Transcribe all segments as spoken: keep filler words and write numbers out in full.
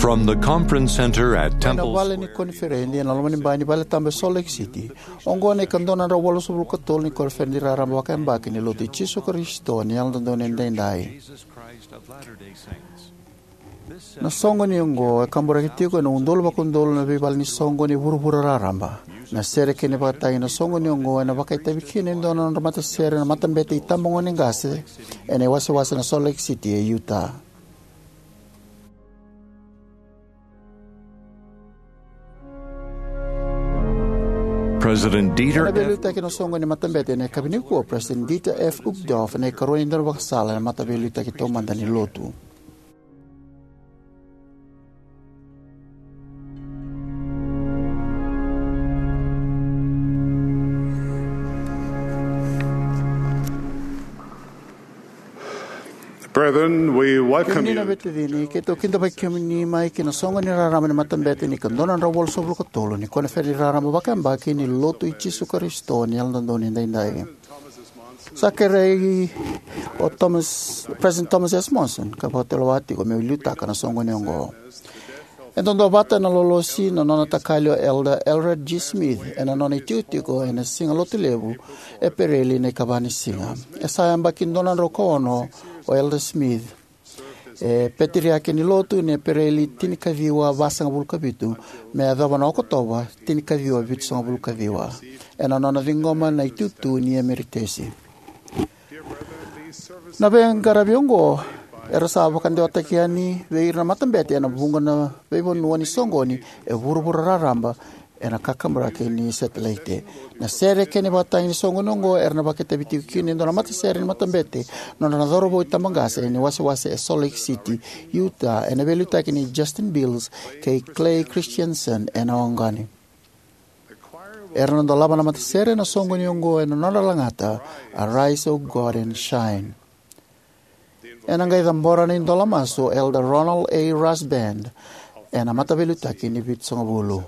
From the conference center at Temple Square, vale ni koniferedi ena loma ni bai ni vale tabu e Salt Lake City, oqo na ikadua na drau walusagavulu ka tolu ni koniferedi raraba vakayabaki ni Lotu i Jisu Karisito ni Yalododonu Edaidai. Na soqoni oqo e kaburaki tiko ena udolu vakaudolu na veivale ni soqoni e vuravura raraba. Na sere kei na ivakatagi ena soqoni oqo ena vakaitavi kina e dua na nodra matasere na matabete itabagone qase ena iwasewase na Salt Lake City e Utah. President Dieter Ena veiliutaki ena soqoni ni matabete ena yakavi nikua, President Dieter F. Uchtdorf ena ikarua ni daunivakasala ena mataveiliutaki taumada ni Lotu. Brethren, we welcome Kemuni na you. Veitacini, keitou kidavaki kemuni mai ki na soqoni raraba ni matabete ni ikadua na drau walusagavulu ka tolu ni koniferedi raraba vakayabaki ni Lotu i Jisu Karisito ni Yalododonu Edaidai. Sa kerei o Thomas, President Thomas S. Monson ka vakatulewa tiko meu liutaka na soqoni oqo. E duavata ena lolosi na nona takali o Elder Eldred G. Smith ena nona itikotiko ena Siga Lotulevu, Epereli na ikava ni siga. E sa yabaki dua na drau ka ono o Elder Smith. E peteriaki ni Lotu ni Epereli tinikaciwa vasagavulu ka vitu me yacova na Okotova tinikaciwa vitusagavulu ka ciwa, ena nona ciqoma na itutu ni emeritesi. Na veiqaravi oqo era sa vakadewataki yani vei ira na matabete ena vuqa na veivanua ni soqoni e vuravura raraba ena kakaburaki ni setilaite. Na sere kei na ivakatagi ni soqoni oqo era na vakaitavi tiko kina e dua na matasere ni matabete nodra na cauravou itabaqase ena iwasewase e Salt Lake City, Utah, ena veiliutaki nei Justin Beals kei Clay Christensen ena oqani. Era na dolava na matasere ena soqoni oqo ena nodra lagata Arise, O God, and Shine. Ena qai cabora na idola masu o Elder Ronald A. Rasband ena mataveiliutaki ni vitusagavulu.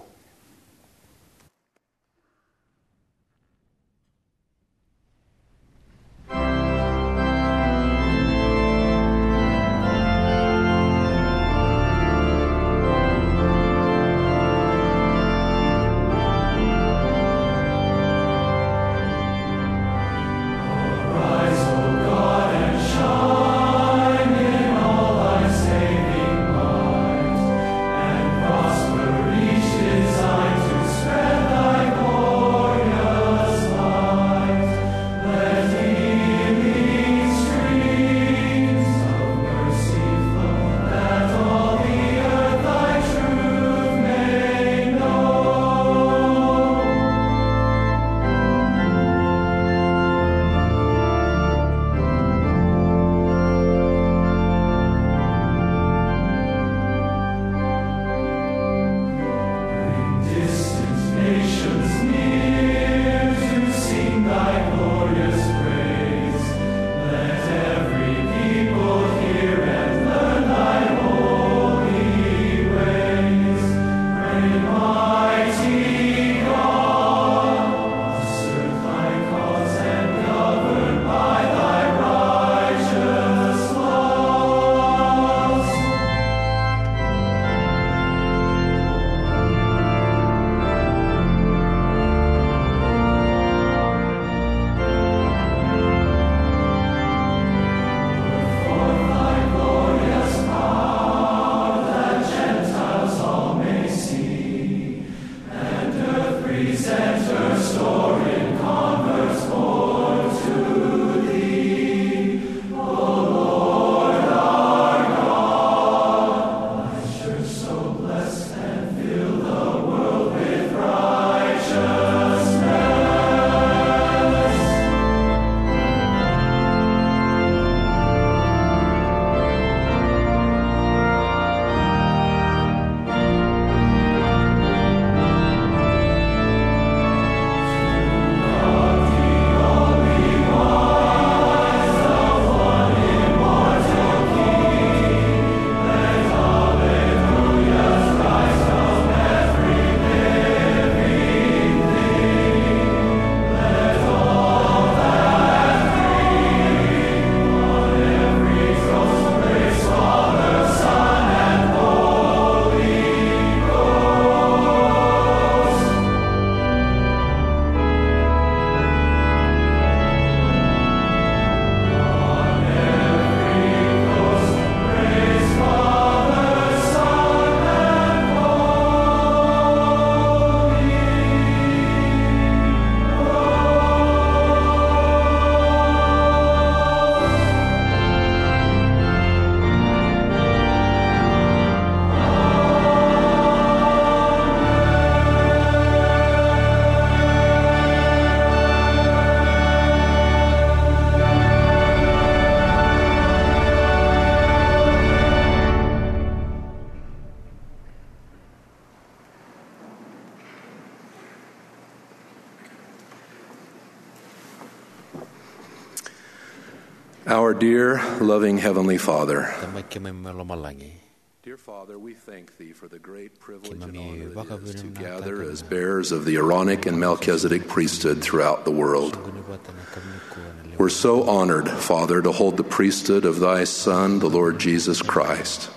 Our dear, loving Heavenly Father, Tamai keimami mai lomalagi, dear Father, we thank thee for the great privilege and honor it is to gather as bearers of the Aaronic and Melchizedek priesthood throughout the world. We're so honored, Father, to hold the priesthood of thy Son, the Lord Jesus Christ.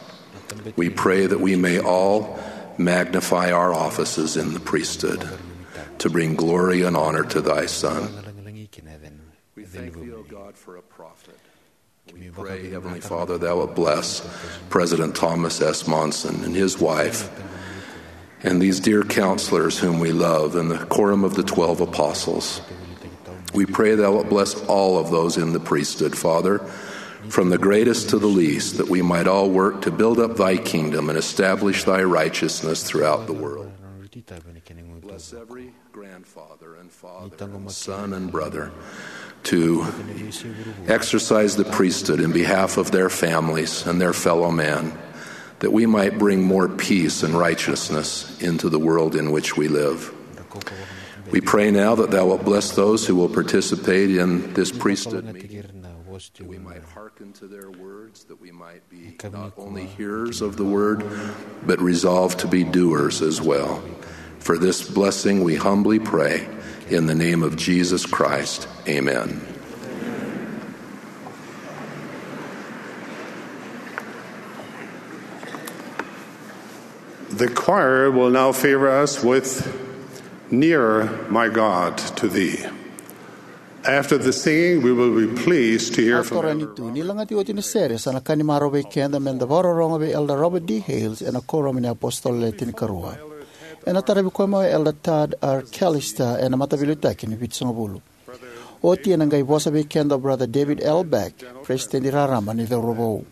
We pray that we may all magnify our offices in the priesthood to bring glory and honor to thy Son. We thank thee, O God, for a prophet. We pray, Heavenly Father, thou wilt bless President Thomas S. Monson and his wife, and these dear counselors whom we love, and the quorum of the twelve apostles. We pray thou wilt bless all of those in the priesthood, Father, from the greatest to the least, that we might all work to build up thy kingdom and establish thy righteousness throughout the world. Bless every grandfather and father and son and brother to exercise the priesthood in behalf of their families and their fellow man, that we might bring more peace and righteousness into the world in which we live. We pray now that thou wilt bless those who will participate in this priesthood meeting, that we might hearken to their words, that we might be not only hearers of the word, but resolved to be doers as well. For this blessing we humbly pray in the name of Jesus Christ. Amen. The choir will now favor us with Nearer, My God, to Thee. After the singing, we will be pleased to hear from Elder Robert. Ni lagati oti na sere, sa na ka ni marau vei keda me da vakarorogo vei Elder Robert D. Hales ena Kuoramu ni iApositolo Le Tinikarua. Ena taravi koya mai o Elder Tad R. Callister ena Mataveiliutaki ni Vitusagavulu. Oti ena qai vosa vei keda o Brother David L. Beck, Peresitedi Raraba ni Cauravou.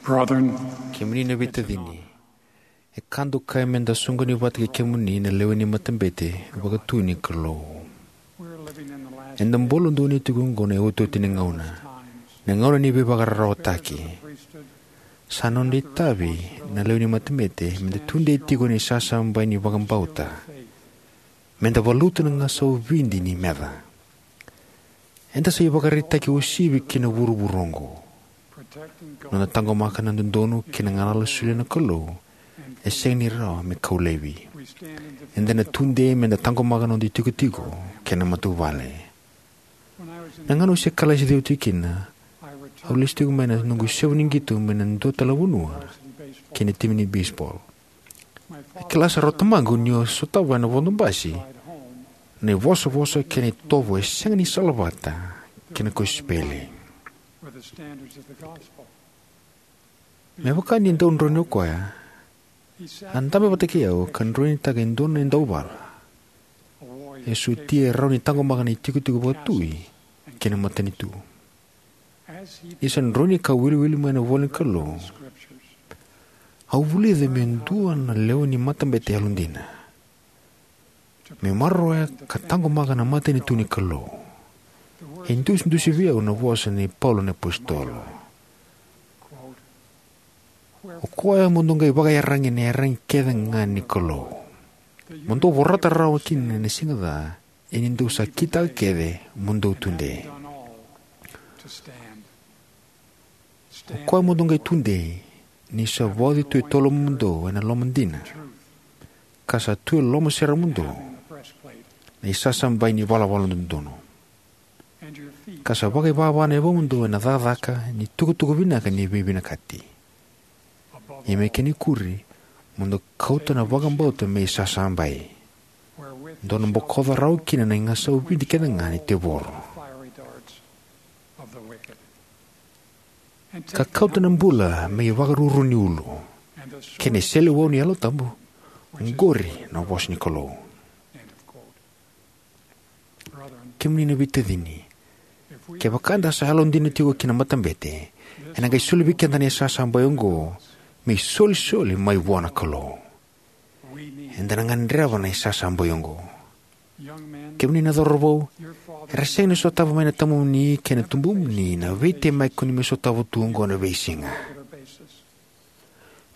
Brethren, kemuni na veitacini, e ka dokai me da soqoni vata kei kemuni na lewe ni matabete vaka-Tu ni Kalou. Eda bula donuya tiko oqo na iotioti ni gauna, na gauna ni veivakararawataki. Sa noda itavi na lewe ni matabete me da tudei tiko ena isasabai ni vakabauta, me da valuta na gasau vidi ni meca. Eda sa ivakaraitaki uasivi ki na vuravura oqo. Noda taqomaka na dodonu kei na galala solia na Kalou e sega ni rawa me kau laivi. Eda na tudei me da taqomaka noda itikotiko kei na matavuvale. Na gauna au se kalasi cegu tiko kina, au lesu tiko mai na noqu isevu ni qito mai na dua tale na vanua ki na timi ni beisebol. E kila sara o tamaqu ni o sotava ena vodo basi na ivosavosa kei na itovo e sega ni salavata kei na kosipeli. Me vaka ni dau droini o koya, a dabe vata kei au ka droinitaka e dua na dauvala e sotia e rawa ni taqomaka na itikotiko vakatui kei na matanitu. Ni sa droini ka wiliwili mai na ivola ni Kalou, au vulica me dua na lewe ni matabete yalodina me maroroya ka taqomaka na matanitu ni Kalou. E idusidusi vei au na vosa nei Paula na apositolo: "O koya mo dou qai vakaiyaragi ena iyaragi kece ga ni Kalou, mo dou vorata rawa kina na siga ca, ia ni dou sa kitaka kece mo dou tudei. O koya mo dou qai tudei, ni sa vauci tu e tolomudou ena loma dina, ka sa tu e lomaseremudou na isasabai ni valavala dodonu, ka sa vakaivava na yavamudou ena cakacaka ni tukutuku vinaka ni veivinakati. Ia me kena ikuri, mo dou kauta na vakabauta me isasabai, dou na bokoca rawa kina na igasau vidi kece ga ni tevoro, ka kauta na bula me ivakaruru ni ulu, kei na iseleiwau ni Yalo Tabu." Oqori na vosa ni Kalou. Kemuni na veitacini, kevaka eda sa yalodina tiko ki na matabete, ena qai soli vei keda na isasabai oqo me isolisoli mai vua na Kalou. Eda na gadreva na isasabai oqo. Kemuni na cauravou, era sega ni sotava mai na tamamuni kei na tubumuni na veitemaki ko ni mai sotava tu oqo ena veisiga.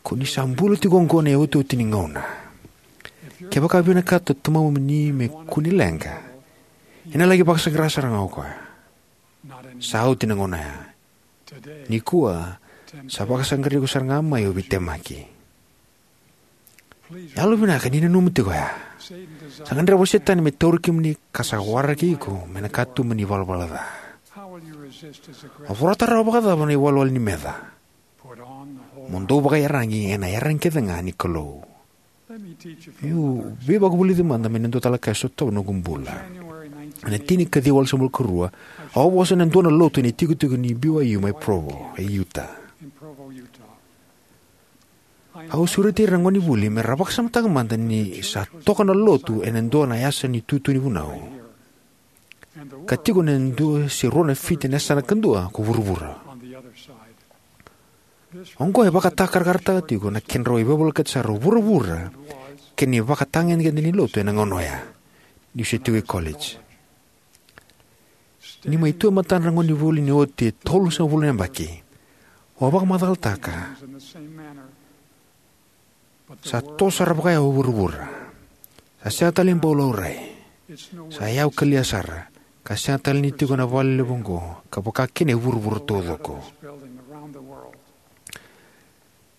Ko ni sa bula tiko oqo ena iotioti ni gauna. Kevaka e vinakata o tamamuni me kua ni leqa, ena laki vakasaqara sara ga o koya. Sa oti na gauna oya. Nikua, sa vakasaqarai iko sara ga mai o veitemaki. Yalovinaka ni nanuma tiko oya. Sa gadreva o Setani me tauri kemuni, ka sa waraki iko mai na katuba ni valavala ca. O vorata rawa vakacava na iwalewale ni meca? Mo dou vakaiyaragi ena iyaragi kece ga ni Kalou. Meu veivakavulici mada mai na dua tale na ka e sotava na noqu bula. Ena tini ka ciwa walusagavulu ka rua, au a vosa ena dua na lotu ena itikotiko ni B Y U mai Provo, e Utah. Au sureti ira na gonevuli me ra vakasamataka mada ni sa toka na lotu ena dua na yasa ni tutu ni vunau, ka tiko ena dua se rua na fiti na yasana kadua ko vuravura. Oqo e vakatakarakarataka tiko na kedrau ivakavolekati sara o vuravura kei na ivakatagedegede ni lotu ena gauna oya, niu se tiko e college. Ni mai tu e matadra na gonevuli ni oti e tolusagavulu na yabaki, au a vakamacalataka: "Sa toso sara vakayawa o vuravura. Sa sega tale ni bau laurai. Sa yawa kalia sara, ka sega tale ni tiko na vale levu oqo, ka vaka kina e vuravura taucoko."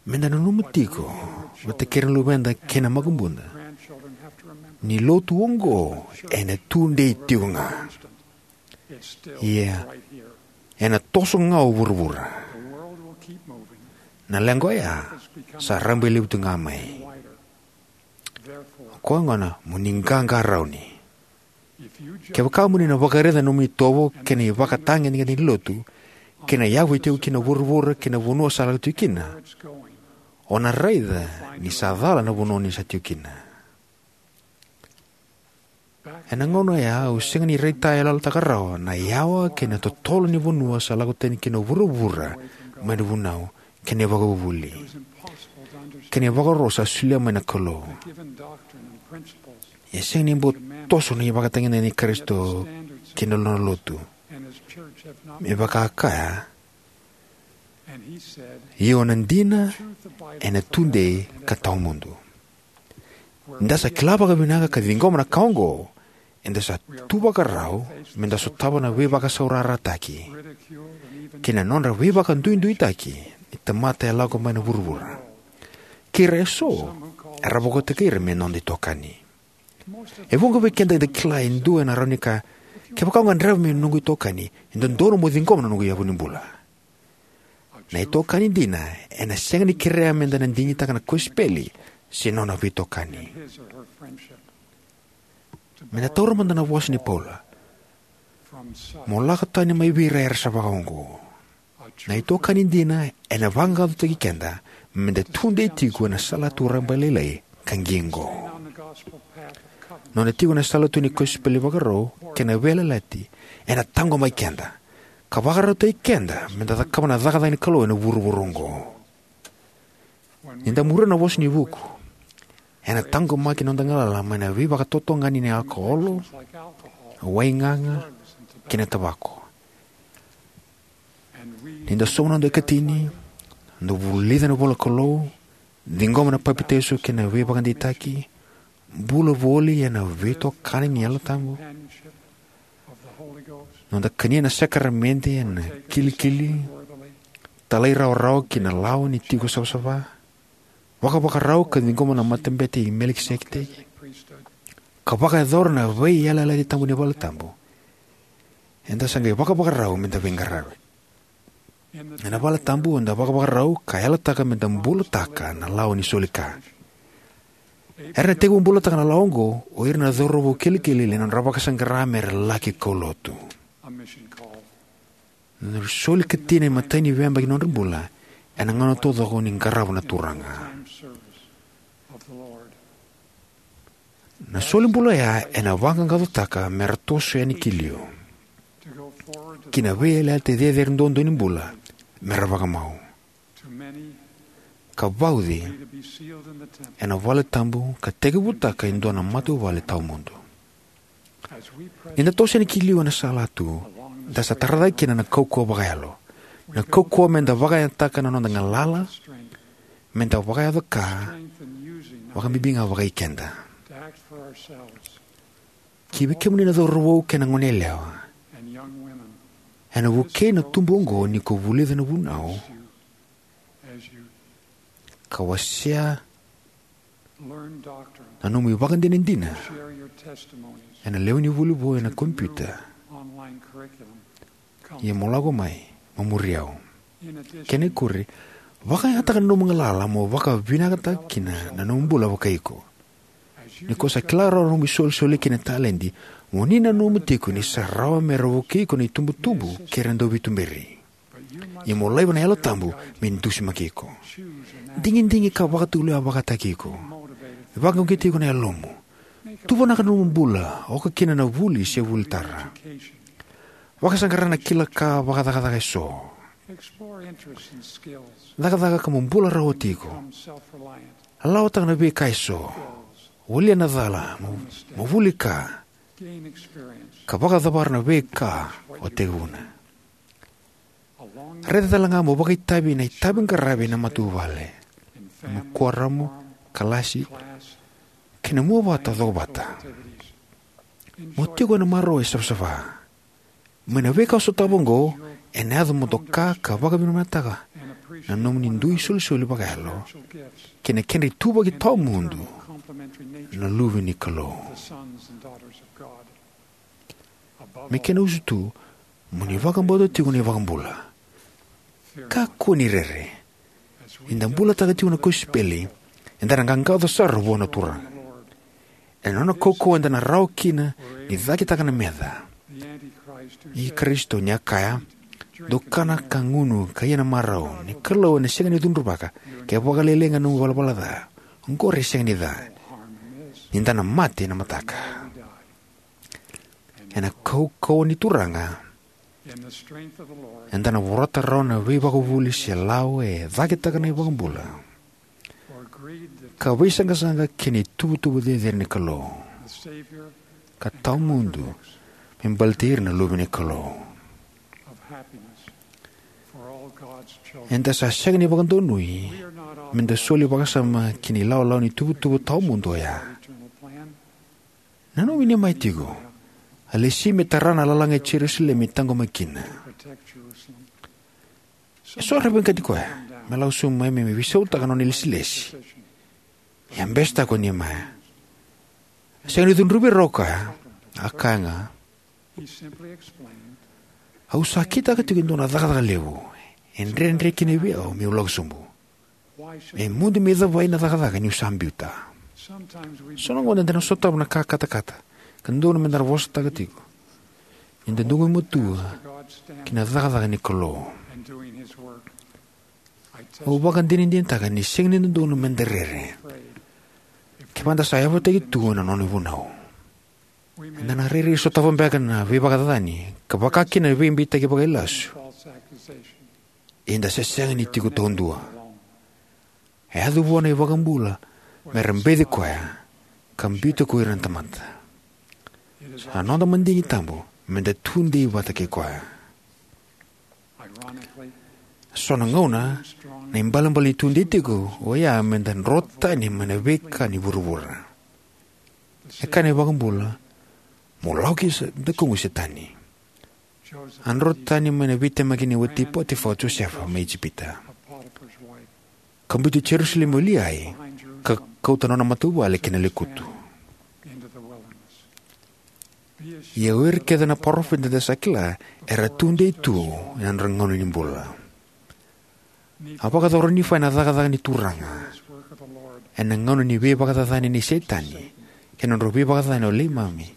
Me da nanuma tiko vata kei ira na luveda kei na makubuda ni lotu oqo ena tudei tiko ga. Ia, ena toso ga o vuravura. Na leqa oya sa rabailevu tu ga mai. O koya gona mo ni qaqarauni. Kevaka mo ni na vakaraica na nomuni itovo kei na ivakatagedegede ni lotu, kei na yavu e tiko kina na vuravura kei na vanua sa lako tiko kina, o na raica ni sa cala na vanua ni sa tiko kina. Ena gauna oya au sega ni raitayaloyalotaka rawa na yawa kei na totolo ni vanua sa lako tani kina o vuravura mai na vunau, kei na ivakavuvuli, kei na ivakaro sa solia mai na Kalou. E sega ni bau toso na ivakatagedegede i Karisito kei na nona lotu, me vaka a kaya, "Ia na dina ena tudei ka tawamudu." Ni da sa kila vakavinaka ka ciqoma na ka oqo, eda sa tu vakarau me da sotava na veivakasaurarataki kei na nodra veivakaduiduitaki ni tamata e lako mai na vuravura, kei ira eso era vakoti ira me noda itokani. E vuqa vei keda eda kila e dua ena rawa ni kaya, "Kevaka o gadreva me noqu itokani, e dodonu mo ciqoma na noqu yavu ni bula." Na itokani dina ena sega ni kerea me da na digitaka na kosipeli se nona veitokani. Me da taura mada na vosa ni Paula: "Mo lako tani mai vei ira era sa vakaoqo." Na itokani dina ena vaqaqacotaki keda me da tudei tiko ena salatu rabailailai ka qiqo. Noda tiko ena salatu ni kosipeli vakarau kei na veiyalayalati ena taqomaki keda ka vakarautaki keda me da cakava na cakacaka ni Kalou ena vuravura oqo. Ni da muria na vosa ni vuku, ena taqomaki noda galala mai na veivakatotogani ni alkoholo, waigaga, kei na tavako. Ni da sauma noda ikatini, da vulica na ivolanikalou, ciqoma na papitaiso kei na veivakadeitaki, bula voli ena veitokani ni Yalo Tabu, noda kania na sakaramede ena kilikili, talairawarawa ki na lawa ni tiko savasava, vakavakarau ka ciqoma na Matabete i Melikiseteki, ka vakayacora na veiyalayalati tabu ni valetabu, eda sa qai vakavakarau me da veiqaravi. Ena valetabu eda vakavakarau ka yalataka me da bulataka na lawa ni soli ka. Era na tekivu bulataka na lawa oqo o ira na cauravou kilikili ena nodra vakasaqara me ra laki kaulotu. Na soli ikatini e matai ni veiyabaki ni nodra bula ena gauna taucoko ni qarava na Turaga. Na soli bula oya ena vaqaqacotaka me ra toso yani ki liu ki na veiyalayalati cecere duadua ni bula, me ra vakamau ka vauci ena valetabu ka tekivutaka e dua na matavuvale tawamudu. Ni da toso yani ki liu ena salatu, da sa tara cake kina na kaukauwa vakayalo, na kaukauwa me da vakayagataka na noda galala me da vakayaco ka, vakabibi ga vakai keda. Ki vei kemuni na cauravou kei na goneyalewa, ena vukei na tubu oqo ni ko vulica na vunau, ka wasea na nomu ivakadinadina ena lewe ni vuli vou ena kompiuta. Ia mo lako mai, mo muri au. Kena ikuri, vakayagataka na nomu galala mo vakavinakataka kina na nomu bula vakai iko. Ni ko sa kila rawa na nomu isolisoli kei na taledi, mo ni nanuma tiko ni sa rawa me ra vukei iko na itubutubu kei ira na dauveituberi. Ia mo laiva na Yalo Tabu me dusimaki iko. Digidigi ka vakatulewa vakataki iko. Vakauqeti iko na yalomu. Tuvanaka na nomu bula, oka kina na vuli se vuli tara. Vakasaqara na kila ka vakacakacaka eso. Cakacaka ka mo bula rawati iko. Lawataka na veika eso. Volia na cala, mo, mo vuli ka, ka vakacavara na veika o tekivuna. Raica tale ga mo vakaitavi ena itavi qaravi ena matavuvale, mo kuoramu, kalasi, kei na mua vata, cokovata. Mo tiko ena marau e savasava. Mai na veika o sotava oqo, ena yaco mo doka ka vakavinavinakataka na nomuni dui isolisoli vakayalo kei na kedra ituvaki tawamudu na luve ni Kalou. Me kena usutu, mo ni vakabauta tiko na iVakabula. Kakua ni rere. Ni da bulataka tiko na kosipeli, eda na qaqaco sara vua na Turaga. Ena nona kaukauwa eda na rawa kina ni cakitaka na meca. I Karisito ni a kaya, "Dou kana ka gunu ka ia na marau, ni Kalou ena sega ni cudruvaka, ke vakalailai ga na nomu ivalavala ca, oqori e sega ni ca. Ni da na mate ena mataka." Ena kaukauwa ni Turaga, Eda na vorata rawa na veivakavuvuli se lawa e cakitaka na iVakabula, ka veisaqasaqa kei na ituvatuva cecere ni Kalou ka tawamudu me baleti ira na luve ni Kalou. Eda sa sega ni vakadonui meda soli vakasama ki na ilawalawa ni tuvatuva tawamudu oya. Nanumi Niemaia tiko. A lesi me tara na lalaga i Jerusalemi e taqomaki kina. Eso era veiqati koya me lako sobu mai me veisautaka na nona ilesilesi. Ia a besetaka o Niemaia. A sega ni cudruvi ira o koya. A kaya ga, au sa kitaka tiko e dua na cakacaka levu e dredre kina vei au meu lako sobu. E mudu me cavai na cakacaka niu sa biuta. So na gauna eda na sotava na ka katakata ka dodonu meda na vosataka tiko ni da dau gumatua ki na cakacaka ni Kalou. Au vakadinadinataka ni sega ni dodonu meda rere kevaka da sa yavutaki tu ena nona ivunau. Eda na rairai sotava beka na veivakacacani ka vaka kina na veibeitaki vakailasu. Ia eda se sega ni tiko taudua. E yaco vua na iVakabula me ra beci koya ka biuta ko ira na tamata. Sa noda madigi tabu meda tudei vata kei koya. So na gauna na ibalebale ni tudei tiko oya meda dro tani mai na veika ni vuravura. E kaya na iVakabula, mo lako ki sa dakuqu Setani. A dro tani mai na veitemaki ni wati Potifa o Josefa mai Ijipita. Ka biuti Jerusalemi o Liai ka kauta nona matavuvale ki na lekutu. Ia o ira kece na parofita eda sa kila era tudei tu ena nodra gauna ni bula. A vakayacora o Nifai na cakacaka ni Turaga ena gauna ni veivakacacani nei Setani kei na nodra veivakacacani o Leimami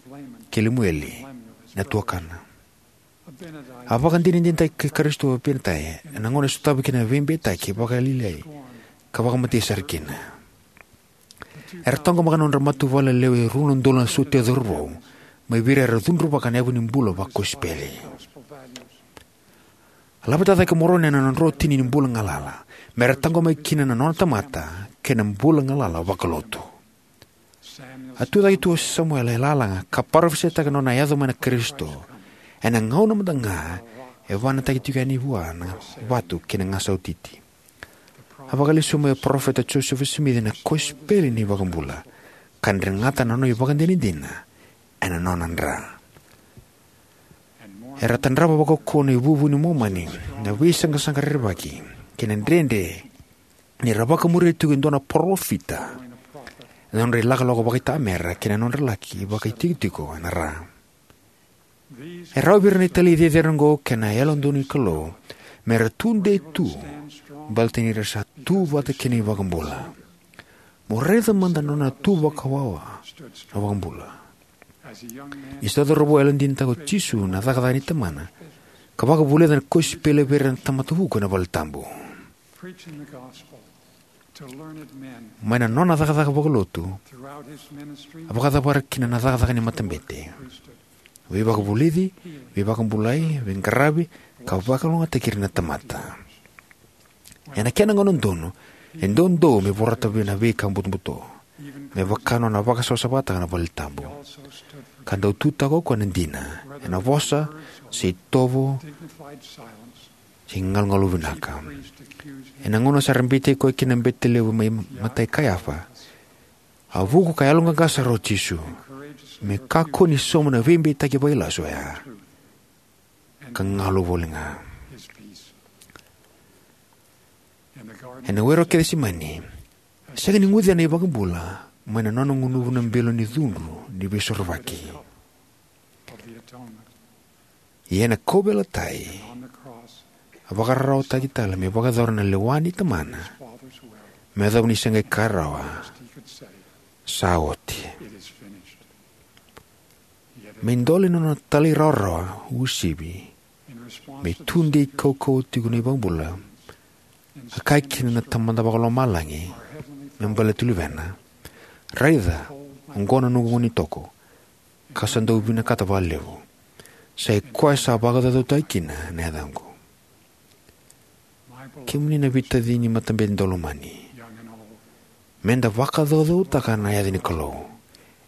kei Lemueli na tuakana. A vakadinadinataki Karisito o Apinatai ena gauna e sotava kina na veibeitaki vakalialiai ka vakamatei sara kina. Era taqomaka na nodra matavuvale lewe rua na udolu na sotia cauravou mai vei ira era cudruvaka na yavu ni bula vakosipeli. A laveta cake o Moroni ena nona dro tini ni bula galala me ra taqomaki kina na nona tamata kei na bula galala vakalotu. A tucake tu o Samuela e lalaga ka parofisaitaka na nona yaco mai na Karisito ena gauna mada ga e vanataki tiko yani vua na vatu kei na gasau titi. A vakalesuya mai o Parofita Josefa Simici na kosipeli ni iVakabula ka dregata na nona ivakadinadina ena nona dra. Era tadrava vakaukauwa na ivuvu ni Momani na veisaqasaqa rerevaki kei na dredre ni ra vakamuria tiko e dua na parofita ena nodra ilakolako vakaitamera kei na nodra laki vakaitikotiko ena ra. E rawa vei ira na italai cecere oqo kei na Yalododonu ni Kalou me ra tudei tu baleta ni ra sa tu vata kei na iVakabula. Mo raica mada na nona tu vakawawa na iVakabula. Ni sa cauravou, a yalodinataka o Jisu na cakacaka nei Tamana ka vakavulica na kosipeli vei ira na tamata vuku ena valetabu. Mai na nona cakacaka vakalotu, a vakacavara kina na cakacaka ni matabete, veivakavulici, veivakabulai, veiqaravi, ka vakalougatataki ira na tamata. Ena kena gauna donu, e doudou me vorata vei na veika butobuto, me vaka na nona vakasavasavataka na valetabu. Ka dau tutaka o koya na dina ena vosa, se itovo, se galugalu vinaka. Ena gauna sa ra beitaki koya kina na bete levu mai matai Kaiafa, a vuku ka yaloqaqa sara o Jisu me kakua ni sauma na veibeitaki vakailasu oya ka galu voli ga. Ena were o Kecisemani, sega ni gucia na iVakabula mai na nona gunuva na bilo ni cudru ni veisorovaki. Ia ena kauveilatai, a vakararawataki tale me vakayacora na lewa ni Tamana, me yacova ni se qai kaya rawa, sa oti. Me idola ni nona talairawarawa uasivi me tudei kaukauwa tiko na iVakabula, a kaya kina na Tamada Vakalomalagi me baleta na Luvena, raica, oqo na noqu gone ni toko, ka sa dau vinakata vakalevu. Sa i koya sa vakacaucautaki kina na yacaqu. Kemuni na veitacini matabete daulomani, meda vakacaucautaka na yaca ni Kalou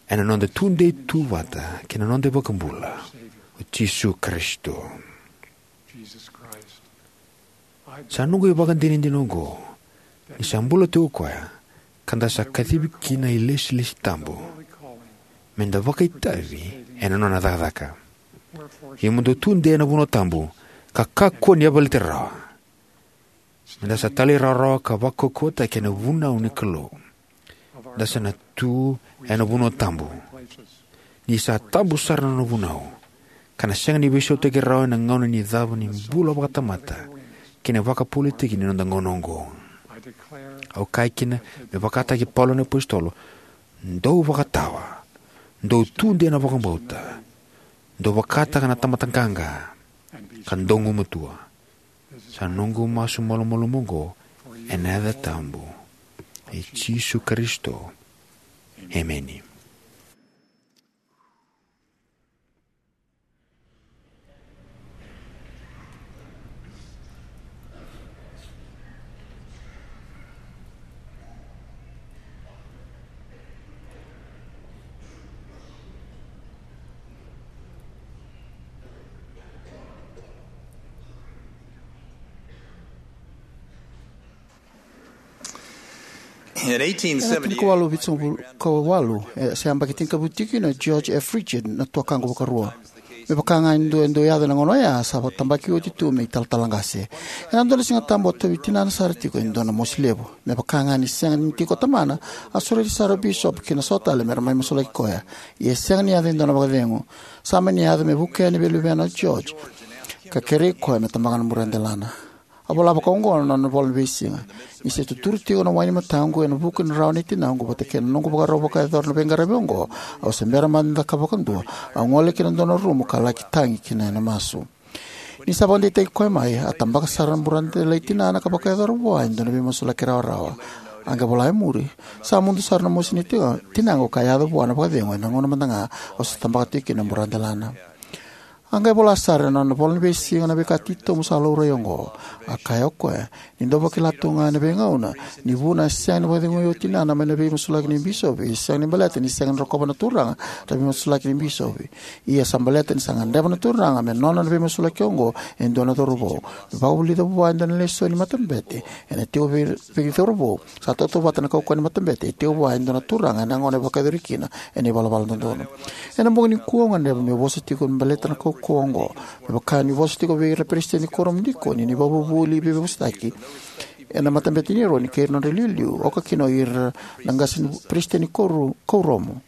ena noda tudei tu vata kei na noda iVakabula, o Jisu Karisito. Sa noqu ivakadinadina oqo ni sa bula tiko o koya, ka da sa kacivi ki na ilesilesi tabu, meda vakaitavi ena nona cakacaka. Ia mo dou tudei ena vanua tabu, ka kakua ni yavalati rawa. Meda sa talairawarawa ka vakaukauwataki ena vunau ni Kalou. Da sa na tu ena vanua tabu, ni sa tabu sara na nona vunau, ka na sega ni veisautaki rawa ena gauna ni cava ni bula vakatamata kei na vakapolitiki ni noda gauna oqo. Au kaya kina me vakataki Paula na apositolo: Dou vakatawa, dou tudei ena vakabauta, dou vakataka na tamata qaqa, ka dou gumatua. Sa noqu masu malumalumu oqo ena yaca tabu i Jisu Karisito. Emeni. In eighteen seventy, ena tini ka walu vitusagavulu ka walu, e, se yabaki tinikavitu tiko kina o George F. Richard, na tuakaqu vakarua. Me vaka ga e dua e dau yaco ena gauna oya, sa vakatabaki oti tu me italatala qase. Ena dua na Siga Tabu, a tauvi tinana sara tiko e dua na mosi levu. Me vaka ga ni sega ni tiko o tamana, a sureti sara o bisopi kei na so tale me ra mai masulaki koya. Ia e sega ni yaco e dua na vakacegu. Sa mani yaco me vuke yani vei luvena o George, ka kerei koya me tabaka na buradelana. A vola vakaoqo na nona ivola ni veisiga: Ni se tuturu tiko na wai ni mataqu ena vuku ni rarawa nei tinaqu vata kei na noqu vakarau vakayacora na veiqaravi oqo, au se bera mada ni cakava vakadua. Au gole ki na dua na rumu ka laki tagi kina ena masu. Ni sa vakadeitaki koya mai, a tabaka sara na buradela i tinana ka vakayacora vua e dua na veimasulaki rawarawa. A qai vola e muri: Sa mudu sara na mosi nei tina-, tinaqu ka yaco vua na vakacegu ena gauna mada ga au se tabaka tiko kina na buradelana. A qai vola sara ena nona ivola ni veisiga na veika titobu sa laurai oqo. A kaya o koya: Ni dau vakila tu ga ena veigauna ni vuna e sega ni vakacegui o tinana mai na veimasulaki ni bisopi, e sega ni baleta ni sega ni rokova na Turaga na veimasulaki ni bisopi. Ia sa baleta ni sa gadreva na Turaga me nona na veimasulaki oqo e dua na cauravou, me vakavulica vua e dua na lesoni ni matabete ena tiko vei, vei cauravou. Sa tautauvata na kaukauwa ni matabete e tiko vua e dua na turaga ena gauna e vakayacori kina ena ivalavala dodonu. Ena bogi nikua au gadreva meu vosa tiko baleta na kaukauwa oqo, me vaka niu vosa tiko vei ira na peresitedi ni kuoramu ni dikoni, na ivakavuvuli, veivosaki ena matabete ni Eroni kei ira na nodra iliuliu, oka kina o ira na qase ni peresitedi ni kuoramu.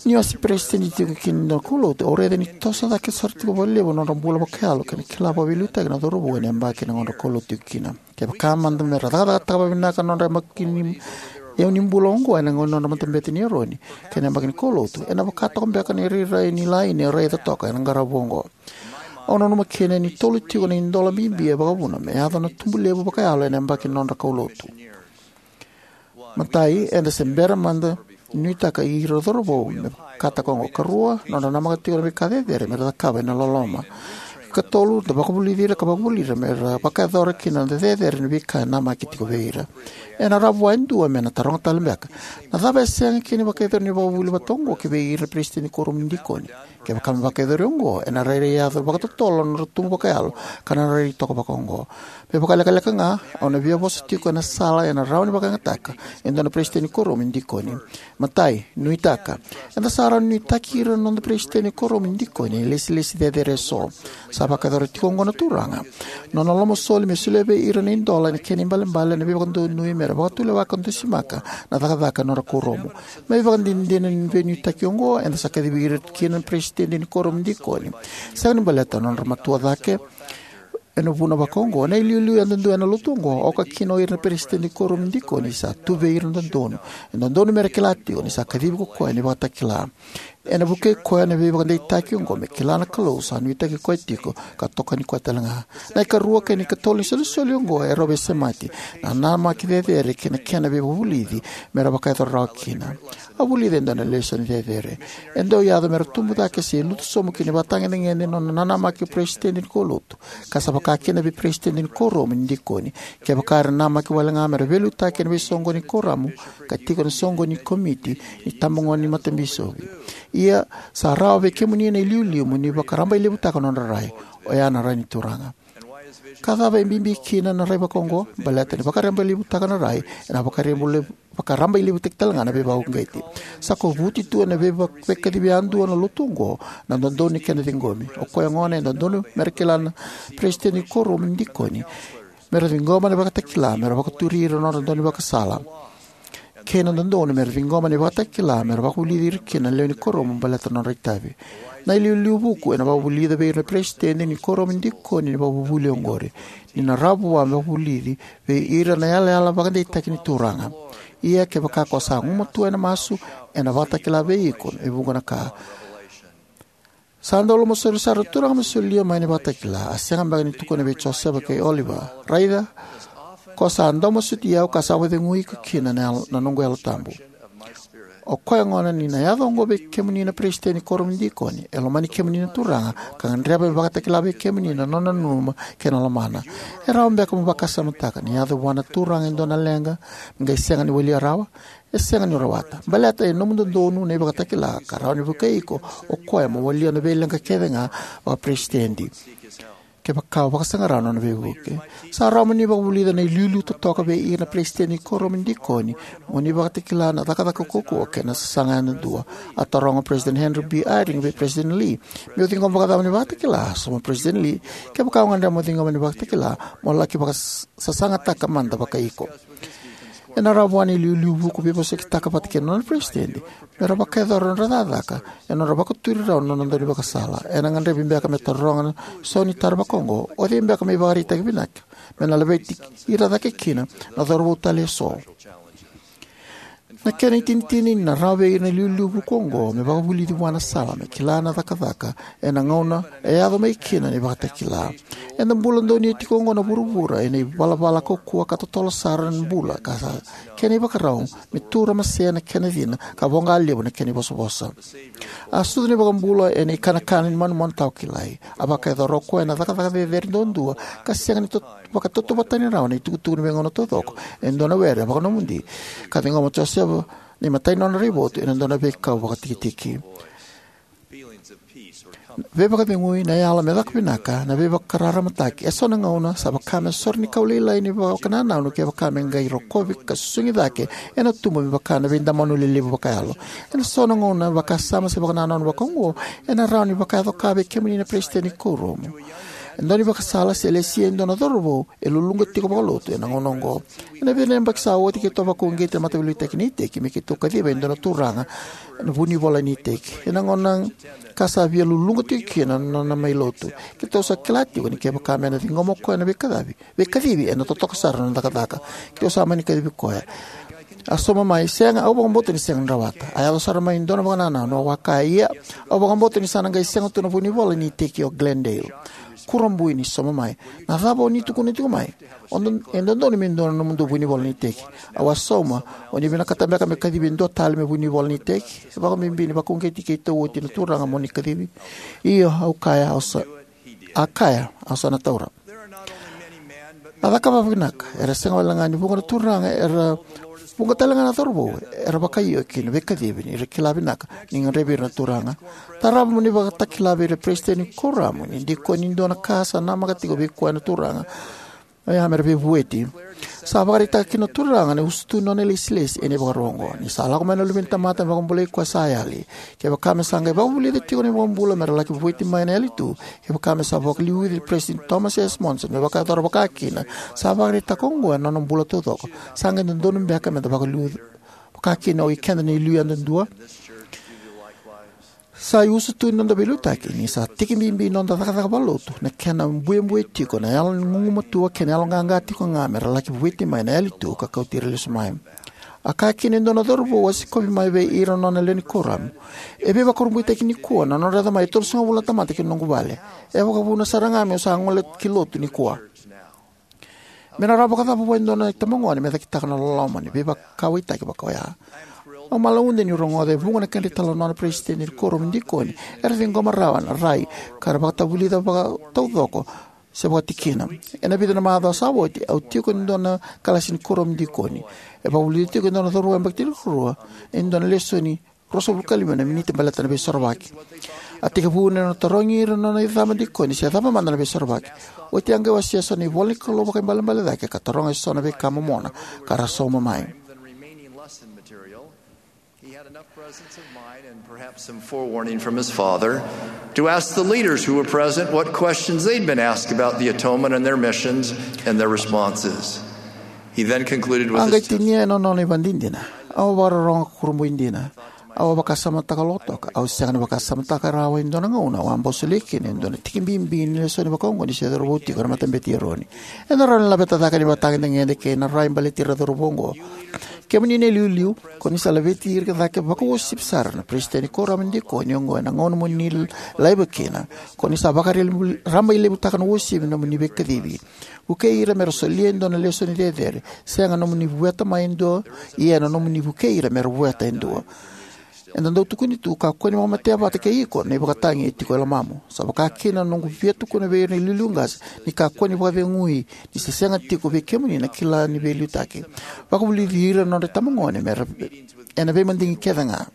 Niu a se peresitedi tiko kina na kaulotu, au raica ni toso cake sara tiko vakalevu na nodra bula vakayalo kei na kila vakaveiliutaki na cauravou ena yabaki na nodra kaulotu tiko kina. Kevaka mada me ra cakacakataka vakavinaka na nodra yabaki ni, iyau ni bula oqo ena gauna ni nodra matabete ni Eroni kei na yabaki ni kaulotu, ena vaka toka beka na irairai ni laini e raica toka ena qaravi oqo. Au nanuma kina ni tolu tiko na idola bibi e vakavuna me yaco na tubu levu vakayalo ena yabaki ni nodra kaulotu. Matai, eda se bera mada ni nuitaka ira na cauravou me vakataka oqo. Karua, nodra namaka tiko na veika cecere me ra cakava ena loloma. Katolu, da vakavulici ira ka vakavuli ira me ra vakayacora kina na cecere na veika e namaki tiko vei ira. Ena rawa vua e dua me na taroga tale beka: Na cava e sega kina ni vakayacori ni vakavuvuli vata oqo ki vei ira na peresitedi ni kuoramu ni dikoni? Kevaka me vakayacori oqo, ena rairai yaco vakatotolo na nodra tubu vakayalo ka na rairai toka vakaoqo. Me vakalekaleka ga, au na via vosa tiko ena sala ena rawa ni vakayagataka e dua na peresitedi ni kuoramu ni dikoni. Matai, nuitaka. Eda sa rawa ni nuitaki ira na noda peresitedi ni kuoramu ni dikoni ena ilesilesi cecere eso. Sa vakayacora tiko oqo na Turaga. Nona lomasoli me solia vei ira na idola ena kena ibalebale na veivakadonui me ra vakatulewa ka dusimaka na cakacaka ena nodra kuoramu. Me ivakadinadina ni veinuitaki oqo, eda sa kacivi ira kina na peresitedi ni kuoramu ni dikoni, sega ni baleta na nodra matua cake ena vuna vakaoqo. Na iliuliu yadudua ena lotu oqo, oka kina o ira na peresitedi ni kuoramu ni dikoni, sa tu vei ira na dodonu. E dodonu me ra kila tiko ni sa kacivi ko koya na ivakatakila. Ena vukei koya na veivakadeitaki oqo me kila na Kalou sa nuitaki koya tiko ka tokoni koya talega. Na ikarua kei na ikatolu ni isolisoli oqo e rau veisemati: na nanamaki cecere kei na kena veivakavulici me ra vakayacora rawa kina. Au vulica e dua na lesoni cecere. E dau yaco me ra tubu cake se lutu sobu ki na ivakatagedegede na nona nanamaki o peresitedi ni kaulotu, ka sa vaka kina vei peresitedi ni kuoramu ni dikoni, kevaka era namaki wale ga me ra veiliutaki ena veisoqoni ni kuoramu ka tiko ena soqoni ni komiti ni itabagone ni matabisopi. Ia, sa rawa vei kemuni na iliuliu mo ni vakarabailevutaka na nodra rai, oya na rai ni Turaga. Ka cava e bibi kina na rai vakaoqo? Baleta ni vakarabailevutaka na rai, ena vakarabaile-, vakarabailevutaki talega na veivakauqeti. Sa kovuti tu ena veiva-, veikacivi yadua na lotu oqo na dodonu ni kena ciqomi. O koya gona e dodonu me ra kila na peresitedi ni kuoramu ni dikoni me ra ciqoma na ivakatakila me ra vakaturi ira na nodra daunivakasala, kei na dodonu me ra ciqoma na ivakatakila me ra vakavulici ira kina na lewe ni kuoramu baleta na nodra itavi. Na iliuliu vuku ena vakavulica vei ira na peresitedi ni kuoramu ni dikoni na ivakavuvuli oqori, ni na rawa vua me vakavulici vei ira na yalayala vakadeitaki ni Turaga. Ia, kevaka ko sa gumatua ena masu, ena vakatakila vei iko e vuqa na ka. Sa dau lomasoli sara na Turaga me solia mai na ivakatakila. A sega beka ni tukuna vei Josefa kei Oliver: "Raica, ko sa dau masuti au ka sa vakacegui iko kina na yalo, na noqu Yalo Tabu." O koya gona ni na yaco oqo vei kemuni na peresitedi ni kuoramu ni dikoni, e lomani kemuni na Turaga, ka gadreva me vakatakila vei kemuni na nona nanuma kei na lomana. E rawa beka mo vakasamataka ni yaco vua na Turaga e dua na leqa me qai sega ni walia rawa? E sega ni rawata. Baleta e nomu dodonu na ivakatakila ka rawa ni vukei iko o koya mo walia na veileqa kece ga vakaperesitedi, kevaka o vakasaqara na nona veivuke. Sa rawa mo ni vakavulica na iliuliu totoka vei ira na peresitedi ni kuoramu ni dikoni mo ni vakatakila na cakacaka kaukauwa kei na sasaga yadua. A taroga o Peresitedi Henry B. Eyring vei Peresitedi Lee: "Meu ciqoma vakacava na ivakatakila?" A sauma o Peresitedi Lee: "Kevaka o gadreva mo ciqoma na ivakatakila, mo laki vakasasagataka mada vakai iko." Ena rawa vua na iliuliu vuku veivosakitaka vata kei na nona peresitedi me ra vakayacora na nodra cakacaka ena nodra vakaturi rawa na nona daunivakasala. Ena gadrevi beka me taroga na sau ni taro vakaoqo: "O cei beka me ivakaraitaki vinaka me na laveti ira cake kina na cauravou tale eso?" Na kena itinitini, na rawa vei ira na iliuliu vuku oqo me vakavulici vua na sala me kila na cakacaka ena gauna e yaco mai kina na ivakatakila. Eda bula donuya tiko oqo na vuravura ena ivalavala kaukauwa ka totolo sara na bula, ka sa kena ivakarau me tu ramase na kena cina ka voqa levu na kena ivosavosa. A sucu na iVakabula ena ikanakana ni manumanu tawa kilai. A vakayacora o koya na cakacaka cecere duadua ka sega ni tot-, vakatautauvatataki rawa na itukutuku ni veigauna taucoko e dua na were vakanomodi, ka ciqoma o Josefa na imatai ni nona raivotu ena dua na veikau vakatikitiki. Veivakacegui, na yalo me caka vinaka, na veivakararamataki, e so na gauna sa vaka me sore ni kau lailai ni vakanananu kevaka me qai rokovi ka susugi cake, ena tubu me vaka na veidamanu lelevu vakayalo. Ena so na gauna, vakasama se vakanananu vakaoqo ena rawa ni vakayaco ka vei kemuni na peresitedi ni kuoramu. E dua na ivakasala se lesia e dua na cauravou e luluqa tiko vakalotu ena gauna oqo. Ena vica na yabaki sa oti, keitou a vakauqeti na Mataveiliutaki ni Iteki me keitou kaciva e dua na turaga ena vunivola ni iteki. Ena gauna ka sa via luluqa tiko kina na nona mai lotu, keitou sa kila tiko ni kevaka me na ciqoma o koya na veikacivi, veikacivi, ena totoka sara na nona cakacaka. Keitou sa mani kacivi koya. A sauma mai: "Sega, au vakabauta ni sega ni rawata." A yaco sara mai e dua na vakanananu, au a kaya: "Ia, au vakabauta ni sa na qai sega tu na vunivola ni iteki o Glendale." Kurabui ni sauma mai: "Na cava o ni tukuna tiko mai? O do-, e dodonu me dua na nomudou vunivola ni iteki." Au a sauma: "O ni vinakata beka me kacivi e dua tale me vunivola ni iteki?" E vakabibi ni vakauqeti keitou oti na turaga mo ni kacivi. "Io," au kaya, "au sa," a kaya, "au sa na taura." A cakava vinaka. Era sega wale ga ni vuqa na turaga era, vuqa tale ga na cauravou era vakaio ki na veikacivi ni ra kila vinaka ni gadrevi ira na turaga. Tarava mo ni vakatakila vei ira na peresitedi ni kuoramu ni dikoni e dua na ka sa namaka tiko vei koya na turaga, oya me ra veivueti. Sa vakaraitaka kina na turaga na usutu ni nona ilesilesi ena ivakarau oqo: "Ni sa lako mai na Luve ni tamata me vakabulai koya sa yali. Kevaka me sa qai vakavulica tiko na iVakabula me ra laki vueti mai na yali tu, kevaka me sa vakaliuci Peresitedi Thomas S. Monson me vakayacora vakakina, sa vakaraitaka oqo ena nona bula taucoko, sa qai dodonu beka me da vakaliuca vakakina o ikeda na iliu yadudua?" Sa iusutu ni noda veiliutaki ni sa tiki bibi ni noda cakacaka vakalotu na kena buebue tiko na yalo ni gugumatua kei na yaloqaqa tiko ga me ra laki vueti mai na yali tu ka kauti ira lesu mai. A kaya kina e dua na cauravou a sikovi mai vei ira na nona lewe ni kuoramu: "E veivakurabuitaki nikua na nodra yaco mai e tolusagavulu na tamata ki na noqu vale. E vakavuna sara ga meu sa gole ki lotu nikua." Me na rawa vakacava vua e dua na itabagone me cakitaka na loloma ni veivakauwaitaki vaka oya? Au malauda niu rogoca e vuqa na kedra italanoa na peresitedi ni kuoramu dikoni era ciqoma rawa na rai ka ra vakatavulica vakataucoko se vakatikina. Ena vica na macawa sa oti, au tiko ena dua na kalasi ni kuoramu dikoni. E vakavulica tiko e dua na cauravou yabaki tinikarua e dua na lesoni ruasagavulu ka lima na miniti baleta na Veisorovaki. A tekivu ena nona tarogi ira na nona icaba dikoni se cava mada na Veisorovaki. Oti a qai wasea eso na ivola ni Kalou vakaibalebale cake ka taroga eso na veika momona ka ra sauma mai. He had enough presence of mind and perhaps some forewarning from his father to ask the leaders who were present what questions they'd been asked about the atonement and their missions and their responses. He then concluded with A qai his tinia ena nona ivakadinadina: "Au a vakarorogo ka kurabui dina. Au a vakasamataka lotoka. Au sega ni vakasamataka rawa e dua na gauna au a bau solia kina e dua na tiki bibi ni lesoni vakaoqo ni se cauravou tiko ena Matabete i Eroni." Eda rawa ni laveta cake na ivakatagedegede kei na rai baleti ira na cauravou oqo. Kemuni na iliuliu, ko ni sa laveti ira cake vakauasivi sara na peresitedi ni kuoramu dikoni oqo ena gauna mo ni laiva kina. Ko ni sa vakarabailevutaka na uasivi ni nomuni veikacivi. Vukei ira me ra solia e dua na lesoni cecere. Sega nomuni vueta mai e dua, ia na nomuni vukei ira me ra vueta e dua. Eda dau tukuni tu, kakua ni vakamatea vata kei iko na ivakatagi e tiko e lomamu. Sa vaka kina na noqu via tukuna vei ira na iliuliu qase ni kakua ni vakacegui ni se sega tiko vei kemuni na kila ni veiliutaki. Vakavulici ira na nodra itabagone me ra ena veimadigi kece ga.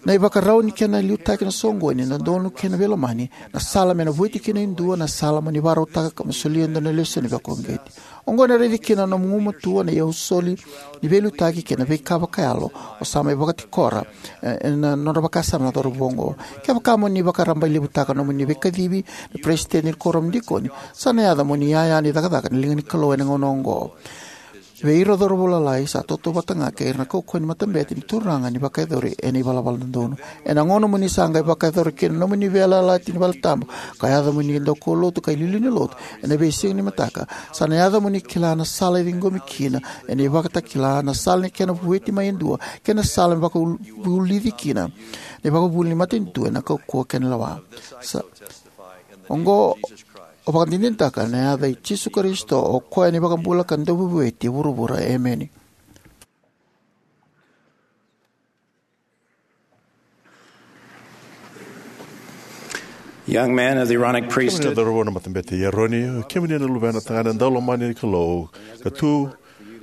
Na ivakarau ni kena liutaki na soqoni, na dodonu kei na veilomani, na sala me na vueti kina e dua, na sala mo ni vakarautaka ka mo solia e dua na lesoni vakauqeti. Oqo ena raici kina na nomu gumatua na iyausoli ni veiliutaki kei na veika vakayalo o sa mai vakatikora, e, ena nodra vakasama na cauravou oqo. Kevaka mo ni vakarabailevutaka nomuni veikacivi na peresitedi ni kuoramu dikoni, sa na yaco mo ni yaya ni cakacaka ni liga ni Kalou ena gauna oqo. Vei ira na cauravou lalai, sa tautauvata ga kei ira na kaukauwa ni matabete ni Turaga ni vakayacori ena ivalavala dodonu. Ena gauna mo ni sa qai vakayacora kina na nomuni veiyalayalati ni valetabu, ka yaco mo ni daukaulotu ka iliuliu ni lotu ena veisiga ni mataka, sa na yaco mo ni kila na sala e ciqomi kina ena ivakatakila, na sala ni kena vueti mai e dua, kei na sala me vakavulici kina na ivakavuvuli ni matanitu ena kaukauwa kei na lewa. Sa, oqo o vakadinadinataka ena yaca i Jisu Karisito, o koya na iVakabula ka Dauveivueti e vuravura. Emeni. Young man of the Aaronic Kemuni priesthood. Na cauravou na matabete i Eroni, kemuni na luvena tagane daulomani ni Kalou, ka tu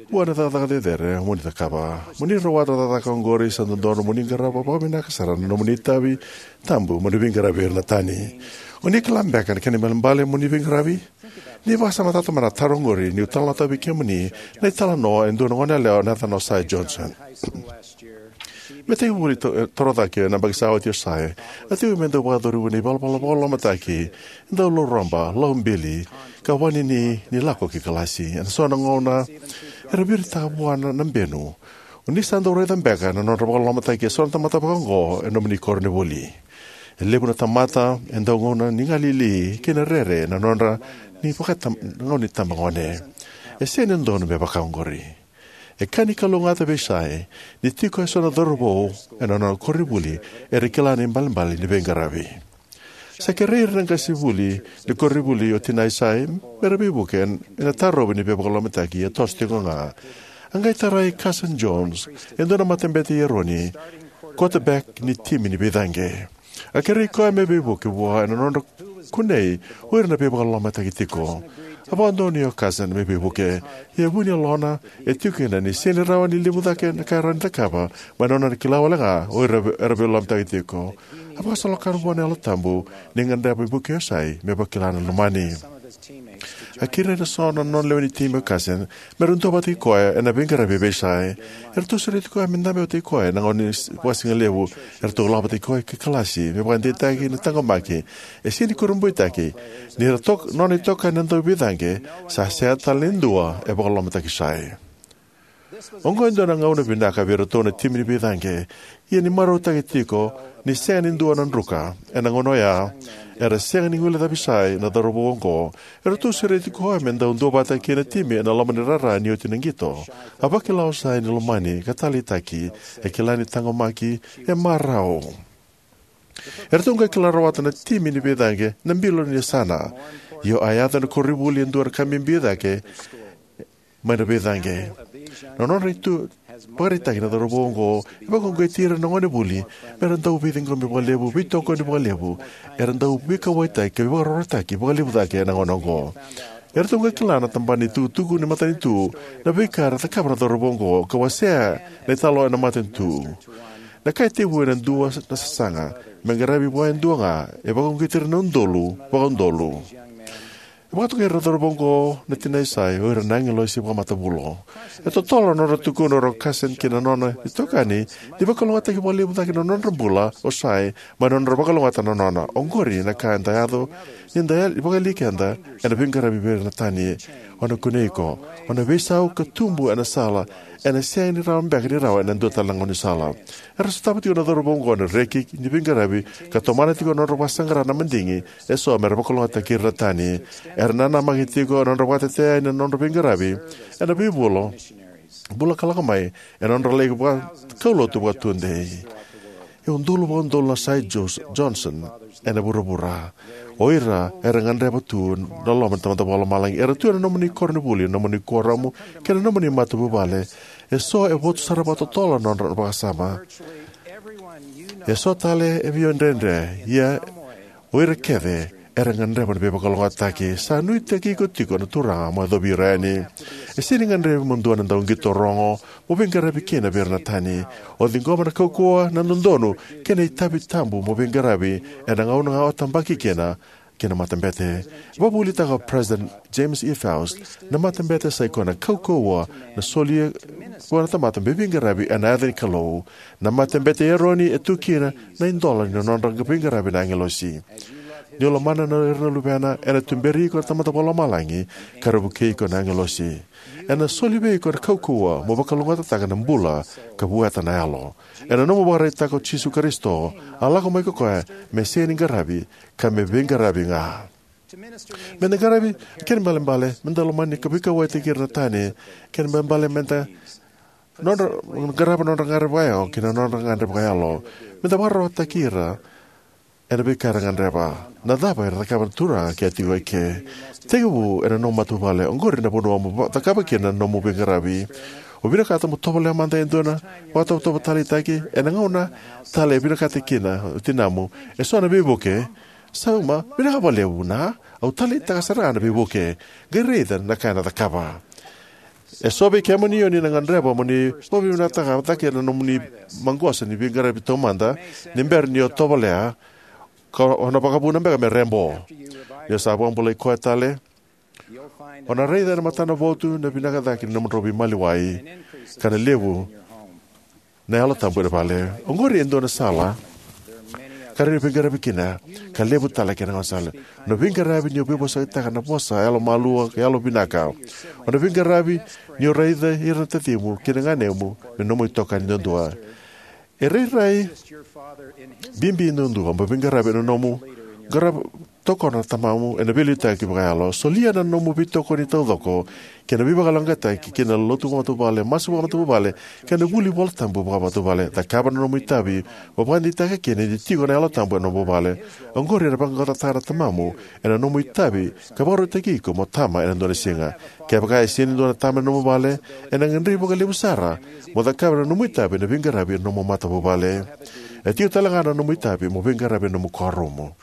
vua na cakacaka cecere mo ni cakava. Mo ni rawata na cakacaka oqori, sa dodonu mo ni qarava vakavinaka sara na nomuni itavi tabu mo ni veiqaravi ira na tani. O ni kila beka na kena ibalebale mo ni veiqaravi? Ni vakasamataka mada na taro oqori niu talanoataka vei kemuni na italanoa e dua na goneyalewa na yacana o Cy Johnson. Me tekivu ni to-, e, toro cake ena yabaki sa oti o Cy, a tekivu me dau vakayacori vua na ivalavala vakalolomataki e dau lau roba, lau bili, ka vakanini ni lako ki kalasi. Ena so na gauna era viritaka vua na, na benu. O ni sa dau raica beka na nodra vakalolomataki eso na tamata vakaoqo ena nomuni koronivuli. E levu na tamata e dau gauna ni galili kei na rere ena nodra ni vakatam-, gauna ni tabagone. E sega ni dodonu me vaka oqori. E ka ni kalougata vei Cy ni tiko eso na cauravou ena nona koronivuli era kila na ibalebale ni veiqaravi. Sa kerei ira na qasenivuli ni koronivuli o tinai Cy me ra veivuke ena tarovi ni veivakalolomataki, ia toso tiko ga. A qai tarai Cousin Jones, e dua na matabete i Eroni, quarterback ni timi ni veicaqe. A kerei koya me veivuke vua ena nodra kunei o ira na veivakalolomataki tiko. A vakadonuya o Cousin me veivuke, ia e vu ni yalona e tiko kina ni sega ni rawa ni levu cake na ka e rawa ni cakava mai na nona kila wale ga o ira era veivakalolomataki tiko. A vakasolokakana vua na Yalo Tabu ni gadreva me vukei o Cy me vakila na lomani. A kerei ira eso na nona lewe ni timi o Cousin me ra duavata kei koya ena veiqaravi vei Cy. Eratou sureti koya me dabe vata kei koya ena gauna ni s-, vakasigalevu. Eratou lako vata kei koya ki kalasi me vakadeitaki na taqomaki. E sega ni kurabuitaki ni ra tok-, nona itokani na dauveicaqe, sa sega tale ni dua e vakalolomataki Cy. Oqo e dua na gauna vinaka vei iratou na timi ni veicaqe. Ia ni marautaki tiko ni sega ni dua na druka ena gauna oya, era sega ni guilecavi Cy na cauravou oqo. Eratou sureti koya me dau duavata kei na timi ena loma ni rara ni oti na qito. A vakila o Cy ni lomani ka taleitaki, e kila ni taqomaki, e marau. Eratou qai kila rawata na timi ni veicaqe na bilo ni yasana. Io, a yaco ena koronivuli e dua na ka bibi cake mai na veicaqe. Na nodra ivakaraitaki na cauravou oqo e vakauqeti ira na gonevuli mera dau veiciqomi vakalevu, veitokoni vakalevu. Era dau veikauwaitaki ka veivakarautaki vakalevu cake ena gauna oqo. Eratou qai kila na tabana ni tukutuku ni matanitu na veika era cakava na cauravou oqo ka wasea na italanoa ena matanitu. Na ka e tekivu ena dua na sasaga me qaravi vua e dua ga, e vakauqeti ira na udolu vakaudolu. E vakatokai ira na cauravou oqo na tinai Cy, o ira na agilosi vakamatavulo. E totolo na nodra tukuna o Carson kei na nona itokani ni vakalougatataki vakalevu cake na nodra bula o Cy mai na nodra vakalougatataka na nona. Oqori na ka eda yaco ni da yali vakayalia keda ena veiqaravi vei ira na tani. O na kunei iko, o na veisau ka tubu ena sala ena sega ni rawa beka ni rawa ena dua tale na gaunisala. Era sotava tiko na cauravou oqo na reki ni veiqaravi ka tomana tiko na nodra vakasaqara na madigi eso mera vakalougatataki ira na tani. Era nanamaki tiko na nodra vakatetea na nodra veiqaravi ena veivula, bula ka lako mai, ena nodra lai vakaulotu vakatudei. E udolu vakaudolu na Cy Jos-, Johnson ena vuravura. O ira era gadreva tu na loma ni Tamada Vakalomalagi. Era tu ena nomuni koronivuli, nomuni kuoramu, kei na nomuni matavuvale. Eso e votu sara vakatotolo na nodra vakasama. Eso tale e via dredre, ia o ira kece era gadreva na veivakalougatataki. Sa nuitaki iko tiko na Turaga mo yacovi ira yani. E sega ni gadrevi mo dua na dauqito rogo mo veiqaravi kina vei ira na tani. O ciqoma na kaukauwa, na dodonu, kei na itavi tabu mo veiqaravi ena gauna ga o tabaki kina ki na matabete. E vakavuvulitaka o President James E. Faust, na matabete sa ikoya na kaukauwa na solia vua na tamata me veiqaravi ena yaca ni Kalou. Na matabete i Eroni e tu kina na idola ni nodra veiqaravi na agilosi. Ni o lomana na ira na luvena, ena tuberi iko na Tamada Vakalomalagi ka ra vukei iko na agilosi. Ena soli vei iko na kaukauwa mo vakalougatataka na bula ka vueta na yalo. Ena nomu vakaraitaka o Jisu Karisito, a lako mai ko koya me sega ni qaravi ka me veiqaravi ga. Meda qaravi, kena ibalebale meda lomani ka veikauwaitaki ira na tani. Kena ibalebale meda nodra, qarava nodra gagadre vakayalo kei na nodra gagadre vakayalo. Meda vakararawataki ira ena veika era gadreva. Na cava era cakava na Turaga ke a tiko eke? Tekivu ena nomu matavuvale. Oqori na vanua mo va-, cakava kina na nomu veiqaravi. O vinakata mo tovolea mada e dua na vakatovotovo taleitaki ena gauna tale e vinakata kina o tinamu. Eso na veivuke. Sauma, vinaka vakalevu na, au taleitaka sara ga na veivuke. Qai raica na ka ena cakava. Eso vei kemuni o ni na gadreva mo ni vakavinavinakataka cake na nomuni maqosa ni veiqaravi taumada ni bera ni o tovolea, ka o na vakavuna beka me rebo. Ni o sa vakabulai koya tale, o na raica ena matanavotu na vinaka cake ni nomudrau veimaliwai ka na levu na Yalo Tabu ena vale. Oqori e dua na sala ka rawa ni veiqaravi kina, ka levu tale kei na gaunisala. Na veiqaravi ni o veivosakitaka na vosa yalomalua ka yalovinaka. O na veiqaravi ni o raica ira na tacimu kei na ganemu me nomu itokani duadua. E rairai bibi duadua mo veiqaravi ena nomu qara-, tokona na tamamu ena veiliutaki vakayalo. Solia na nomu veitokoni taucoko kei na veivakayaloqaqataki ki na lotu vakamatavuvale, masu vakamatavuvale, kei na vuli iVolatabu vakamatavuvale. Cakava na nomu itavi mo vakadeitaka kina ni tiko na Yalo Tabu ena nomu vale. Oqori ena vaqaqacotaka na tamamu ena nomu itavi ka vakarautaki iko mo tama ena dua na siga. Kevaka e sega ni dua na tama ena nomu vale, ena gadrevi vakalevu sara mo cakava na nomu itavi ena veiqaravi ena nomu matavuvale. E tiko tale ga na nomu itavi mo veiqaravi ena nomu kuoramu.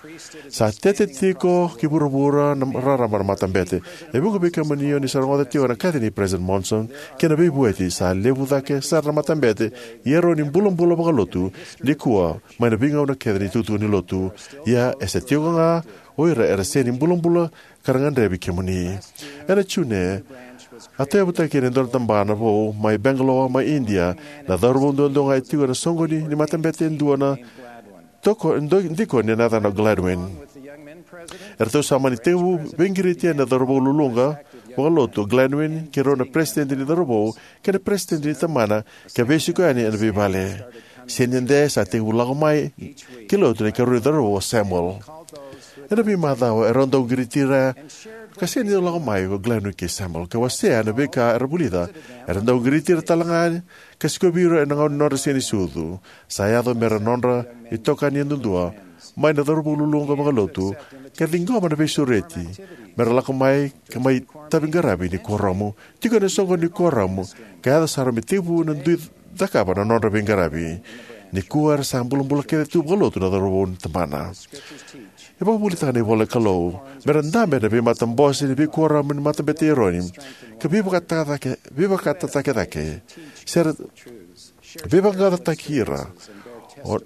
Sa tete tiko ki vuravura na rarama na matabete. E vuqa vei kemuni o ni sa rogoca tiko na kaci nei President Monson kei na veivueti. Sa levu cake sara na matabete i Eroni bulabula vakalotu nikua mai na veigauna kece ni tukutuku ni lotu. Ia e sa tiko ga o ira era sega ni bulabula ka ra gadrevi kemuni. Ena June, a tauyavutaki kina e dua na tabana vou mai Bangalore, mai India. Na cauravou duadua ga e tiko ena soqoni ni matabete e dua na toko, do-, dikoni ena yacana o Gladwin. Eratou sa mani tekivu veiqiriti yani na cauravou luluqa vakalotu o Gladwin kei rau na peresitedi ni cauravou kei na peresitedi ni tabana ka veisiko yani ena veivale. Sega ni dede, sa tekivu lako mai ki lotu na ikarua ni cauravou o Samuel. Ena veimacawa erau dau qiriti ira ka sega ni dau lako mai o Gladwin kei Samuel ka wasea na veika era vulica. Era dau qiriti ira talega ka sikovi ira ena gauna ni nodra sega ni sucu. Sa yaco me ra nodra itokani yadudua mai na cauravou luluqa vakalotu ka ciqoma na veisureti me ra lako mai ka mai tavi qaravi ni kuoramu. Tiko ena soqoni ni kuoramu ka yaco sara me tekivu na dui cakava na nodra veiqaravi. Nikua era sa bulabula kece tu vakalotu na cauravou ni tabana. E vakavuvulitaka na ivola ni Kalou me ra dabe ena veimatabose ni veikuoramu ni Matabete i Eroni ka veivakatataki, veivakatataki cake se ra veivaqaqacotaki ira. O,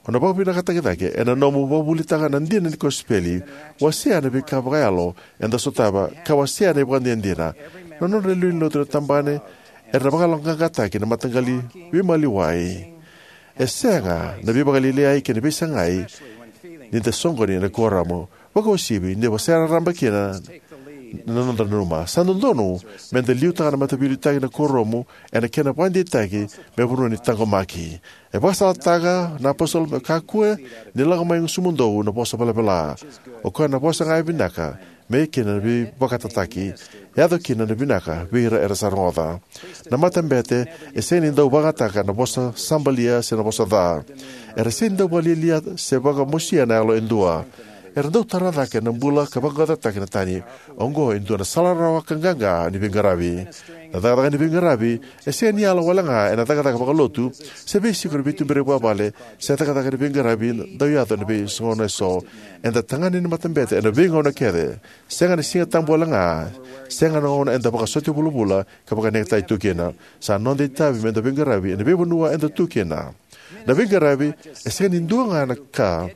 o na vakavinakataki cake ena nomu vakavuvulitaka na dina ni kosipeli, wasea na veika vakayalo eda sotava ka wasea na ivakadinadina. Na nodra lewe ni lotu na tabana era na vakayaloqaqataki na mataqali veimaliwai. E sega na veivakalialiai kei na veisagai ni da soqoni ena kuoramu, vakauasivi ni da se raraba kina na noda nanuma. Sa dodonu me da liutaka na mataveiliutaki na kuoramu ena kena vakadeitaki me vanua ni taqomaki. E vakasalataka na apositolo me kakua ni lako mai gusumudou na vosa velavela. O koya na vosa ga e vinaka me kina na veivakatataki. E yaco kina na vinaka vei ira era sa rogoca. Na matabete e sega ni dau vakayagataka na vosa sabalia se na vosa ca. Era sega ni dau vakalialia se vakamosia na yalo e dua. Era dau tara cake na bula ka vaqaqacotaki na tani. Oqo e dua na sala rawa ka qaqa ni veiqaravi. Na cakacaka ni veiqaravi e sega ni yala wale ga ena cakacaka vakalotu se veisiko ni veituberi vakavale se cakacaka ni veiqaravi dau yaco ena veigauna eso. Eda tagane ni matabete ena veigauna kece. Sega na Siga Tabu wale ga, sega na gauna eda vakasota vulavula ka vakanegataki tu kina. Sa noda itavi me da veiqaravi ena veivanua eda tu kina. Na veiqaravi e sega ni dua ga na ka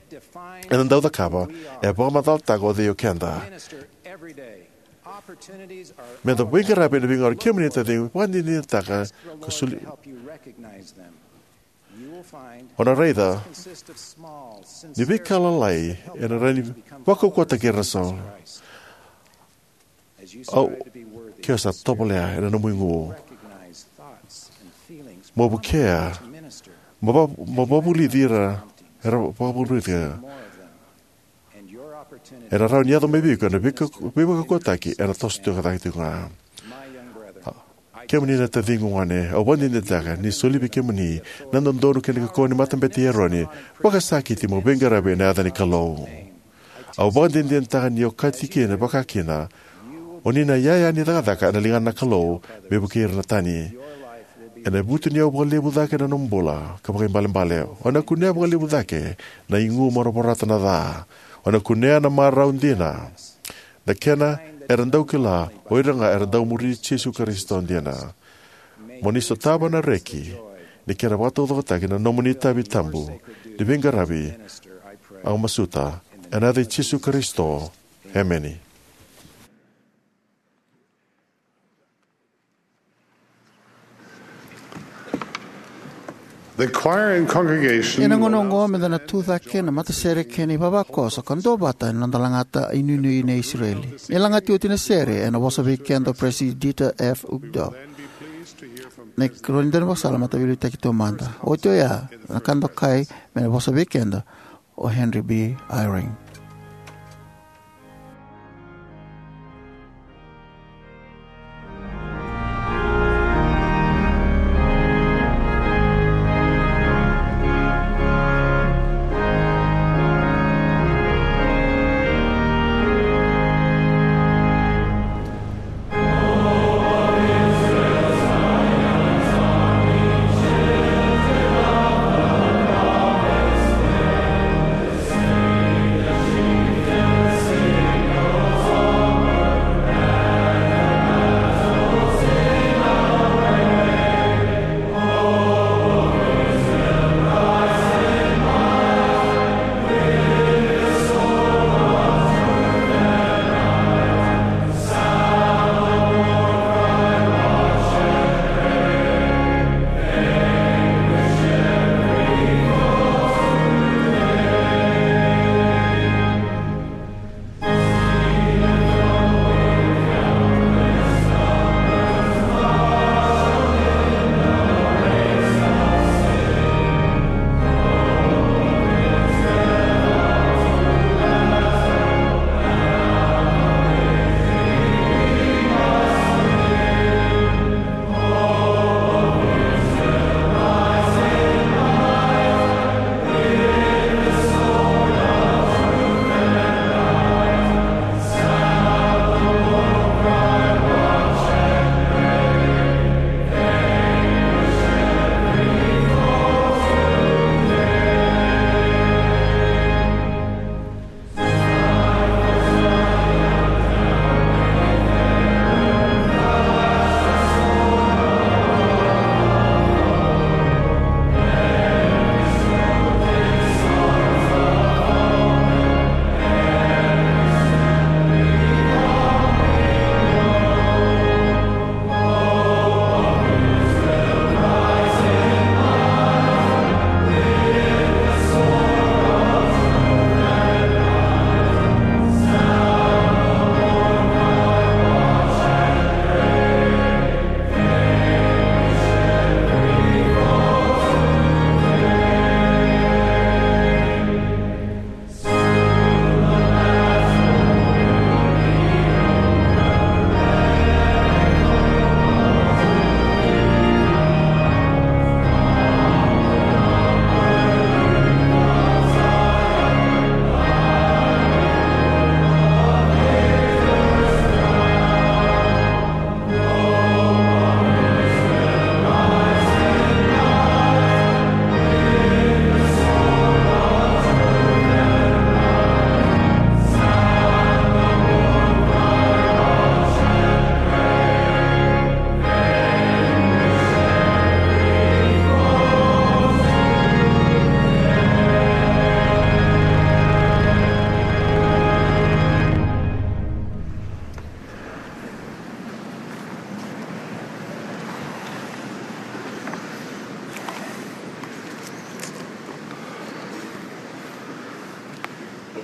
eda dau cakava, e vakamacalataka o cei o keda. Me da veiqaravi ena veigauna. Kemuni na taciqu, vakadinadinataka ka soli. O na raica ni veika lalai ena rawa ni vakaukauwataki ira na sau. Au, ke o sa tovolea ena nomu igu, mo vukea, mo va-, mo vakavulici ira era vakavulici ira. Ena rawa ni yaco mai vei iko na veika-, veivakaukauwataki ena toso tiko cake tiko ga. Kemuni na taciqu gone, au vakadinadinataka ni soli vei kemuni na dodonu kei na kaukauwa ni Matabete i Eroni. Vakasakiti mo veiqaravi ena yaca ni Kalou. Au vakadinadinataka ni okati kina vakakina, o ni na iyaya ni cakacaka ena ligana na Kalou me vukei ira na tani. Ena vutuniyau vakalevu cake na nomu bula ka vakaibalebale. O na kunea vakalevu cake na igu mo na vorata na ca. O na kunea na marau dina. Na kena era dau kila o ira ga era dau muri Jisu Karisito dina. Mo ni sotava na reki ni kena vakataucokotaki na nomuni itavi tabu ni veiqaravi. Au masuta ena yaca i Jisu Karisito. Emeni. The choir and congregation. Ena gauna oqo meda na tucake na matasere kei na ivavakoso ka duavata ena noda lagata inuinui nei Isireli. E lagati oti na sere ena vosa vei keda o Peresitedi Dieter F. Uchtdorf. Na ikarua ni daunivakasala, Mataveiliutaki Taumada. Oti oya na ka dokai me na vosa vei keda o Henry B. Eyring.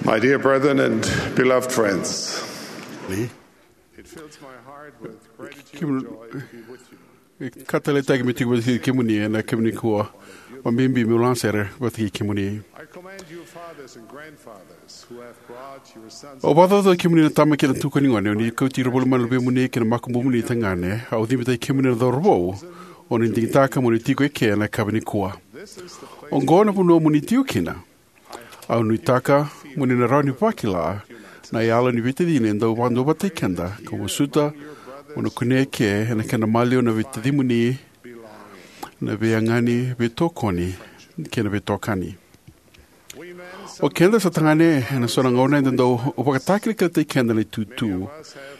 My dear brethren and beloved friends, it fills my heart with gratitude and joy to be with you. Ka taleitaki me tiko vata kei kemuni ena kemuni kua. Vakabibi meu laga sere vata kei kemuni. I commend you, fathers and grandfathers, who have brought your sons. Au vakacaucautaki kemuni na tama kei na tuka ni gone, o ni kauti ira voli mai na luvemuni kei na makubumuni tagane. Au cibitaki kemuni na cauravou, o ni digitaka mo ni tiko eke ena yakavi nikua. Oqo na vanua mo ni tiko kina. Au nuitaka mo ni na rawa ni vakila na yalo ni veitacini e dau vakaduavatataki keda, ka masuta mo na kunea eke ena kena maliwa na veitacimuni, na veiyagani, veitokoni, kei na veitokani. O keda sa tagane, ena so na gauna eda dau vakatakilakilataki keda na itutu.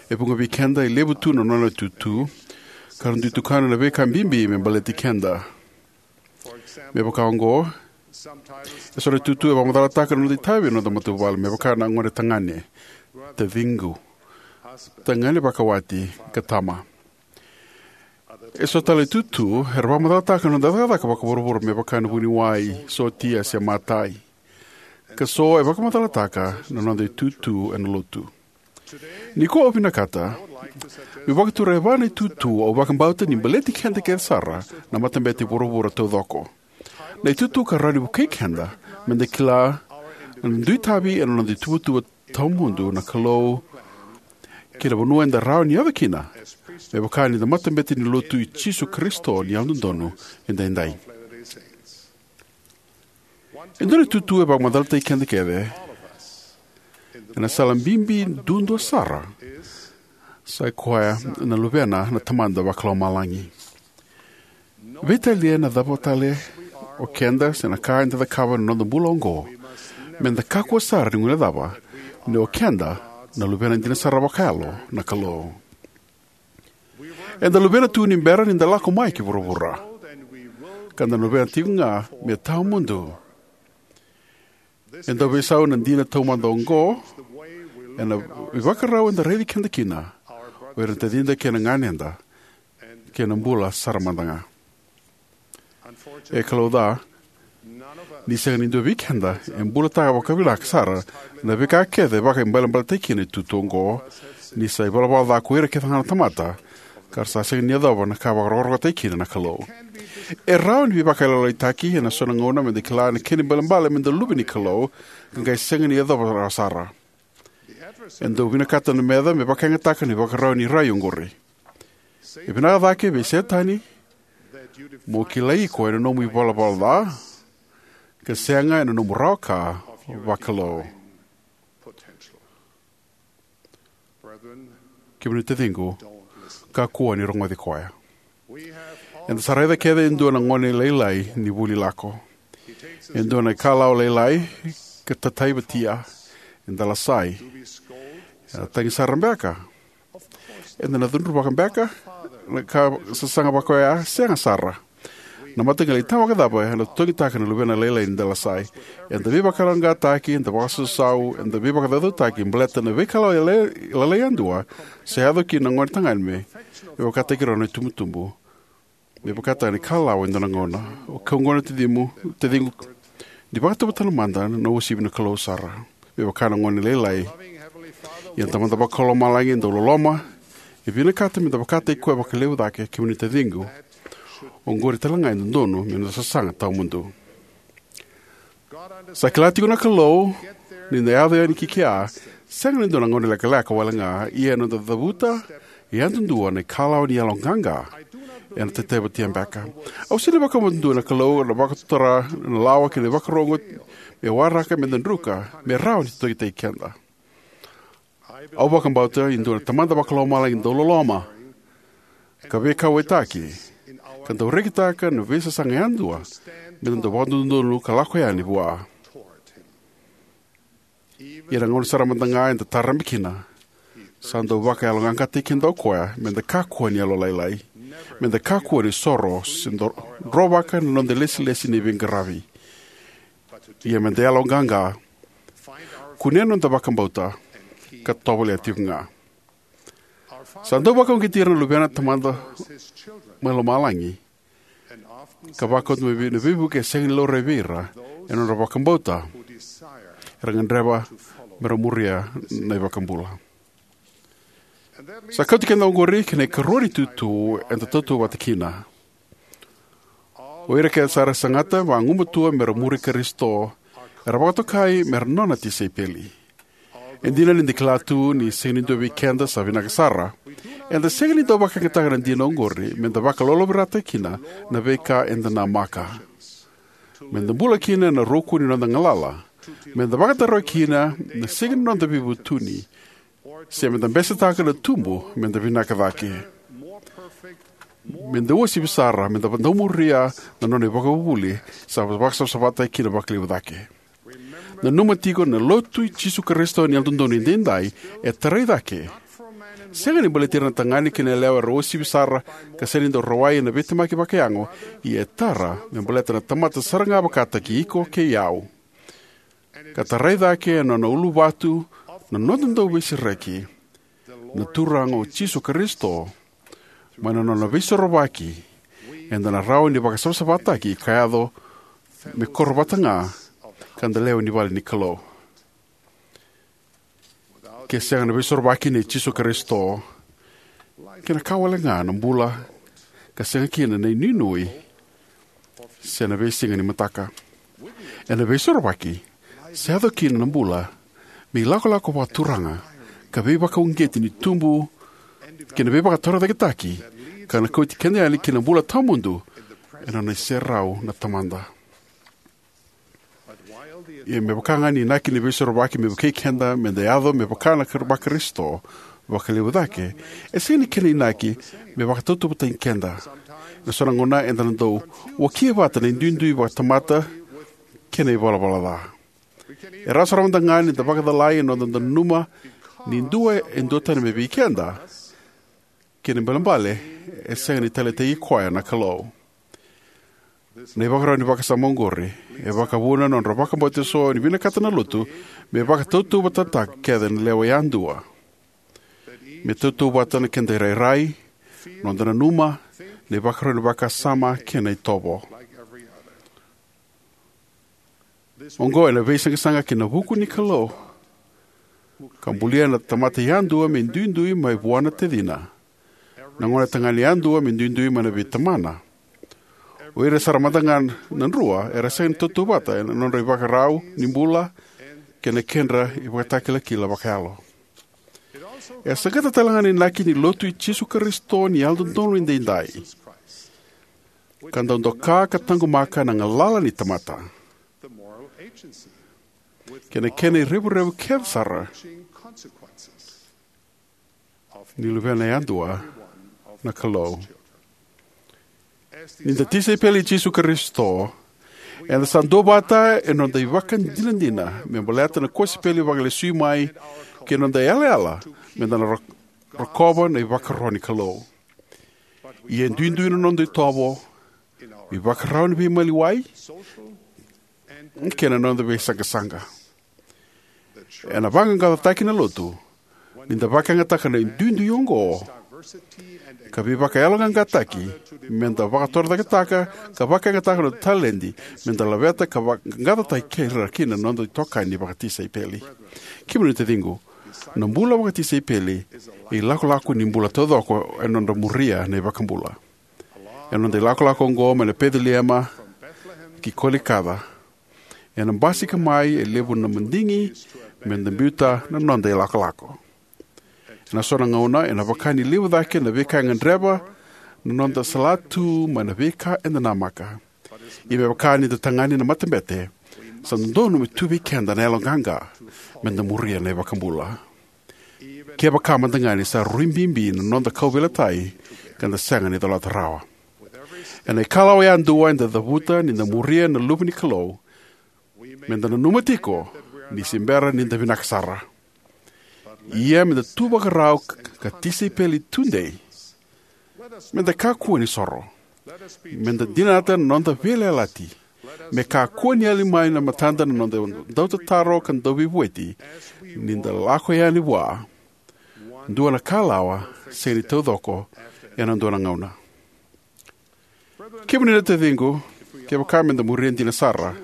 E vuqa vei keda e levu tu na nona itutu, ka ra dui tukuna na veika bibi me baleti keda. Me vaka oqo, eso na itutu e vakamacalataka na noda itavi ena noda matavuvale, me vaka na gone tagane, taciqu, tagane vakawati, ka tama. Eso tale na itutu era vakamacalataka na noda cakacaka vakavuravura, me vaka na vuniwai, sotia se matai. Ka so e vakamacalataka na noda itutu ena lotu. Nikua au vinakata meu vakatura e va na itutu au vakabauta ni baleti keda kece sara na matabete e vuravura taucoko. Na itutu ka rawa ni vukei keda me da kila na dui tavi ena noda ituvatuva tawamudu na Kalou kei na vanua eda rawa ni yaco kina, me vaka ni da matabete ni lotu i Jisu Karisito ni Yalododonu Edaidai. E dua na itutu e vakamacalataki keda kece ena sala bibi duadua sara, sa i koya na Luvena na Tamada Vakalomalagi. Veitalia na cava tale o keda se na ka eda cakava ena noda bula oqo, me da kakua sara ni guilecava ni o keda na luvena dina sara vakayalo na Kalou. Eda luvena tu ni bera ni da lako mai ki vuravura, ka da luvena tiko ga me tawamudu. E dau veisau na dina taumada oqo ena ivakarau eda raici keda kina o ira na tacida kei na ganeda, kei na bula sara mada ga. E kalouca, ni sega ni dua vei keda e bulataka vakavinaka sara na veika kece vakaibalebaletaki kina na itutu oqo, ni sa ivalavala ca ko ira kece ga na tamata, ka ra sa sega ni yacova na ka vakarokorokotaki kina na Kalou. E rawa ni veivakayalolailaitaki ena so na gauna me da kila na kena ibalebale me da luve ni Kalou, ka qai sega ni yacova rawa sara. E dau vinakata na meca me vakayagataka na ivakarau ni rai oqori. E vinaka cake vei Setani mo kilai iko ena nomu ivalavala ca, ka sega ena nomu rawa ka vakalou. Kemuni taciqu, kakua ni rogoci koya. Eda sa raica kece e dua na gone lailai ni vuli lako. E dua na ikalawa lailai ka tataivatia, e dalasai. Ena tagi sara beka? Eda na cudruvaka beka na ka sasaga vaka oya? Sega sara. Na mataqali tama vakacava ena totogitaka na luvena lailai ni dalasai? Eda veivakayaloqaqataki, eda vakasausau, eda veivakacaucautaki baleta na veikalawa lalai yadua sa yaco kina na gone tagane me vakataki rau na itubutubu. Me vakataka na ikalawa e dua na gauna. O keu gone tacimu, taciqu, ni vakatauvatana mada na uasivi na Kalou sara me vaka na gone lailai. Ia na Tamada Vakalomalagi e dau loloma, e vinakata me da vakataki koya vakalevu cake. Kemuni taciqu, oqori tale ga e dodonu me noda sasaga tawamudu. Sa kila tiko na Kalou ni da yaco yani ki kea, sega ni dua na gauna lekaleka wale ga, ia ena noda cavuta yadudua na ikalawa ni yaloqaqa, ena tataivatia beka. Au sega ni vakabauta e dua na Kalou ena vakatotara na lawa kei na ivakaro oqo me waraka me da druka me rawa ni totogitaki keda. Au vakabauta e dua na Tamada Vakalomalagi dau loloma, ka veikauwaitaki, ka dau rekitaka na veisasaga yadua me da dau vakadodonu ka lako yani vua. Ia na gauna sara mada ga eda tarabe kina, sa dau vakayaloqaqataki keda o koya me da kakua ni yalolailai, me da kakua ni soro se dro-, drovaka na noda ilesilesi ni veiqaravi. Ia me da yaloqaqa, kunea na noda vakabauta, ka tovolea tiko ga. Sa dau vakauqeti ira na luvena na Tamada mai lomalagi, ka vakauta mai vei, na veivuke e sega ni laurai vei ira ena nodra vakabauta. era gadreva me ra muria na iVakabula. Sa kauti keda oqori ki na ikarua ni itutu eda tautauvata kina. O ira kece sara e sagata vagumatua me ra muri Karisito era vakatokai me ra nona tisaipeli. E dina ni da kila tu ni sega ni dua vei keda sa vinaka sara, eda sega ni dau vakayagataka na dina oqori me da vakalolovirataka kina na veika eda namaka, me da bula kina ena ruku ni noda galala, me da vakatarogi kina na siga ni noda veivutuni, se me da besetaka na tubu me da vinaka cake, me da uasivi sara, me da dau muria na nona ivakavuvuli sa vakasavasavataki kina vakalevu cake. Nanuma tiko, na Lotu i Jisu Karisito ni Yalododonu Edaidai e tarai cake, sega ni baleti ira na tagane kei na yalewa era uasivi sara ka sega ni dau rawai ena veitemaki vakayago, ia e tara me baleta na tamata sara ga vakataki iko kei au, ka tarai cake ena nona uluvatu na noda Dauveisereki, na Turaga o Jisu Karisito. Mai na nona Veisorovaki eda na rawa ni vakasavasavataki ka yaco me koro vata ga ka da lewe ni vale ni Kalou. Ke sega na Veisorovaki nei Jisu Karisito, kena ka wale ga na bula ka sega kina na inuinui se na veisiga ni mataka. Ena Veisorovaki sa yaco kina na bula me ilakolako vakaturaga ka veivakauqeti ni tubu kei na veivakatorocaketaki ka na kauti keda yani ki na bula tawamudu ena nona iserau na Tamada. Ia me vaka ga ni inaki ni Veisorovaki me vukei keda me da yaco me vaka na Kar-, Vakarisito vakalevu cake, e sega ni kena inaki me vakatautauvatataki keda. Ena so na gauna eda na dau wakia vata na iduidui vakatamata kei na ivalavala ca. E rawa sara mada ga ni da vakacalai ena noda nanuma ni dua e duatani mai vei keda, kena ibalebale e sega ni taleitaki koya na Kalou. Na ivakarau ni vakasama oqori e vakavuna na nodra vakabauta eso ni vinakata na Lotu me vakatautauvatataka kece na lewe yadua, me tautauvata na keda irairai, noda nanuma, na ivakarau ni vakasama kei na itovo. Oqo ena veisaqasaqa ki na vuku ni Kalou, ka bulia na tamata yadua me duidui mai vua na tacina, na gonetagane yadua me duidui mai na veitamana, o ira sara mada ga na drua era sega ni tautauvata ena nodra ivakarau ni bula kei na kedra ivakatakilakila vakayalo. E saqata tale ga na inaki ni Lotu i Jisu Karisito ni Yalododonu Edaidai, ka dau doka ka taqomaka na galala ni tamata kei na kena irevurevu kece sara ni luvena yadua na Kalou. Ni da tisaipeli i Jisu Karisito, eda sa duavata ena noda ivakadinadina me baleta na kosipeli vakalesui mai kei na noda yalayala me da na ro-, rokova na ivakaro ni Kalou. Ia e duidui na noda itovo, ivakarau ni veimaliwai kei na noda veisaqasaqa. Ena vaqaqacotaki na Lotu ni da vakayagataka na duidui oqo ka veivakayaloqaqataki me da vakatorocaketaka ka vakayagataka na noda taledi me da laveta ka vaqaqacotaki ira kina na noda itokani vakatisaipeli. Kemuni na taciqu, na bula vakatisaipeli e ilakolako ni bula taucoko ena nodra muria na iVakabula. Ena noda ilakolako oqo mai na Peceliema ki Kolikaca, ena basika mai e levu na madigi me da biuta na noda ilakolako. Ena so na gauna ena vaka ni levu cake na veika e gadreva na noda salatu mai na veika eda namaka. Ia me vaka ni da tagane na matabete, sa dodonu me tu vei keda na yaloqaqa me da muria na iVakabula, kevaka mada ga ni sa rui bibi na noda kauveilatai ka da sega ni colata rawa. Ena ikalawa yadua eda cavuta ni da muria na Luve ni Kalou, me da nanuma tiko ni se bera ni da vinaka sara. Ia me da tu vakarau ka tisaipeli tudei. Me da kakua ni soro. Me da dinata na noda veiyalayalati. Me kakua ni yali mai na matada na noda dautataro ka dauveivueti ni da lako yani vua. Dua na kalawa sega ni taucoko ena dua na gauna. Kemuni na taciqu, kevaka me da muria dina sara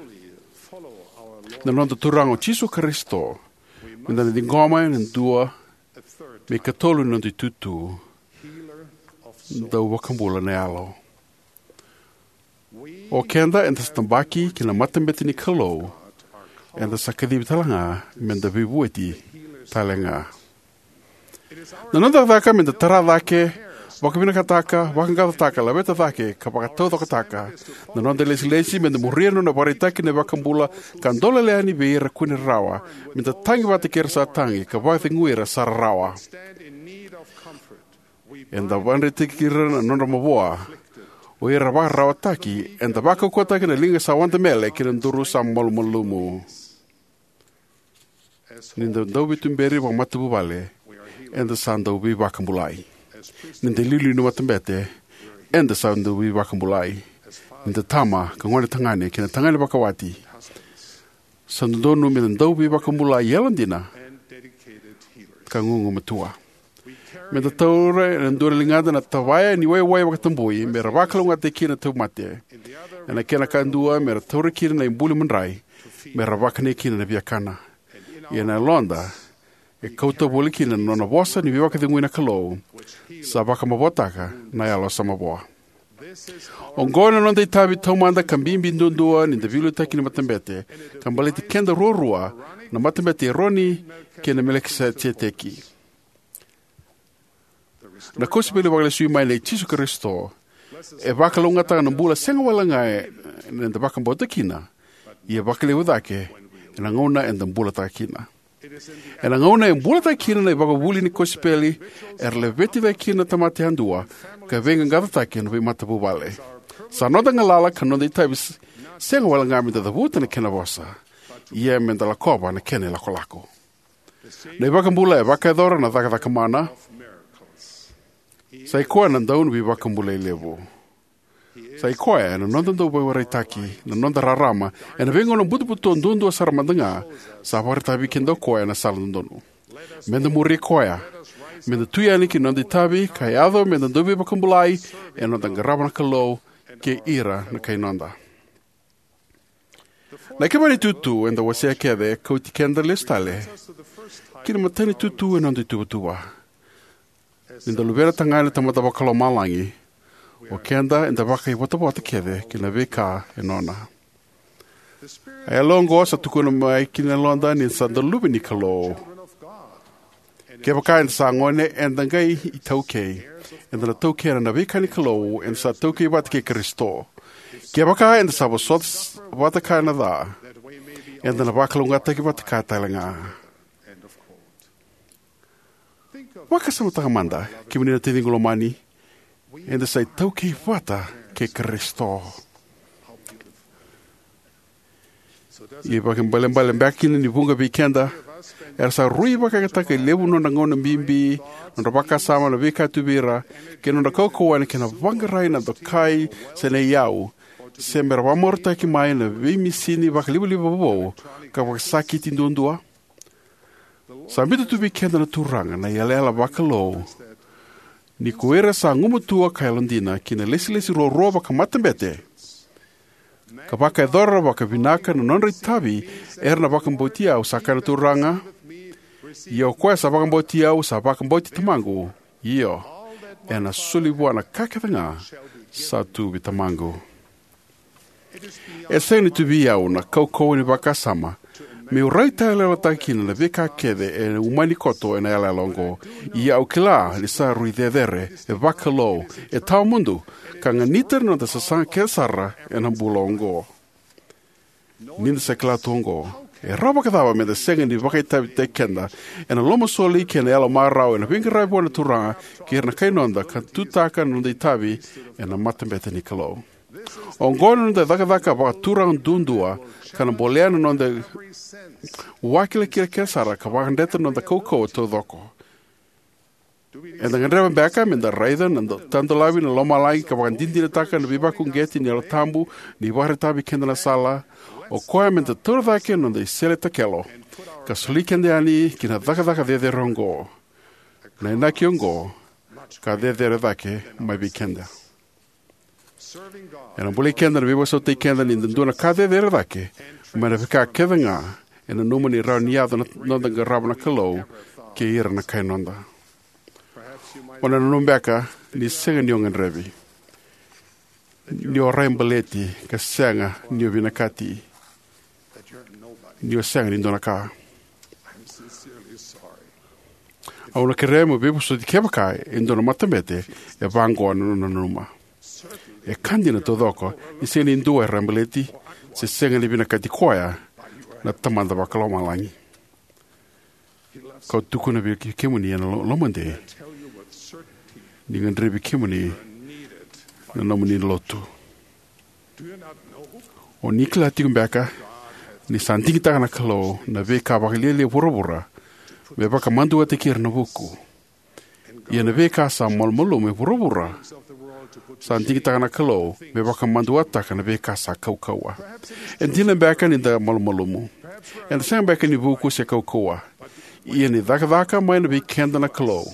na noda Turaga o Jisu Karisito, me da na ciqoma e dua me ikatolu ni noda itutu, dau vakabula na yalo. O keda eda sa tabaki ki na matabete ni Kalou, eda sa kacivi tale ga me da veivueti tale ga. Na noda cakacaka me da tara cake, vakavinakataka, vaqaqacotaka, laveta cake, ka vakataucokotaka na noda ilesilesi me da muria na nona ivakaraitaki na iVakabula ka dolele yani vei ira kua ni rarawa, me da tagi vata kei ira sa tagi, ka vakacegui ira sa rarawa. Eda vakadretitaki ira na nodra mavoa, o ira vakararawataki, eda vakaukauwataka na liga sa wadamele kei na duru sa malumalumu. Ni da dauveituberi vakamatavuvale, eda sa dauveivakabulai. Ni da iliuliu ni matabete, eda sa dauveivakabulai. Ni da tama ka gonetagane kei na tagane vakawati, sa dodonu me da dauveivakabulai yalodina ka gugumatua. Me da taura ena dua na ligada na tavaya ni waiwai vakatabui me ra vakalougatataki kina na tauvimate. Ena kena kadua me ra taura kina na ibuli madrai me ra vakani kina na viakana. Ia na yaloda e kauta voli kina na nona vosa ni veivakacegui na Kalou, sa vakamavoataka na Yalo sa Mavoa. Oqo na noda itavi taumada ka bibi duadua ni da veiliutaki ni matabete, ka baleti keda ruarua na matabete i Eroni kei na Melikiseteki. Na kosipeli vakalesui mai nei Jisu Karisito e vakalougatataka na bula sega walega eda vakabauta kina, ia vakalevu cake ena gauna eda bulataka kina. Ena gauna e bulataka kina na ivakavuvuli ni kosipeli, era laveti cake kina na tamata yadua ka veiqaqacotaki ena veimatavuvale. Sa noda galala ka noda itavi s-, sega walega me da cavuta na kena vosa, ia me da lakova na kena ilakolako. Na iVakabula e vakayacora na cakacaka mana. Sa i koya na Dauniveivakabulai levu. Sa i koya na noda dauveivakaraitaki, na noda rarama ena veigauna butobuto duadua sara mada ga. Sa vakaraitaka vei keda o koya na sala dodonu. Me da muri koya. Me da tu yani ki na noda itavi ka yaco me da dauveivakabulai ena noda qarava na Kalou kei ira na kai noda. Na ikava ni itutu eda wasea kece e kauti keda lesu tale ki na imatai ni itutu ena noda ituvatuva. Ni da luvena tagane na Tamada Vakalomalagi, o keda eda vakaivotavota kece ki na veika e nona. A yalo oqo sa tukuna mai ki na yaloda ni da sa da luve ni Kalou. Kevaka eda sa gone, eda qai itaukei. Eda na taukena na veika ni Kalou, eda sa taukei vata kei Karisito. Kevaka eda sa vosota s-, vata kaya na ca, eda na vakalougatataki vata kaya tale ga. Vakasamataka mada, kemuni na taciqu lomani, eda sa itaukei vata kei Karisito. Ia vakaibalebale beka kina ni vuqa vei keda era sa rui vakayagataka e levu nodra gauna bibi, nodra vakasama na veika tu vei ira, kei nodra kaukauwa ena kena vaqarai na dokai se na iyau, se mera vakamarautaki mai na veimisini vakalivaliva vovou ka vakasakiti duadua. Sa biuta tu vei keda na Turaga na yalayala vakalou ni ko ira sa gumatua ka yalodina ki na ilesilesi ruarua vakamatabete, ka vakayacora vakavinaka na nodra itavi, era na vakabauti au, sa kaya na Turaga. Ia o koya sa vakabauti au sa vakabauti Tamaqu. Io, ena soli vua na ka kece ga sa tu vei Tamaqu. E sega ni tu vei au na kaukauwa ni vakasama meu raitayaloyalotaka kina na veika kece e umani koto ena yalayala oqo. Ia au kila ni sa rui cecere, e vakalou, e tawamudu, ka ganita na noda sasaga kece sara ena bula oqo. Ni da sa kila tu oqo, e rawa vakacava me da sega ni vakaitavitaki keda ena lomasoli kei na yalo marau ena veiqaravi vua na Turaga kei ira na kai noda ka tutaka na noda itavi ena matabete ni Kalou? Oqo na noda cakacaka vakaturaga duadua, ka na bolea na noda vakilakila kece sara ka vakadreta na noda kaukauwa taucoko. Eda gadreva beka me da raica na do-, tadolavi na lomalagi ka vakadinadinataka na veivakauqeti ni Yalo Tabu ni vakaraitaka vei keda na sala? O koya me da taura cake na noda isele takelo ka soli keda yani ki na cakacaka cecere oqo, na inaki oqo ka cecere cake mai vei keda. Ena bolei keda na veivakasautaki keda ni da dua na ka cecere cake mai na veika kece ga e nanuma ni rawa ni yaco na noda qarava na Kalou kei ira na kai noda. O na nanuma beka ni sega ni o gadrevi, ni o raibaleti, ka sega ni o vinakati, ni o sega ni dua na ka. Au na kerea mo veivosoti kevaka e dua na matabete e vaqo na nona nanuma. E ka dina taucoko ni sega ni dua e raibaleti se sega ni vinakati koya na Tamada Vakalomalagi. Kau tukuna vei kemuni ena lo- lomadei ni gadrevi kemuni na nomuni lotu. O ni kila tiko beka ni sa digitaka na Kalou na veika vakalialia e vuravura me vakamaduataki ira na vuku? Ia na veika sa malumalumu e vuravura sa digitaka na Kalou me vakamaduataka na veika sa kaukauwa. E dina beka ni da malumalumu. Eda sega beka ni vuku se kaukauwa. Ia ni cakacaka mai na vei keda na Kalou,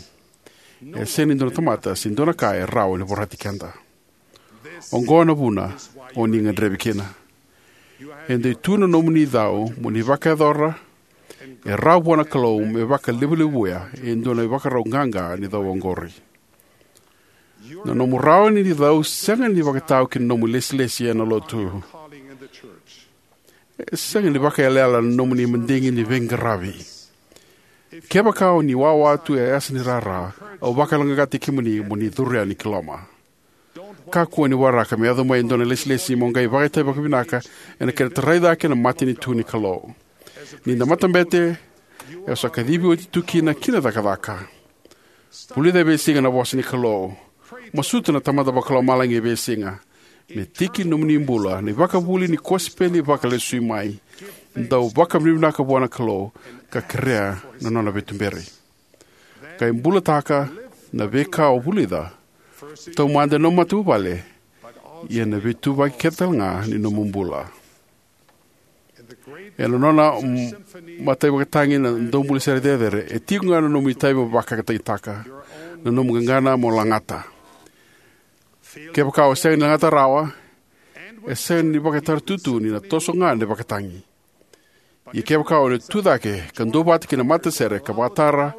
e sega ni dua na tamata se dua na ka e rawa ni vorati keda. Oqo na vuna o ni gadrevi kina. E dei tu na nomuni cau mo ni vakayacora e rawa vua na Kalou me vakalevulevuya e dua na ivakarau qaqa ni cau oqori. Na nomu rawa ni cau sega ni vakatau ki na nomu ilesilesi ena lotu. E sega ni vakaiyalayala na nomuni madigi ni veiqaravi. Kevaka o ni wawa tu e yasa ni rara, au vakayaloqaqataki kemuni mo ni curu yani ki loma. Kakua ni waraka me yaco mai e dua na ilesilesi mo qai vakaitavi vakavinaka ena kena tarai cake na matanitu ni Kalou. Ni da matabete, e sa kacivi oti tu kina ki na cakacaka. Vulica e veisiga na vosa ni Kalou. Masuta na Tamada Vakalomalagi e veisiga me tiki ni nomuni bula na ivakavuvuli ni kosipeli vakalesui mai. Dau vakavinavinaka vua na Kalou ka kerea na nona veituberi. Qai bulataka na veika o vulica, taumada ena nomu matavuvale, ia na veituvaki kece talega ni nomu bula. Ena nona, mm, mataivakatagi na daubula sere cecere, e tiko ga na nomu itavi mo vakatagitaka, na nomu qaqana mo lagata. Kevaka o sega ni lagata rawa, e sega ni vakataratutu ni na toso ga na ivakatagi. Ia kevaka o na tu cake ka duavata kei na matasere ka vakatara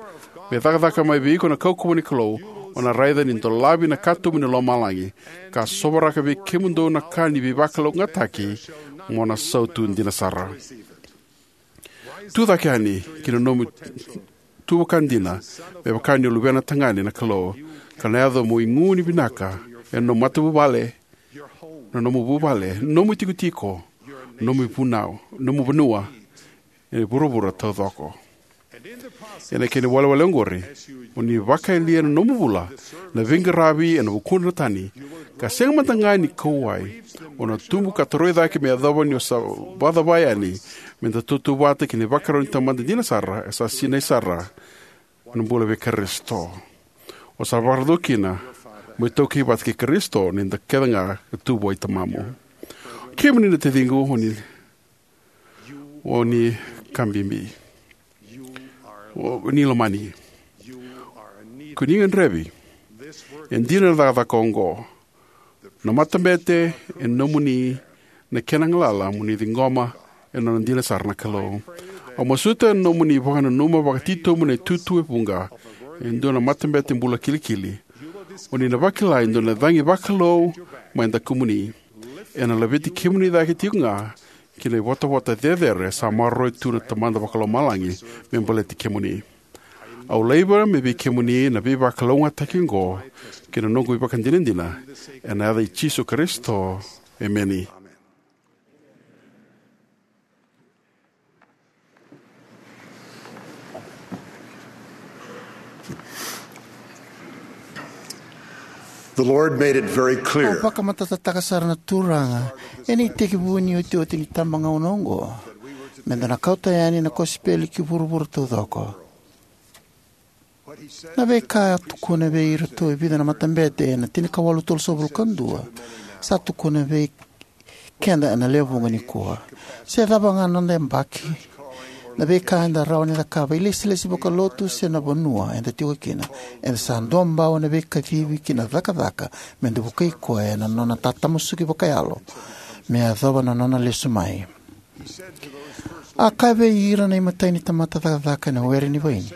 me cakacaka mai vei iko na kaukauwa ni Kalou, o na raica ni dolavi na katuba ni lomalagi, ka sovaraka vei kemudou na ka ni veivakalougatataki, mo na sautu dina sara. Tu cake yani ki na nomu tu vaka dina, me vaka ni o luvena tagane na Kalou, ka na yaco mo igu ni vinaka ena nomu matavuvale, na nomu vuvale, nomu itikotiko, nomu vunau, nomu vanua, e vuravura taucoko. Ena kena iwalewale oqori, o ni vakayalia na nomu bula na veiqaravi ena vukudra na tani, ka sega mada ga ni kauwai, o na tubu ka toroi cake me yacova ni o sa vakacavara yani me da tautauvata kei na ivakarau ni Tamada dina sara e sa sinai sara ena bula vei Karisito. O sa vakarau kina mo itaukei vata kei Karisito ni da kece ga e tu vua i Tamamu. Kemuni na taciqu, o ni, o ni ka bibi. O ni lomani. Ko ni gadrevi. E dina na cakacaka oqo. Na matabete e nomuni, na kena galala mo ni ciqoma e nona dina sara na Kalou. Au masuta ena nomuni vakananuma vakatitobu na itutu e vuqa e dua na matabete bula kilikili, o ni na vakila e dua na cagi vakalou mai dakumuni. Ena laveti kemuni cake tiko ga ki na ivotavota cecere sa maroroi tu na Tamada Vakalomalagi me baleti kemuni. Au laiva me vei kemuni na veivakalougatataki oqo kei na noqu ivakadinadina, ena yaca i Jisu Karisito. Emeni. The Lord made it very clear. A vakamatatataka sara na Turaga ena itekivu ni iotioti ni tabagauna oqo, me da na kauta yani na kosipeli ki vuravura taucoko. Na veika a tukuna vei iratou e vica na matabete ena tinikawalu tolusagavulu ka dua, sa tukuna vei keda ena lewe vuqa nikua. Se cava ga na noda yabaki, Na veika eda rawa ni cakava, ilesilesi vakalotu se na vanua eda tiko kina, eda sa duabau ena veikacivi ki na cakacaka meda vukei koya ena nona tatamusuki vakayalo me yacova na nona lesu mai. A kaya vei ira na imatai ni tamata cakacaka ena were ni vaini: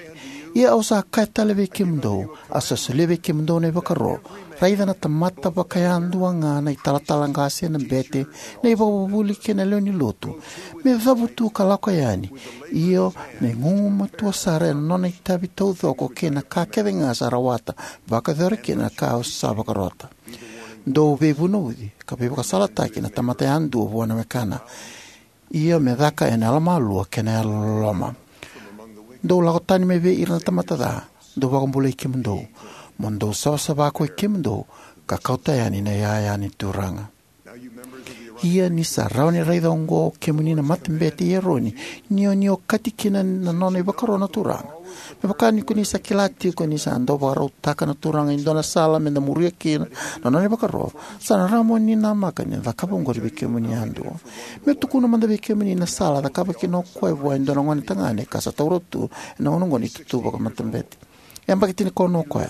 "Ia au sa kaya tale vei kemudou, au sa solia vei kemudou na ivakaro, raica na tamata vakayadua ga, na italatala qase, na bete, na ivakavuvuli kei na lewe ni lotu, me cavutu ka lako yani, io, me gugumatua sara ena nona itavi taucoko kei na ka kece ga sa rawata, vakayacora kina na ka au sa vakarota. Dou veivunauci ka veivakasalataki na tamata yadua vua na wekana, io, me caka ena yalomalua kei na yalololoma. Dou lako tani mai vei ira na tamata ca, dou vakabulai kemudou, mo dou savasava ko i kemudou, ka kauta yani na iyaya ni Turaga." Ia ni sa rawa ni raica oqo, kemuni na matabete i Eroni, ni o ni okati kina na nona ivakaro na Turaga. Me vaka ni ko ni sa kila tiko ni sa dau vakarautaka na Turaga e dua na sala meda muria kina na nona ivakaro, sa na rawa mo ni namaka ni cakava oqori vei kemuni yadua. Meu tukuna mada vei kemuni na sala a cakava kina o koya vua e dua na gone tagane ka sa taura tu ena gauna oqo na itutu vakamatabete. E yabaki tinikaono o koya.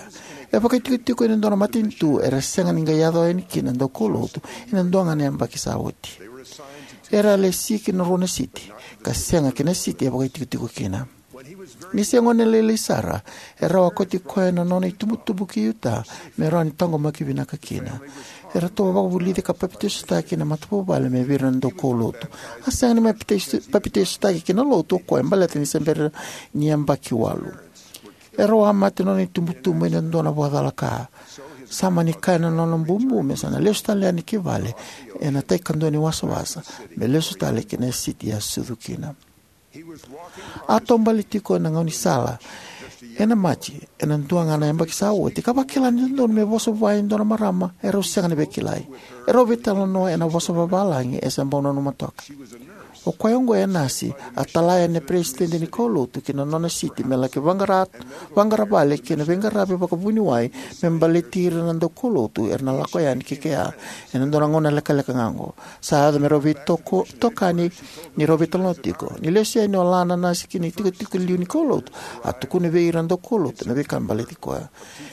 E vakaitikotiko ena dua na matanitu era sega ni qai yaco yani kina na daukaulotu ena dua ga na yabaki sa oti. Era a lesi ki na rua na siti, ka sega ki na siti e vakaitikotiko kina. Ni se gone lailai sara, e rawa kauti koya na nona itubutubu ki Utah me rawa ni taqomaki vinaka kina. Eratou a vakavulici ka papitaisotaki na matavuvale mai vei ira na daukaulotu. A sega ni mai papitaiso-, papitaisotaki ki na lotu o koya baleta ni se bera ni yabaki walu. Erau a mate na nona itubutubu ena dua na vakacalaka. Sa mani kaya na nona bubu me sa na lesu tale yani ki vale ena tai kadua ni wasawasa, me lesu tale ki na siti a sucu kina. A taubale tiko ena gaunisala ena Maji ena dua ga na yabaki sa oti, ka vakila ni dodonu me vosa vua e dua na marama erau sega ni veikilai. Erau veitalanoa ena vosa vavalagi, e se bau nanuma toka. O koya oqo e nasi, a tala yani na peresitedi ni kaulotu ki na nona siti me laki vaqara, vaqara vale kei na veiqaravi vakavuniwai me baleti ira na daukaulotu era na lako yani ki kea ena dua na gauna lekaleka ga oqo. Sa yaco me rau veitoko-, tokani ni rau veitalanoa tiko. Ni lesu yani o la na nasi ki na itikotiko liu ni kaulotu, a tukuna vei ira na daukaulotu na veika baleti koya.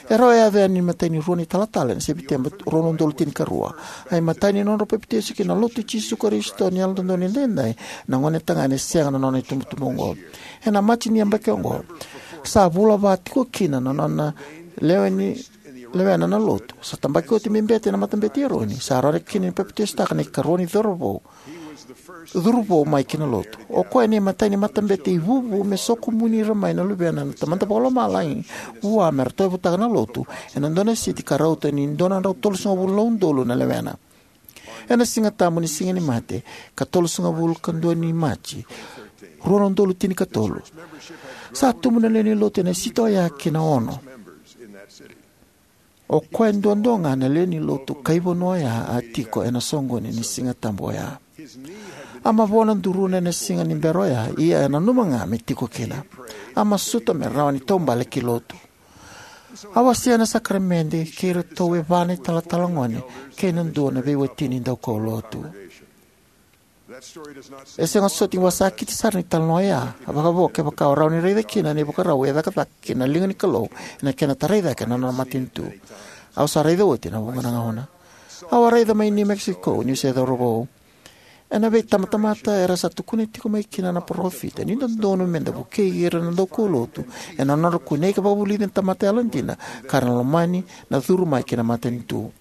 Erau a yaco yani na imatai ni rua ni talatala ena Sepiteba rua na udolu tinikarua. A imatai ni nodrau papitaiso ki na Lotu i Jisu Karisito ni Yalododonu Edaidai na gone tagane sega na nona itubutubu oqo. Ena Maji ni yabaki oqo, sa vula va tiko kina na nona lewe ni, lewena na lotu. Sa tabaki oti me bete ena matabete i Eroni. Sa rawa kina ni papitaisotaka na ikarua ni cauravou, curuvou mai ki na lotu. O koya na imatai ni matabete ivuvu me sokomuni ira mai na luvena na Tamada Vakalomalagi vua me ra tauyavutaka na lotu ena dua na siti ka rauta ni dua na drau tolusagavulu na udolu na lewena. Ena Siga Tabu ni Siga ni Mate, ka tolusagavulu ka dua ni Maji, rua na udolu tinikatolu, sa tubu na lewe ni lotu ena siti oya ki na ono. O koya duadua ga na lewe ni lotu kai vanua oya a tiko ena soqoni ni Siga Tabu oya. A mavoa na duruna ena siga ni bera oya, ia e nanuma ga me tiko kina. A masuta me rawa ni taubale ki lotu. A wasea na sakaramede kei iratou e va na italatala gone kei na dua na veiwatini daukaulotu. E sega soti ni vakasakiti sara na italanoa oya, vakavo kevaka o rawa ni raica kina na ivakarau e cakacaka kina na liga ni Kalou ena kena tarai cake na nona matanitu. Au sa raica oti ena vuqa na gauna. Au a raica mai New Mexico niu se cauravou. Ena veitabatamata era sa tukuna tiko mai kina na parofita ni dodonu meda vukei ira na daukaulotu ena nodra kunei ka vakavulici na tamata yalodina ka ra na lomani na curu mai ki na matanitu.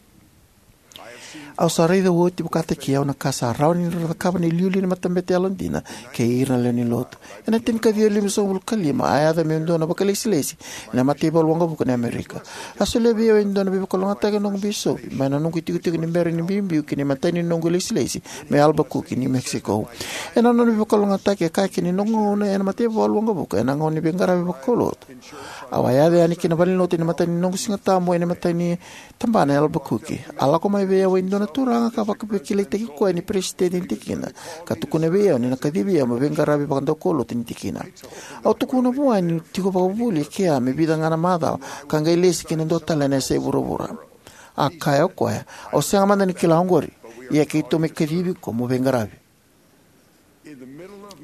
Au sa raica oti vakataki au na ka sa rawa ni ra cakava na iliuliu ni matabete yalodina kei ira na lewe ni lotu. Ena tinikaciwa limasagavulu ka lima, a yaco me dua na vakailesilesi ena mataivalu waqavuka ni Amerika. A solia vei au e dua na veivakalougatataki na noqu bisopi mai na noqu itikotiko ni bera ni biubiu ki na imatai ni noqu ilesilesi mai Albuquerque, New Mexico. Ena nona veivakalougatataki, e kaya kina ni noqu gauna ena mataivalu waqavuka ena gauna ni veiqaravi vakaulotu, au a yaco yani ki na valenilotu ena imatai ni noqu Siga Tabu ena imatai ni tabana e Albuquerque. A lako mai vei au e dua na turaga ka vakaveikilaitaki koya ni peresitedi ni tikina, ka tukuna vei au ni na kacivi au meu veiqaravi vakadaukaulotu ni tikina. Au tukuna vua niu tiko vakavuvuli e kea me vica ga na macawa ka qai lesi ki na dua tale na yasai vuravura. A kaya o koya, "Au sega mada ni kila oqori, ia keitou mai kacivi iko mo veiqaravi."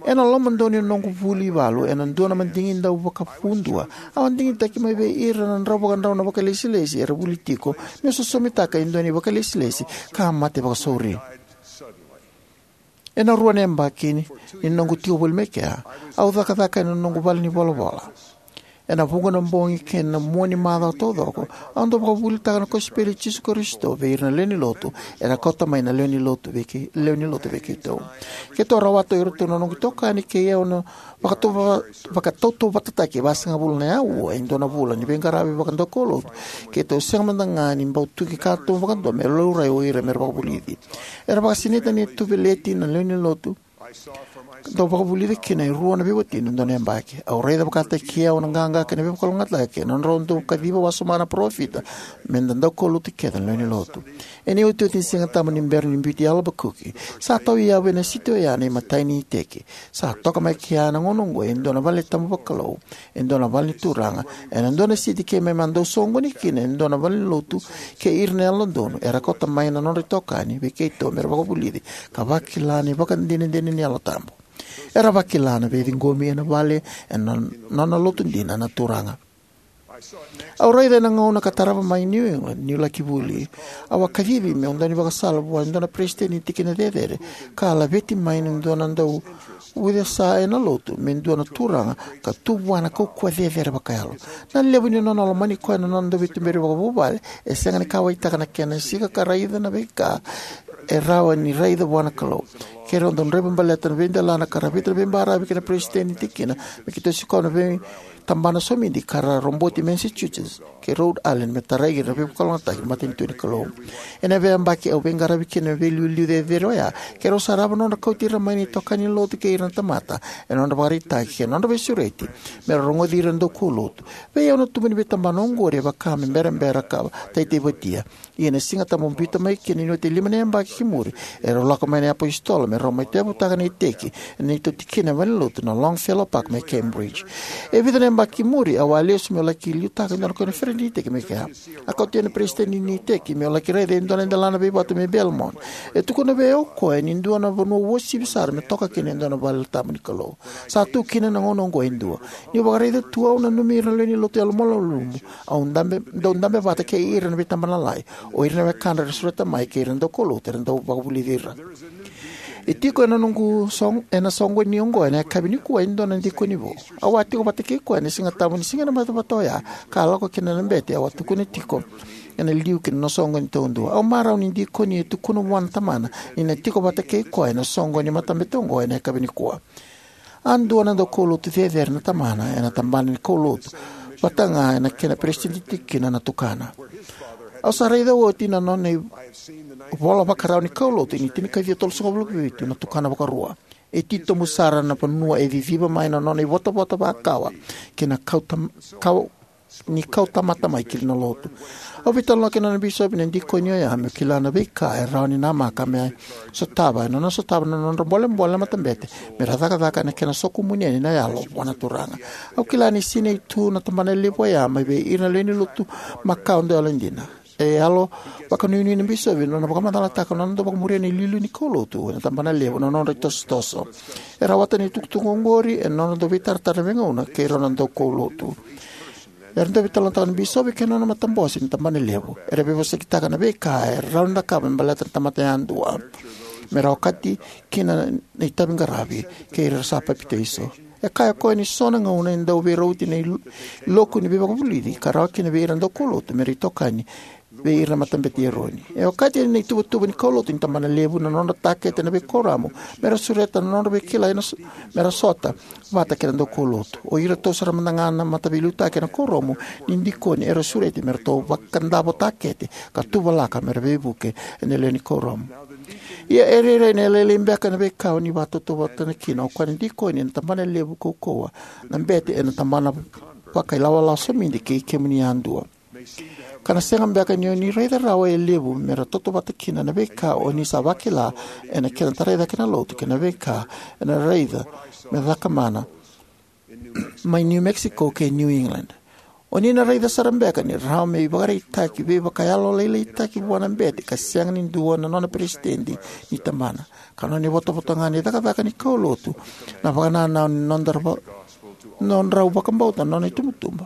Ena lomadonu ni noqu vuli ivalu ena dua na madigi dau vakavudua, au a digitaki mai vei ira na drau vakadrau na vakailesilesi era vuli tiko meu sosomitaka e dua na ivakailesilesi ka a mate vakasauri. Ena rua na yabaki ni noqu tiko voli mai kea, au cakacaka ena noqu vale ni volavola. Ena vuqa na bogi kei na mua ni macawa taucoko, au dau vakavuvulitaka na kosipeli i Jisu Karisito vei ira na lewe ni lotu era kauta mai na lewe ni lotu vei kei, lewe ni lotu vei keitou. Keitou a rawata o iratou na noqu itokani kei au na vakatauva-, vakatautauvatataki e vasagavulu na aua e dua na vula ni veiqaravi vakadaukaulotu. Keitou sega mada ga ni bau tuki katuba vakadua me laurai o ira me ra vakavulici. Era vakasinaita ni a tu Veleti na lewe ni lotu, dau vakavulica kina e rua na veiwatini ena dua na yabaki. Au raica vakataki au na qaqa kei na veivakalougatataki ena nodrau dau kaciva wasoma na parofita me da daukaulotu kece na lewe ni lotu. Ena iotioti ni Sigatabu ni bera ni biuti Albuquerque, sa tauyavu ena siti oya na imatai ni iteki. Sa toka mai kea ena gauna oqo e dua na vale ni tabu vakalou, e dua na vale ni turaga, ena dua na siti keimami a dau soqoni kina e dua na valenilotu kei ira na yalododonu era kauta mai na nodra itokani vei keitou me ra vakavulici ka vakila na ivakadinadina ni Yalo Tabu. Era vakila na veiciqomi ena vale ena nona lotu dina na Turaga. Au raica ena gauna ka tarava mai New England niu laki vuli. Au a kacivi meu dau ni vakasala vua e dua na peresitedi ni tikina cecere ka a laveti mai na dua na dau ucesa ena lotu me dua na turaga ka tu vua na kaukauwa cecere vakayalo. Na levu ni nona lomani koya na nona dau veituberi vakavuvale, e sega ni kauwaitaka na kena sika ka raica na veika e rawa ni raica vua na Kalou. Keirau dau draiva baleta na veidelana ka ravita na veibaravi kei na peresitedi ni tikina me keitou sikova na veitabana somidi ka ra roboti Massachusetts kei Rhode Island me tarai ira na veivakalougatataki ni matanitu ni Kalou. Ena veiyabaki au veiqaravi kina na veiliuliu cecere oya, keirau sarava na nodra kauti ira mai na itokani ni lotu kei ira na tamata ena nodra ivakaraitaki kei na nodra veisureti me ra rogoci ira na daukaulotu. Vei au na tubu ni veitabana oqori e vaka me berabera ka taitaivatia. Ia na Sigatabu biuta mai kina ni oti e lima na yabaki ki muri, erau lako mai na iapositolo me rau mai tauyavutaka na iteki ena neitou tikina e valenilotu na Longfellow Park mai Cambridge. E vica na yabaki ki muri au a lesu meu laki liutaka e dua na koniferedi ni iteki mai kea. A kauti au na peresitedi ni iteki meu laki raica e dua na delana veivatu mai Belmont. E tukuna vei au o koya ni dua na vanua uasivi sara me toka kina e dua na vale tabu ni Kalou. Sa tu kina na gauna oqo e dua. Niu vakaraica tu au nanumi ira na lewe ni lotu yalomalumalumu au dabe, dau dabe vata kei ira ena veitabana lalai, o ira na wekadra era sureta mai kei ira na daukaulotu era dau vakavulici ira. E tiko ena noqu sog-, ena soqoni oqo ena yakavi nikua e dua na dikoni vou. Au a tiko vata kei koya ena Sigatabu ni siga ena matavata oya ka a lako kina na bete au a tukuna tiko ena liu ki na soqoni taudua. Au marau ni dikoni e tukuna vua na tamana ni na tiko vata kei koya ena soqoni ni matabete oqo ena yakavi nikua. A dua na daukaulotu cecere na tamana ena tabana ni kaulotu vata ga ena kena peresitedi tikina na tukana. Au sa raica oti na nona ivola vakarau ni kaulotu ni tinikaciwa tolusagavulu ka vitu na tukana vakarua. E titobu sara na vanua e ciciva mai na nona ivotavota vakawa ki na kauta, kau ni kauta mata mai ki na lotu. Au veitalanoa kei na nona bisopi na dikoni oya meu kila na veika e rawa ni namaka me sotava ena nona sotava na nodra bolebole na matabete me ra cakacaka ena kena sokumuni yani na yalo vua na Turaga. Au kila ni sinai tu na tabana levu oya mai vei ira na lewe ni lotu makawa dau yalodina. E yalo vakanuinui na bisopi ena nona vakamacalataka na nona dau vakamuria na iliuliu ni kaulotu ena tabana levu na nodra itosotoso. E rawata na itukutuku oqori ena nodra dau veitaratara veigauna kei rau na daukaulotu. Era dau veitalanoataka na bisopi kei na nona matabose ni tabana levu. Era veivosakitaka na veika e rawa ni cakava me baleta na tamata yadua me ra okati kina na itavi qaravi kei ira sa papitaiso. E kaya o koya ni so na gauna e dau veirauti na il-, iloku ni veivakavulici ka rawa kina vei ira na daukaulotu me ra itokani vei ira na matabete i Eroni. E okati ena ituvatuva ni kaulotu ni tabana levu na nodra takete na veikuoramu me ra sureta na nodra veikilai na so-, me ra sota vata kei na daukaulotu. O iratou sara mada ga na mataveiliutaki ena kuoramu ni dikoni era sureti me ratou vakadavo takete ka tuvalaka me ra veivuke ena lewe ni kuoramu. Ia e rairai ni lailai beka na veika o ni vakatautauvatataka kina o koya na dikoni ena tabana levu kaukauwa, na bete ena tabana vakailawalawa somidi kei kemuni yadua. Ka na sega beka ni o ni raica rawa e levu me ra tautauvata kina na veika o ni sa vakila ena kena tarai cake na lotu kei na veika ena raica me cakamana mai New Mexico kei New England. O ni na raica sara beka ni rawa me ivakaraitaki veivakayalolailaitaki vua na bete ka sega ni dua na nona peresitedi ni tabana, ka nona ivotavota ga ni cakacaka ni kaulotu na vakanananu ni nodrau va- nodrau vakabauta na nona itubutubu,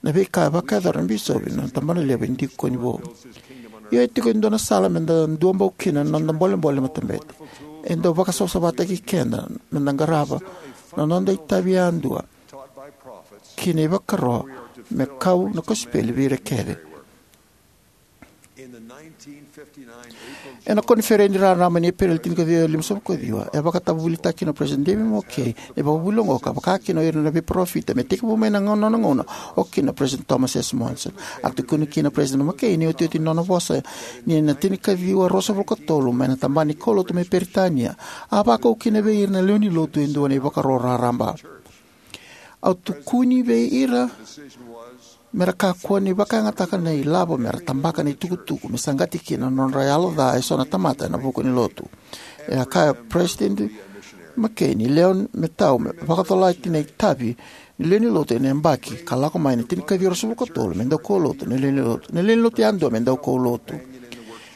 na veika e vakayacora na bisopi na tabana levu e dikoni vou. Ia e tiko e dua na sala meda duabau kina na noda bolebole matabete. E dau vakasavasavataki keda meda qarava na noda itavi yadua ki na ivakaro me kau na kosipeli vei ira kece. Ena koniferedi raraba ni Epereli tinikaciwa limasagavulu kaciwa, e vakatavuvulitaki kina o President David McKay na ivakavuvuli oqo, ka vaka kina o ira na veiparofita me tekivu mai na gauna, nona gauna, o kina o President Thomas S. Monson. A tukuna kina o President McKay ni otioti ni nona vosa ni ena tinikaciwa ruasagavulu katolu mai na tabana ni kaulotu mai Peritania, a vakau kina vei ira na lewe ni lotu e dua na ivakaro raraba. Au tukuni vei ira mera kakua ni vakayagataka na ilavo mera tabaka na itukutuku me saqati kina na nodra yalo ca eso na tamata ena vuku ni lotu. E a kaya o President McKay ni lewe me tau me vakacolati na itavi ni lewe ni lotu ena yabaki ka lako mai na tinikaciwa ruasagavulu katolu me dau kaulotu na lewe ni lotu, na lewe ni lotu yadua me dau kaulotu.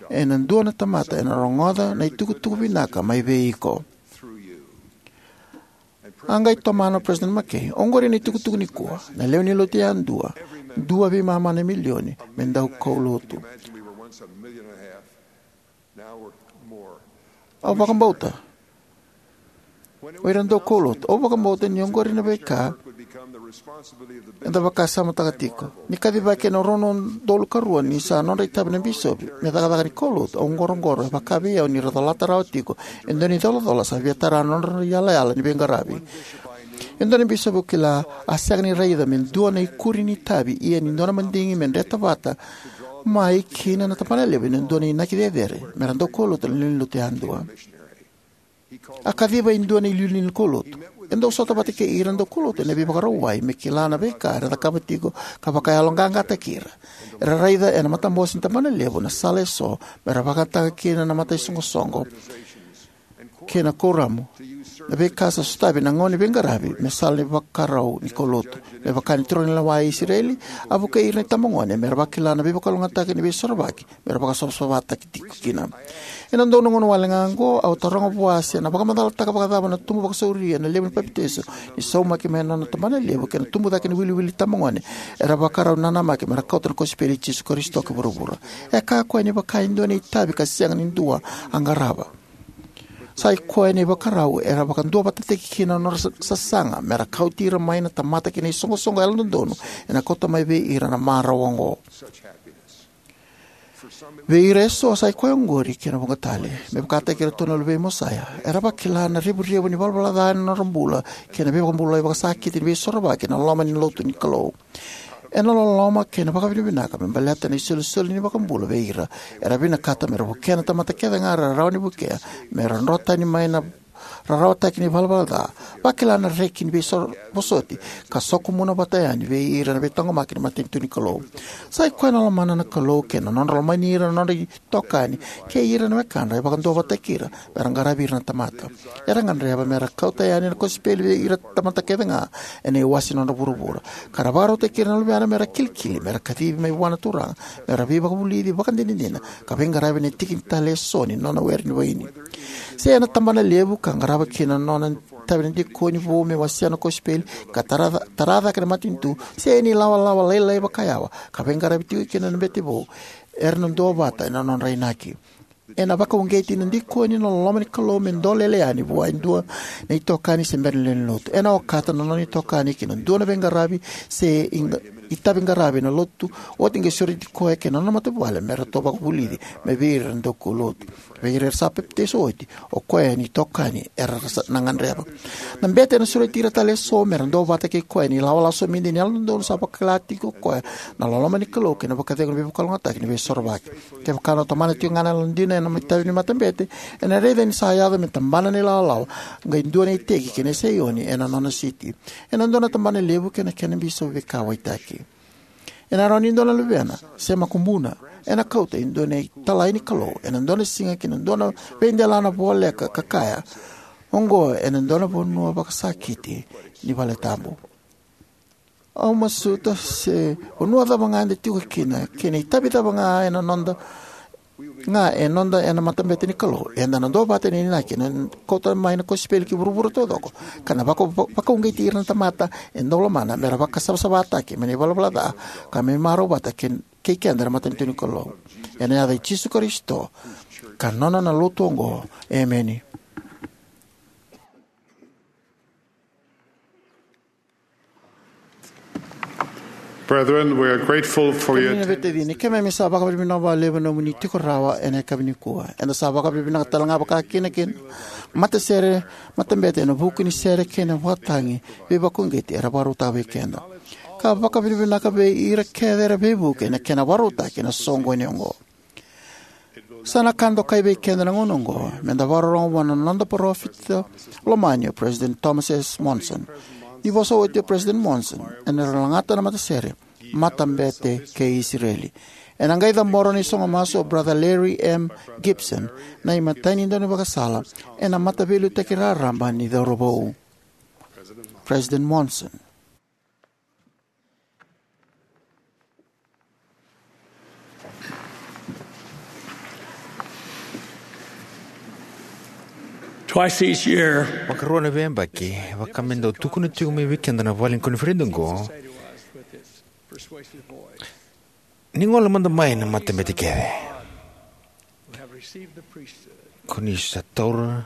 Ena dua na tamata ena rogoca na itukutuku vinaka mai vei iko. A qai tomana o President McKay, oqori na itukutuku nikua, na lewe ni lotu yadua, dua veimama na milioni, me dau kaulotu. Au vakabauta o ira dau kaulotu. Au vakabauta ni oqori na veika eda vakasamataka tiko. Ni kacivaki ena rua na udolu ka rua ni sa nodra itavi na bisopi me cakacaka ni kaulotu, au qoroqoro e vaka vei au ni ra colata rawa tiko e dua na icolacola sa via tara na nodra iyalayala ni veiqaravi. E dua na bisopi au kila a sega ni raica me dua na ikuri ni itavi ia ni dua na madigi me dreta vata mai kina na tabana levu ena dua na inaki cecere mera dau kaulotu na lewe ni lotu yadua. A kaciva e dua na iliuliu ni kaulotu. E dau sota vata kei ira na dau kaulotu ena veivakarauwai me kila na veika era cakava tiko ka vakayaloqaqataki ira. Era raica ena matabose ni tabana levu na sala eso mera vakayagataka kina na mataisoqosoqo kei na kuoramu, na veika sa sotavi ena gauna ni veiqaravi me sala ni vakarau ni kaulotu. Me vaka ni turaganilewa e Isireli, a vukei ira na itabagone mera vakila na veivakalougatataki ni Veisorovaki mera vakasavasavataki tiko kina. Ena dua na gauna wale ga oqo, au taroga vua se na vakamacalataka vakacava na tubu vakasauri ena levu ni papitaiso ni saumaki mai na nona tabana levu kei na tubu cake ni wiliwili ni itabagone era vakarau nanamaki mera kauta na kosipeli i Jisu Karisito ki vuravura. E kaya o koya ni vaka e dua na itavi ka sega ni dua a qarava, sa i koya na ivakarau era vakaduavatataki kina na nodra sa- sasaga mera kauti ira mai na tamata ki na isoqosoqo yalododonu ena kauta mai vei ira na marau oqo. Vei ira eso sa i koya oqori kei na vuqa tale. Me vakataki iratou na luvei Mosaia, era vakila na revurevu ni valavala ca ena nodra bula kei na veivakabulai vakasakiti ni Veisorovaki ena loma ni lotu ni Kalou. Ena loloma kei na vakavinavinaka me baleta na isolisoli ni iVakabula vei ira, era vinakata mera vukea na tamata kece ga era rawa ni vukea mera dro tani mai na rarawataki ni valavala ca, vakila na reki ni veivosoti, ka sokumuna vata yani vei ira na veitaqomaki ni matanitu ni Kalou. Sa i koya na lomana na Kalou kei na nodra lomani ira na nodra itokani kei ira na wekadra e vakaduavatataki ira mera qaravi ira na tamata. Era gadreva mera kauta yani na kosipeli vei ira na tamata kece ga ena iwase ni nodra vuravura, ka ra vakarautaki ira na luvena mera kilikili, mera kacivi mai vua na Turaga mera veivakavulici vakadinadina ka veiqaravi ena tiki tale eso ni nona were ni vaini. Se ena tabana levu ka qarava kina na nona itavi na dikoni vou me wasea na kosipeli ka tara, tara cake na matanitu, se ena ilawalawa lailai vakayawa ka veiqaravi tiko kina na bete vou, era na duavata ena nodra inaki. Ena vakauqeti na dikoni na loloma ni Kalou me dolele yani vua e dua na itokani se bera ni lewe ni lotu. Ena okata na nona itokani ki na dua na veiqaravi se iqa- itavi qaravi ena lotu oti qai sureti koya kei na nona matavuvale me ratou vakavulici mai vei ira na daukaulotu. Vei ira era sa papitaiso oti, o koya na itokani era sa na gadreva. Na bete ena sureti ira tale eso mera duavata kei koya ena ilawalawa somidi ni yalododonu sa vakila tiko o koya na loloma ni Kalou kei na vakacegu ni veivakalougatataki ni Veisorovaki. Kevaka ena tomana tiko ga na yalodina ena itavi ni matabete, ena raica ni sa yaco me tabana na ilawalawa, qai dua na iteki kei na Saioni ena nona siti. Ena dua na tabana levu kei na kena bisopi veikauwaitaki. Ena rawa ni dua na luvena se makubuna ena kauta e dua na italai ni Kalou ena dua na siga ki na dua na veidelana voleka ka kaya, "Oqo ena dua na vanua vakasakiti ni vale tabu." Au masuta se vanua cava ga eda tiko kina, kei na itavi cava ga ena noda ga e noda ena matabete ni Kalou, eda na duavata ena inaki ena kauta mai na kosipeli ki vuravura taucoko, ka na vaka- vakauqeti ira na tamata e dau lomana mera vakasavasavataki mai na ivalavala ca, ka me marau vata kei, kei keda na matanitu ni Kalou. Ena yaca i Jisu Karisito ka nona na lotu oqo, emeni. Brethren, we are grateful for your Kemuni na veitacini, keimami sa vakavinavinaka vakalevu ena nomuni tiko rawa ena yakavi nikua. Eda sa vakavinavinaka tale ga vakakina ki na matasere, matabete ena vuku ni sere kei na vakatagi veivakauqeti era vakarautaka vei keda. Ka vakavinavinaka vei ira kece era veivuke ena kena vakarautaki na soqoni oqo. Sa na ka dokai vei keda na gauna oqo meda vakarorogo vua na noda parofita lomani o President Thomas S. Monson. Ni vosa oti o President Monson ena lagata na matasere, Matabete kei Isireli. Ena qai cabora na isogo masu o Brother Larry M. Gibson, na imatai ni daunivakasala ena Mataveiliutaki Raraba ni Cauravou. President Monson. Twice each year, vakarua na veiyabaki, vaka me dau tukuna tiko mai vei keda na vale ni koniferedi oqo, ni gole mada mai na matabete kece. Ko ni sa taura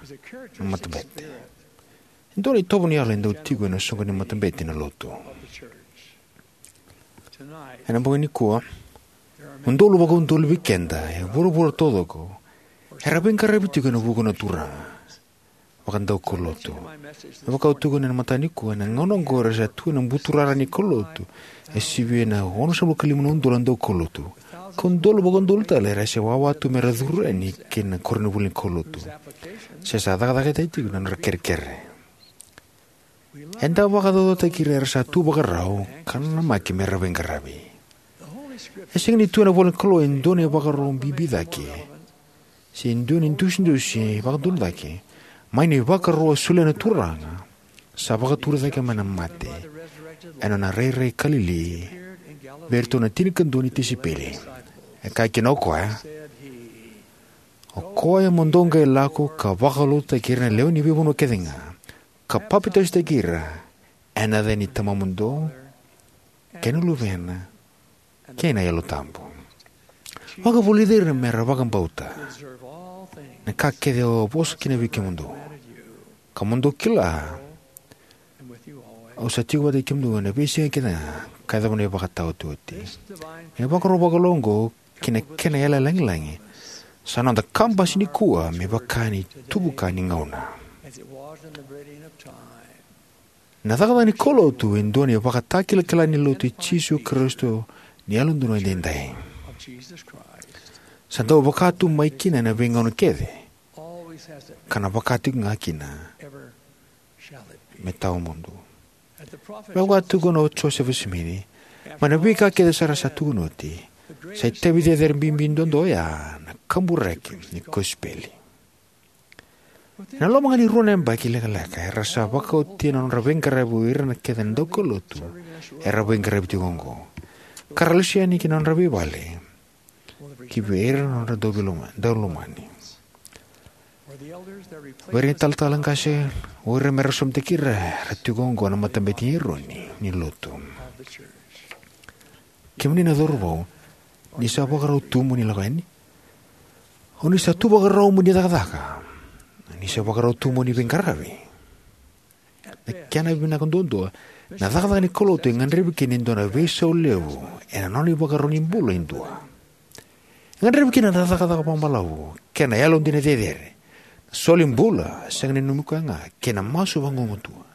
na matabete. E dua na itovo ni yalo e dau tiko ena soqo ni matabete na lotu. Ena bogi nikua, udolu vakaudolu vei keda e vuravura taucoko era veiqaravi tiko ena vuku na Turaga vakadaukaulotu. Me vaka au tukuna ena mataka nikua, ena gauna oqo era sa tu ena buturara ni kaulotu e sivia na onosagavulu ka lima na udolu na daukaulotu, ka udolu vakaudolu tale era se wawa tu mera curu yani ki na koronivuli ni kaulotu se sa cakacakataki tiko na nodra kerekere. Eda vakacaucautaki ira era sa tu vakarau ka nanamaki mera veiqaravi. E sega ni tu ena ivolanikalou e dua na ivakaro bibi cake se dua na idusidusi vakadodonu cake mai na ivakaro a solia na Turaga sa vakaturi cake mai na mate ena nona rairai Kalili vei iratou na tinikadua ni tisaipeli. E kaya kina o koya, "O koya mo dou qai lako ka vakalotutaki ira na lewe ni veivanua kece ga, ka papitaisotaki ira ena yaca ni Tamamudou kei na Luvena kei na Yalo Tabu. Vakavulici ira mera vakabauta na ka kece au a vosa kina vei kemudou. Ka mo dou kila, au sa tiko vata kei kemudou ena veisiga kece ga ka yacova na ivakataotioti." Na ivakaro vakalou oqo kei na kena yalayala lagilagi sa noda kabasi nikua me vaka ni tuvuka ni gauna. Na cakacaka ni kaulotu e dua na ivakatakilakila ni Lotu i Jisu Karisito ni Yalododonu Edaidai. Sa dau vaka tu mai kina ena veigauna kece, ka na vaka tiko ga kina me tawamudu. Me vaka tukuna o Josefa Simici, mai na veika kece sara sa tukuni oti, sa itavi cecere bibi duadua oya na kaburaki ni kosipeli. Ena loma ga ni rua na yabaki lekaleka era sa vakaotia na nodra veiqaravi o ira na kece na daukaulotu era veiqaravi tiko oqo, ka ra lesu yani ki na nodra veivale ki vei ira na nodra dauloma-, daulomani. Vei ira na italatala qase, o ira mera somataki ira era tiko oqo na Matabete i Eroni ni Lotu. Kemuni na cauravou, ni sa vakarau tu mo ni lako yani? O ni sa tu vakarau mo ni cakacaka? Ni sa vakarau tu mo ni veiqaravi? Na kena vinaka duadua, na cakacaka ni kaulotu e gadrevi kina e dua na veisau levu ena nona ivakaro ni bula e dua. E gadrevi kina na cakacaka vakabalavu kei na yalodina cecere, na soli bula sega ni nanumi koya ga, kei na masu vagumatua.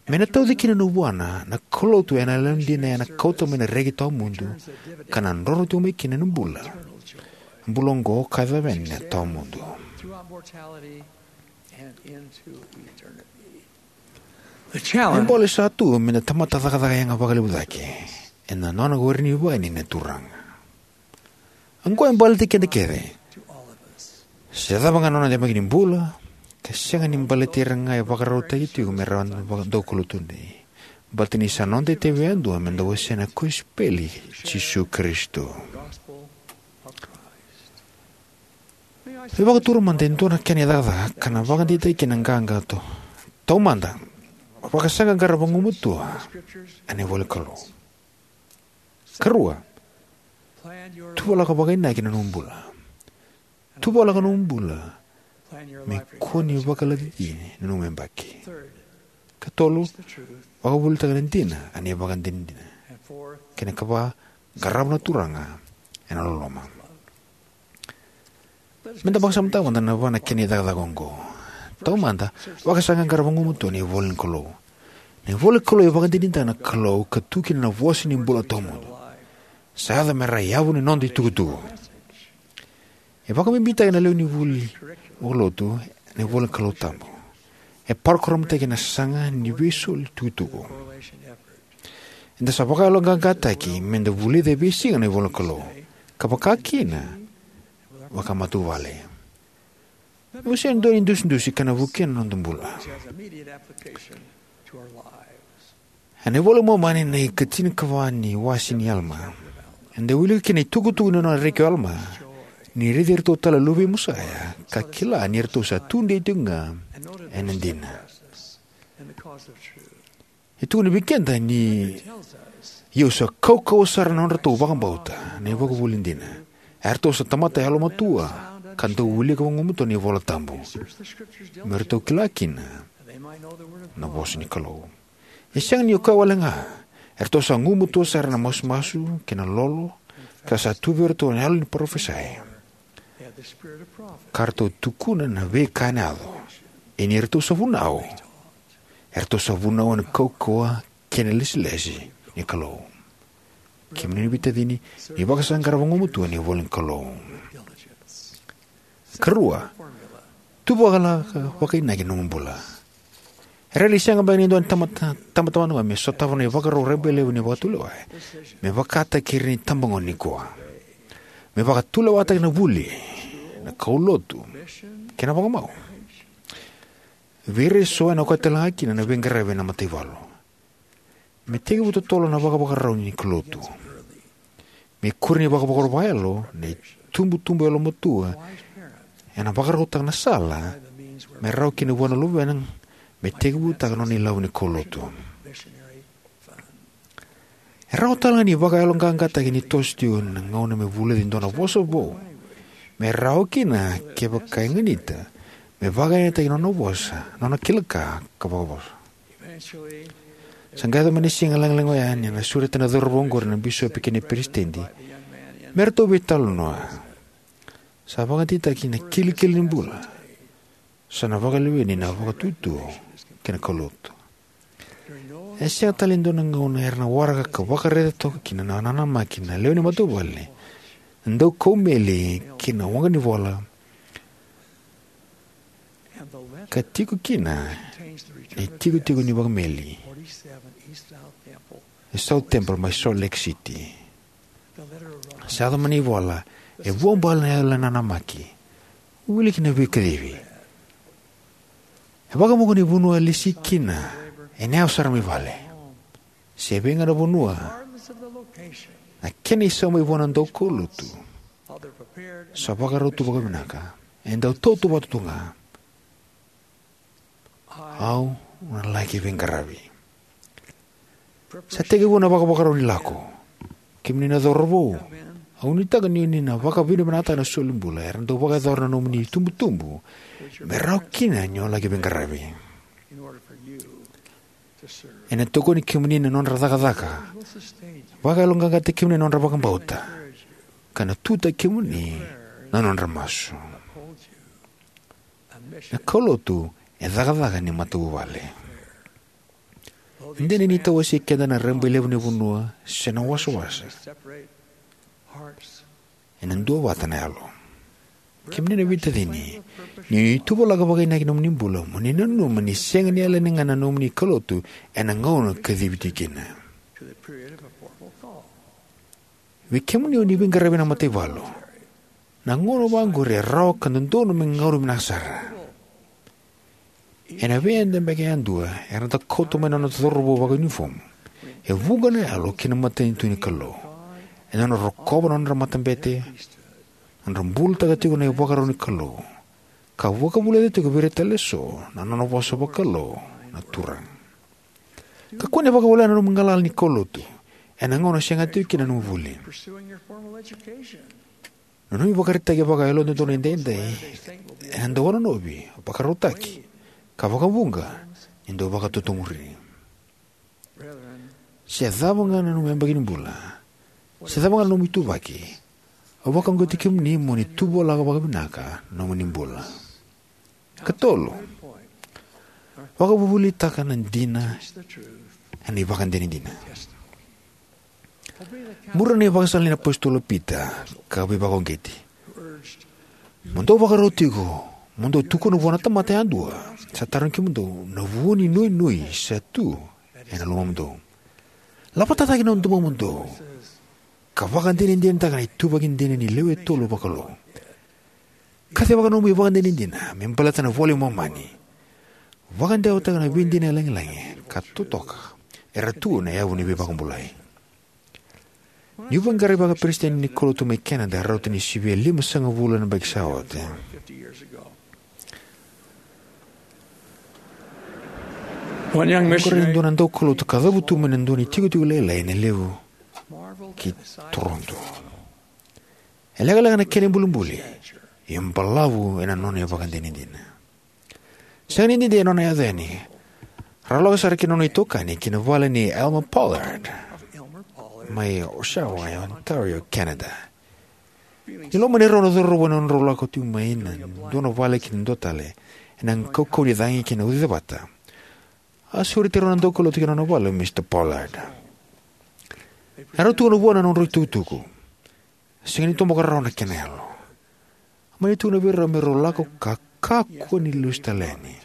Me na tauci kina na vuana, na kaulotu ena yalodina ena kauta mai na reki tawamudu ka na droro tiko mai kina na bula. Bula oqo ka yacova yani na tawamudu. E bole sa tu me na tamata cakacaka yaga vakalevu cake ena nona were ni vaini na Turaga. Oqo e baleti keda kece. Se cava ga na noda yabaki ni bula, ka sega ni baleti ira ga e vakarautaki tiko me ra daukaulotu tudei. Baleta ni sa noda itavi yadua me da wasea na kosipeli i Jisu Karisito. Me vakatura mada e dua na kena cakacaka ka na vakadeitaki kina na qaqa. Taumada, vakasaqaqara vagumatua ena ivola ni Kalou. Karua, tuvalaka vakainaki na nomu bula. Tuvalaka nomu bula me kua ni vakalacici na nomu yabaki. Katolu, vakavuvulitaka na dina ena ivakadinadina. Kei na kava, qarava na Turaga ena loloma. Me da vakasamataka mada na va na kena icakacaka oqo. Taumada, vakasaqaqara vagumatua ena ivola ni Kalou. Na ivola ni Kalou e vakadinadinataka na Kalou ka tu kina na vosa ni bula tawamudu. Sa yaco me ra yavu ni noda itukutuku. E vakabibitaki na lewe ni vuli vakalotu ena ivola ni Kalou tabu. E parokaramataki ena sasaga ni veisoli tukutuku. Eda sa vakayaloqaqataki me da vulica e veisiga na ivola ni Kalou, ka vaka kina vakamatavuvale. Meu se dua ni dusidusi ka na vukea na noda bula. Ena iVola i Momani na ikatinikava ni wase ni Alama, eda wilika kina na itukutuku ni nona reki o Alama ni raici iratou tale na luvei Mosaia, ka kila ni ratou sa tudei tiko ga ena dina. E tukuna vei keda ni, "Ia au sa kaukauwa sara na nodratou vakabauta na ivakavuvuli dina. Eratou sa tamata yalomatua ka dau wilika vagumatua na iVola Tabu, me ratou kila kina na vosa ni Kalou." E sega ni o koya wale ga, eratou sa gumatua sara na masumasu kei na lolo, ka sa tu vei iratou na yalo ni parofisai, ka ratou tukuna na veika ena yaco. Ia ni ratou sa vunau, eratou sa vunau ena kaukauwa kei na lesilesi ni Kalou. Kemuni na veitacini, ni vakasaqara vagumatua na ivola ni Kalou. Karua, tuvalaka vakainaki na nomu bula. E rairai sega beka ni dua na tamata, tamata vakaoqo me sotava na ivakarau rabailevu ni vakatulewa me vakataki ira na itabagone nikua. Me vakatulewataki na vuli, na kaulotu, kei na vakamau. Vei ira eso ena okati tale ga kina na veiqaravi ena mataivalu. Me tekivu totolo na vakavakarau ni kaulotu. Me ikuri ni vakavakarau vakayalo, na itubutubu yalomatua ena vakarautaka na sala me rawa kina vua na luvena me tekivutaka na nona ilavo ni kaulotu. E rawa tale ga ni vakayaloqaqataki ni toso tiko na gauna me vulica e dua na vosa vou, me rawa kina, kevaka e ganita, me vakayagataki na nona vosa, na nona kila ka, ka vakavosa. Sa qai yaco mai na siga lagilagi oya ni na sureta na cauravou oqori na bisopi kei na peresitedi me ratou veitalanoa. Sa vakadeitaki na kilikili ni bula. Sa na vakaleveni na vakatutu kei na kaulotu. E sega tale e dua na gauna era na waraka ka vakaraica toka kina na nanamaki na lewe ni matavuvale, na daukau meli kei na waqa ni vola, ka tiko kina na itikotiko ni vakameli e South Temple mai Salt Lake City. Sa yaco mai na ivola e vuabale na yalo nanamaki. Wili kina veikacivi. E vakamuka ni vanua e lesi kina ena yawa sara mai vale. Se vei ga na vanua, na kena isau mai vua na daukaulotu sa vakarau tu vakavinaka, e dau tautauvata tu ga. Au na laki veiqaravi. Sa tekivu na vakavakarau ni lako. Kemuni na cauravou, au nuitaka ni oni na vakavinavinakataka na solibula era dau vakayacora na nomuni itubutubu me rawa kina ni o laki veiqaravi. Ena tokoni kemuni na nodra cakacaka, vakayaloqaqataki kemuni na nodra vakabauta, ka na tutaki kemuni na nodra masu. Na kaulotu e cakacaka ni matavuvale. E dina ni tawasei keda na rabailevu ni vanua se na wasawasa, ena duavata na yalo. Kemuni na veitacini, ni tuvalaka vakainaki na nomuni bula, mo ni nanuma ni sega ni yalani ga na nomuni kaulotu ena gauna kacivi tiko kina. Vei kemuni o ni veiqaravi ena mataivalu, na gauna vaqori e rawa ka dodonu me gauna vinaka sara. Ena veiyabaki yadua, era dau kauta mai na nona cauravou vakaunifomu e vuqa na yalo ki na matanitu ni Kalou, ena nodra rokova na nodra matabete, nodra bulataka tiko na ivakarau ni Kalou, ka vakavulica tiko vei ira tale eso na nona vosa vakalou na Turaga. Kakua ni vakawalena na nomu galala ni kaulotu ena gauna o sega tiko kina na nomu vuli. Na nomu ivakaraitaki vakayalododonu edaidai ena dau wanonovi, vakarautaki, ka vakavuqa ni dau vakatotomuri. Se cava ga na nomu yabaki ni bula, se cava ga na nomu ituvaki, au vakauqeti kemuni mo ni tuvalaka vakavinaka na nomuni bula. Katolu, vakavuvulitaka na dina ena ivakadinadina. Muria na ivakasala nei na apositolo o Pita, ka veivakauqeti: Mo dou vakarau tiko, mo dou tukuna vua na tamata yadua sa tarogi kemudou na vu ni nuinui sa tu ena lomamudou. Lavata cake na domomudou, ka vakadinadinataka na ituvaki dina ni lewe tolu vakalou. Kacivaka nomu ivakadinadina me baleta na iVola i Momani. Vakadewataka na veidina lagilagi ka totoka era tu ena yavu ni veivakabulai. Niu vaqarai vakaperesitedi ni kaulotu mai Canada rauta ni sivia limasagavulu na yabaki sa oti, au qarauni e dua na daukaulotu ka cavutu mai na dua na itikotiko lailai ena levu ki Toronto. E lekaleka na kena ibulibuli, ia e balavu ena nona ivakadinadina. Sega ni dede na nona yaco yani. Rau lako sara kei na nona itokani ki na vale nei Elmer Pollard mai Oshawa, e Ontario, Canada. Ni lomani rau na cauravou ena nodrau lako tiko mai na dua na vale ki na dua tale, ena kaukauwa ni cagi kei na ucacevata, a sureti rau na daukaulotu ki na nona vale o Mister Pollard. Erau tukuna vua na nodrau itukutuku. Sega ni toboka rawa na kena yalo. A mani tukuna vei rau me rau lako ka kakua ni lesu tale yani.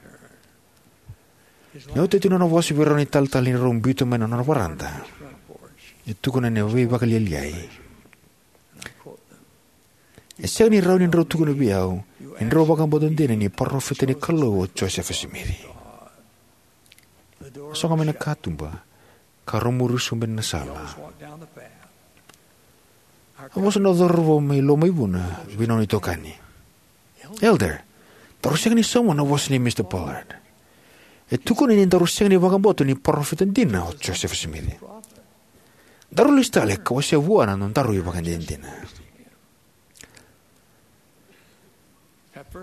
Ni oti oti na nona vosa vei rau na italetale ni rau biuta mai na nona varada, e tukuna ena veivakalialiai: E sega ni rawa ni drau tukuna vei au ni drau vakabauta dina ni parofita ni Kalou o Josefa Simici. A sogo mai na katuba, ka rau muri sobu ena sala. A vosa na cauravou mai Lomaivuna vei na nona itokani: Elder, daru sega ni sauma na vosa nei Mister Pollard. E tukuna ni daru sega ni vakabauta ni parofita dina o Josefa Simici. Daru lesu tale ka wasea vua na nodaru ivakadinadina.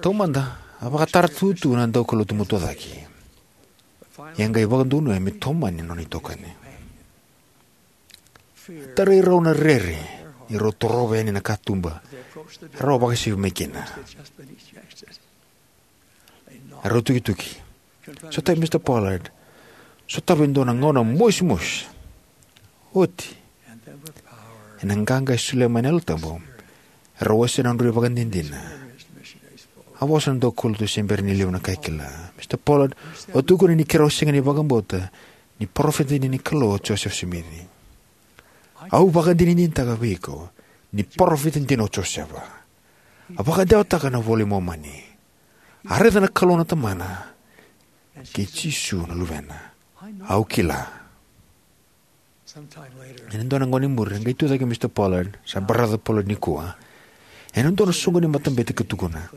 Taumada, a vakatara tu na daukaulotu matua cake. Ia a qai vakadonuya me tomani na nona itokani. A tarai rau na rere ni rau torova yani na katuba. Rau a vakasivia mai kina. Rau tukituki. Sotavi Mister Pollard. Sotavi e dua na gauna mosimosi. Oti, ena qaqa e solia mai na Yalo Tabu, rau wasea na nodrau ivakadinadina. A vosa na daukaulotu se bera ni levu na ka e kila: Mister Pollard, o tukuna ni keirau sega ni vakabauta ni parofita dina ni Kalou o Josefa Simici. Au vakadinadinataka vei iko ni parofita dina o Josefa. A vakadewataka na iVola i Momani. A raica na Kalou na Tamana kei Jisu na Luvena. Au kila. Ena dua na gauna i muri, a qai tucake o Mister Pollard, sa Brother Pollard nikua, ena dua na soqo ni matabete ka tukuna: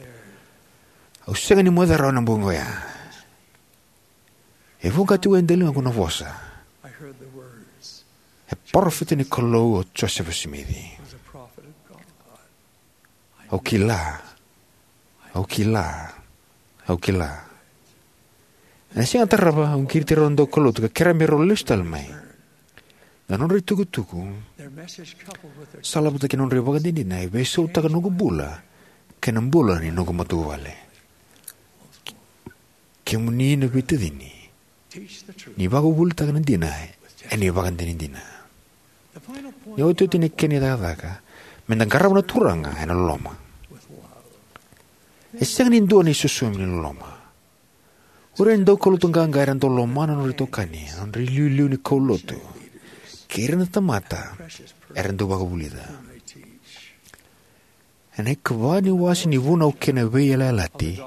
Au sega ni moce rawa ena bogi oya. E voqa tiko e daligaqu na vosa: E parofita ni Kalou o Josefa Simici. Au kila. Au kila. Au kila. Ena siga tarava, au qiriti rau na daukaulotu ka kerea me rau lesu tale mai. Na nodra itukutuku, salavata kei na nodra ivakadinadina, e veisautaka na noqu bula kei na bula ni noqu matavuvale. Kemuni na veitacini, ni vakavuvulitaka na dina ena ivakadinadina. Na iotioti ni kena icakacaka, meda qarava na Turaga ena loloma. E sega ni dua na isosomi ni loloma. O ira na daukaulotu qaqa era dau lomana na nodra itokani, na nodra iliuliu ni kaulotu, kei ira na tamata era dau vakavulica. Ena ikava ni wase ni Vunau kei na Veiyalayalati,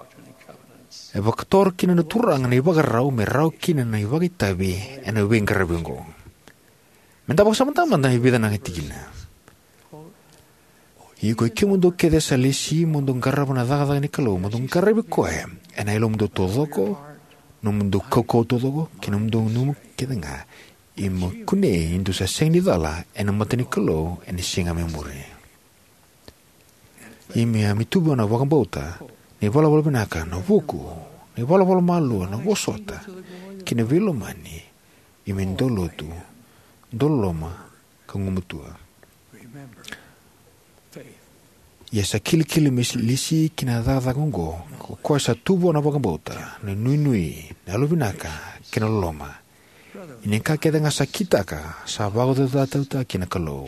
E vakatora kina na Turaga na ivakarau me rawa kina na ivakaitavi ena veiqaravi oqo. Me da vakasamataka mada e vica na tikina. Ia ko ikemudou kece sa lesi mo dou qarava na cakacaka ni Kalou, mo dou qaravi koya ena yalomudou taucoko, nomudou kaukauwa taucoko, kei nomudou nanuma kece ga. Ia mo kunei ni dou sa sega ni cala ena mata ni Kalou ena siga mai muri. Ia me a me tu vua na vakabauta, na ivalavala vinaka, na vuku, na ivalavala malua, na vosota, kei na veilomani. Ia me dau lotu, dau loloma, ka gumatua. Ia sa kilikili me lesi ki na cakacaka oqo ko koya sa tu vua na vakabauta, na nuinui, na yalovinaka, kei na loloma. Ia ni ka kece ga sa kitaka sa vakacaucautaki na Kalou,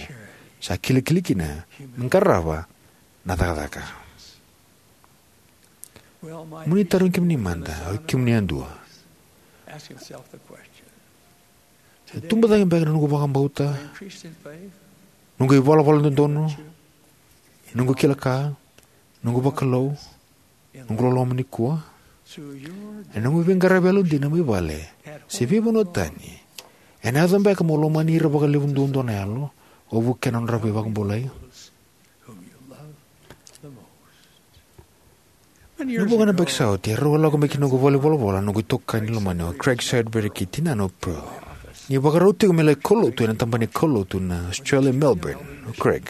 sa kilikili kina me qarava na cakacaka. Mo ni tarogi kemuni mada, o kemuni yadua: E tubu cake beka na noqu vakabauta, noqu ivalavala dodonu, noqu kila ka, noqu vakalou, noqu loloma nikua? Ena noqu veiqaravi yalodina mai vale se veivanua tani, ena yaco beka mo lomani ira vakalevu duadua na yalo o vukea na nodra veivakabulai? Na vuqa na yabaki sa oti, erau a lako mai ki noqu valenivolavola noqu itokani lomani o Craig Sudbury kei tinana o Pearl. Ni vakarau tiko me laki kaulotu ena tabana ni kaulotu na Australia Melbourne o Craig.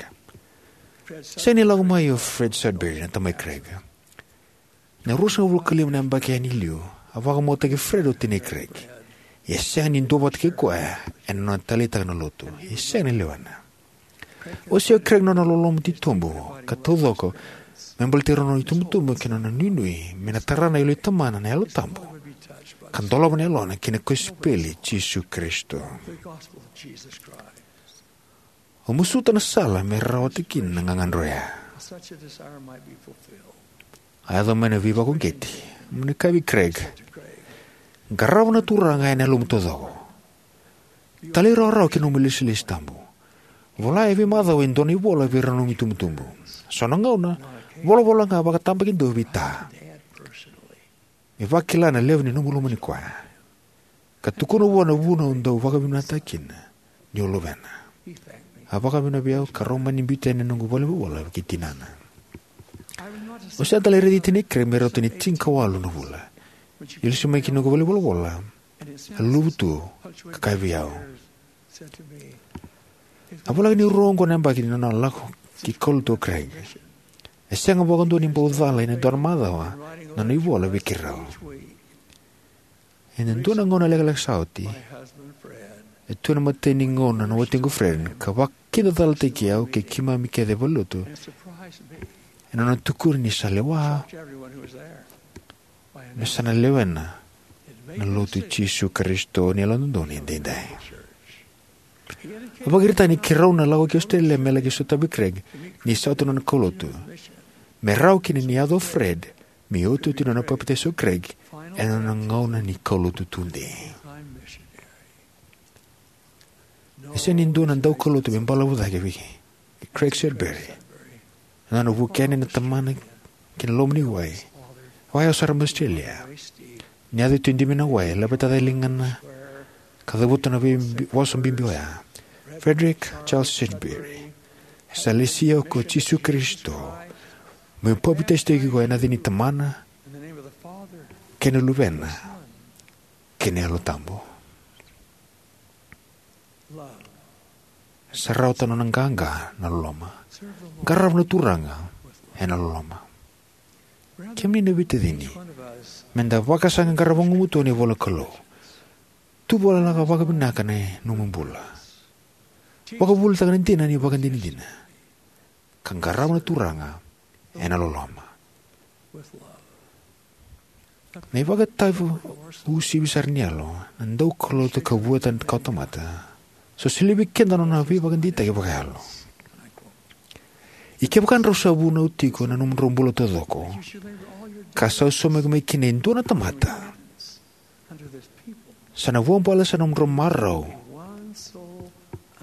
Sega ni lako mai o Fred Sudbury, na tamai Craig. Na ruasagavulu ka lima na yabaki yani i liu, a vakamautaki Fred o tinai Craig. Ia e sega ni duavata kei koya ena nona taleitaka na lotu. Ia e sega ni lewena. Wasea o Craig na nona loloma titobu ka taucoko me baleti rau na itubutubu kei na nona nuinui me na tara na yalo i Tamana na Yalo Tabu ka dolava na yalona ki na kosipeli i Jisu Karisito. Au masuta na sala me rawata kina na gagadre oya. A yaco mai na veivakauqeti. Mo ni kaya vei Craig: Qarava na Turaga ena yalomu taucoko. Talairawarawa ki na nomu ilesilesi tabu. Vola e veimacawa e dua na ivola vei rau na nomu itubutubu. So na gauna, volavola ga vakatabakidua vei Ta. Me vakila na levu ni nomu lomani koya, ka tukuna vua na vuna o dau vakavinakataka kina ni o luvena. A vakavinavinaka vei au ka rau mani biuta yani na noqu valenivolavola kei tinana. Au sega tale ni raici tinai Craig me rauta ni tinikawalu na vula. Ni lesu mai ki noqu valenivolavola, a luluvu tu ka kaya vei au: A voleka ni rua oqo na yabaki ni nona lako ki kaulotu o Craig. E sega vakadua ni bau cala ena dua na macawa na nona ivola vei keirau. Ena dua na gauna lekaleka sa oti, e tu ena imatai ni gauna na watiqu Fred ka vakidacalataki au kei keimami kece e valenilotu ena nona tukuna ni sa lewa me sa na lewena na Lotu i Jisu Karisito ni Yalododonu Edaidai. A vakaraitaka ni keirau na lako ki Australia me laki sotavi Craig ni sa oti na nona kaulotu, me rawa kina ni yaco o Fred me iotioti ni nona papitaiso o Craig ena nona gauna ni kaulotu tudei. E sega ni dua na daukaulotu me balavu cake vei Craig Sudbury ena nona vuki yani na tamana ki na loma ni wai, wai yawa sara mai Australia. Ni yaco e tiko e dimi na wai, e laveta cake e ligana ka cavuta na veivosa bibi oya: Frederick Charles Sudbury, sa lesi au ko Jisu Karisito, meu papitaisotaki iko ena yaca ni Tamana kei na Luvena kei na Yalo Tabu. Sa rawata na nona qaqa na loloma. Qarava na Turaga ena loloma. Kemuni na veitacini, me da vakasaqaqara vagumatua na ivola ni Kalou. Tu vakaloloma vakavinaka na nomu bula. Vakavuvulitaka na dina ni ivakadinadina ka qarava na Turaga ena loloma. Na ivakatawa uasivi sara ni yalo, na daukaulotu ka vueta na kawatamata, sa solia vei keda na nona veivakadeitaki vakayalo: Ia kevaka drau sa vunau tiko na nomudrau bula taucoko, ka sa saumaki mai kina e dua na tamata, sa na vuabale sara na nomudrau marau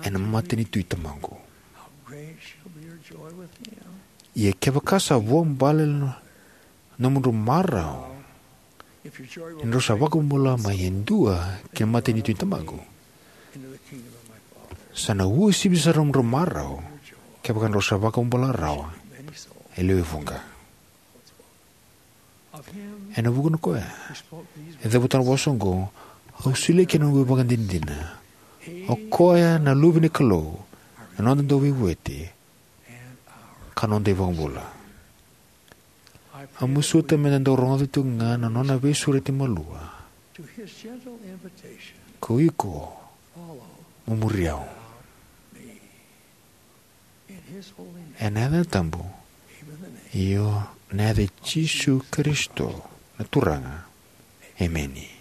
ena matanitu i Tamaqu. Ia kevaka sa vuabale na nomudrau marau Ni drau sa vakabula mai e dua ki na matanitu ni Tamaqu, sa na uasivi sara na nomudrau marau kevaka drau sa vakabula rawa e lewe vuqa. Ena vukuna o koya e cavuta na vosa oqo, au solia kina na noqu ivakadinadina. O koya na Luve ni Kalou, na noda Dauveivueti ka noda iVakabula. Au masuta meda dau rogoca tiko ga na nona veisureti malua: "Ko iko mo muri au." Ena yaca tabu, io, na yaca i Jisu Karisito na Turaga. Emeni.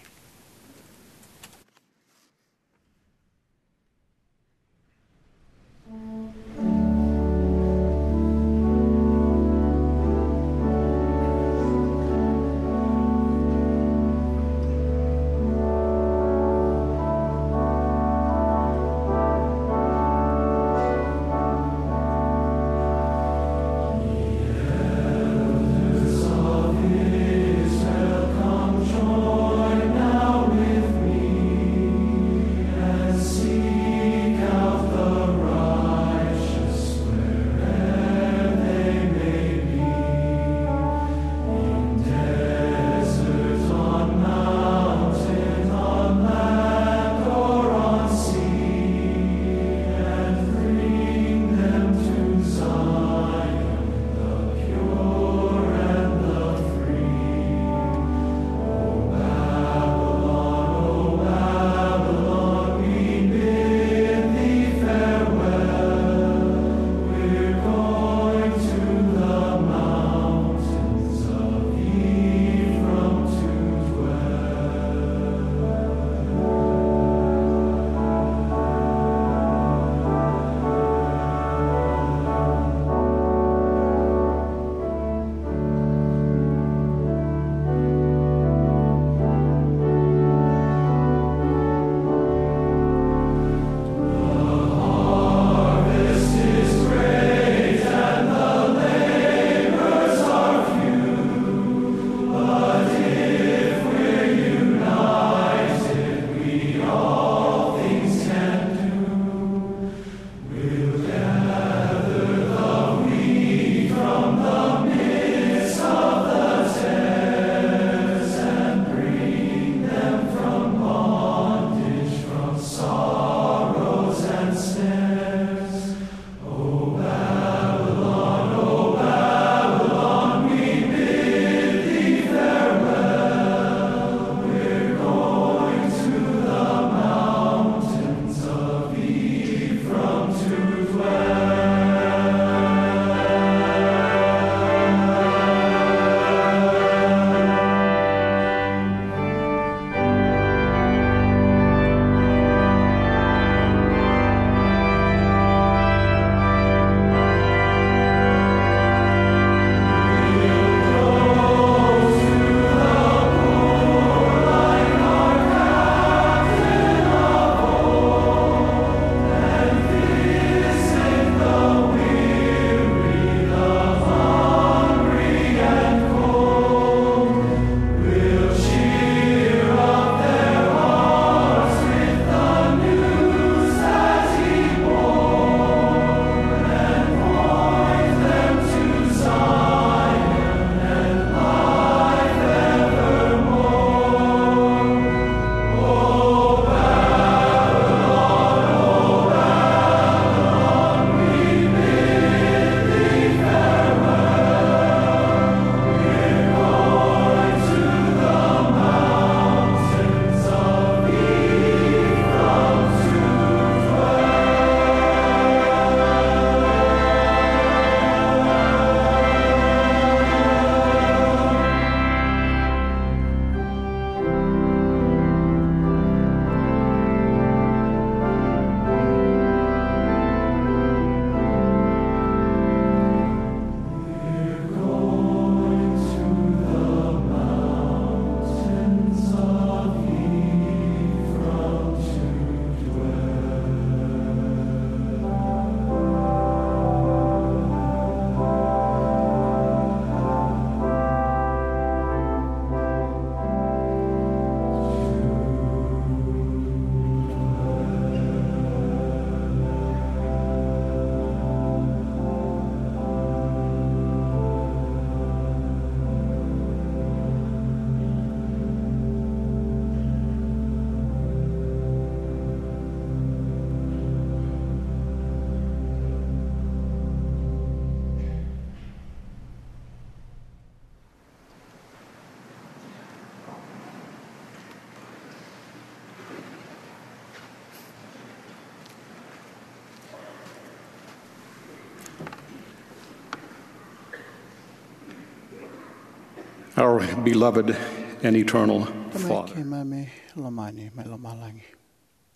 Our beloved and eternal Tamai Father, keimami lomani mai lomalagi.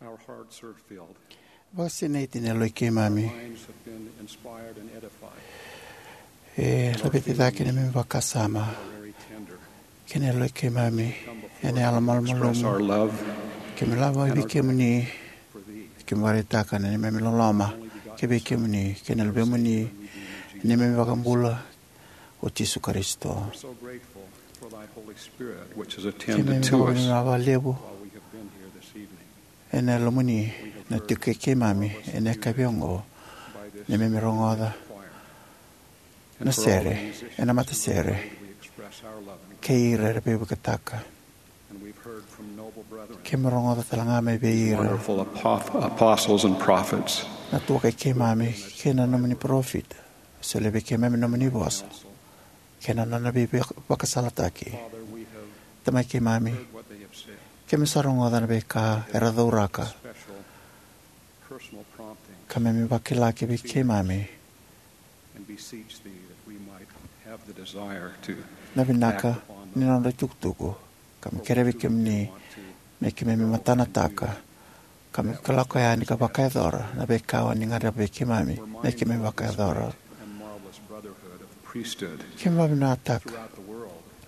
Our hearts are filled. Vakasinaiti na yaloi keimami. Our minds have been inspired and edified. E laveti cake na neimami vakasama. Very tender. Kei na yaloi keimami ena yalo malumalumu. Express our love. Keimami lako vei kemuni. Keimami vakaraitaka na neimami loloma kivei kemuni kei na luvemuni, na neimami iVakabula o Jisu Karisito. We're so grateful for thy Holy Spirit, which has attended to us. Keimami vakavinavinaka vakalevu. While we have been here this evening. Ena lomuni na tiko kei keimami ena yakavi oqo, na neimami rogoca na sere ena matasere kei ira era veivuiketaka. And we've heard from noble brethren. Keimami rogoca tale ga mai vei ira, wonderful apoth-, apostles and prophets, na tuakai keimami kei na nomuni parofita. Solia vei keimami nomuni vosa kei na nona veivakasalataki. Father, we have Tamai keimami, heard what they have said. Keimami sa rogoca na veika era cauraka. Special personal prompting. Keimami vakila kivei keimami. And beseech thee that we might have the desire to na vinaka act upon ni nodra itukutuku. Keimami kerea vei kemuni me keimami matanataka, keimami lako yani ka vakayacora na veika o ni gadreva vei keimami me keimami vakayacora. Keimami vakavinavinakataka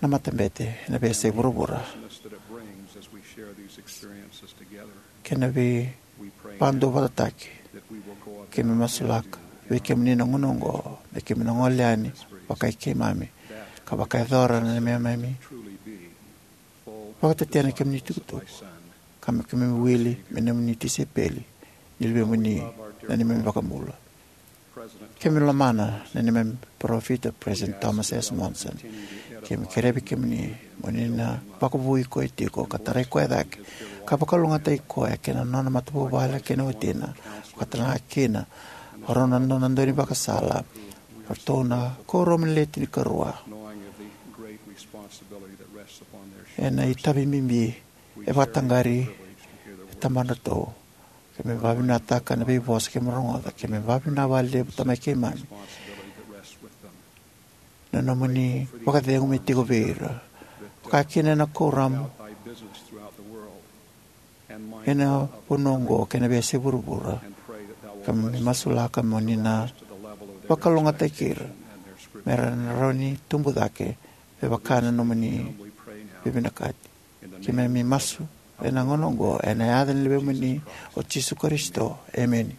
na matabete ena veiyasai vuravura kei na veivakaduavatataki. Keimami masulaka vei kemuni na gauna oqo me keimami na gole yani vakai keimami ka vakayacora na neimami vakatetena kemuni tukutuku, ka me keimami wili me nomuni tisaipeli ni luvemuni, na neimami iVakabula. Keimami lomana na neimami parofita, President Thomas S. Monson. Keimami kerea vei kemuni mo ni na vakavoui koya tiko ka tarai koya cake ka vakalougatataki koya kei na nona matavuvale kei na watina, vakatalega kina o rau na nona dau ni vakasala, o ratou na kuoramu ni Le Tinikarua. Ena itavi bibi e vakataqari e tabadratou. Keimami vakavinavinakataka na veivosa keimami rogoca. Keimami vakavinavinaka vakalevu, Tamai keimami, na nomuni vakacegu me tiko vei ira, vakakina ena kuoramu ena vanua oqo kei na veiyasai vuravura. Keimami masulaka mo ni na vakalougatataki ira me ra na rawa ni tubu cake me vaka na nomuni veivinakati. Keimami masu ena gauna oqo ena yaca ni luvemuni o Jisu Karisito. Emeni.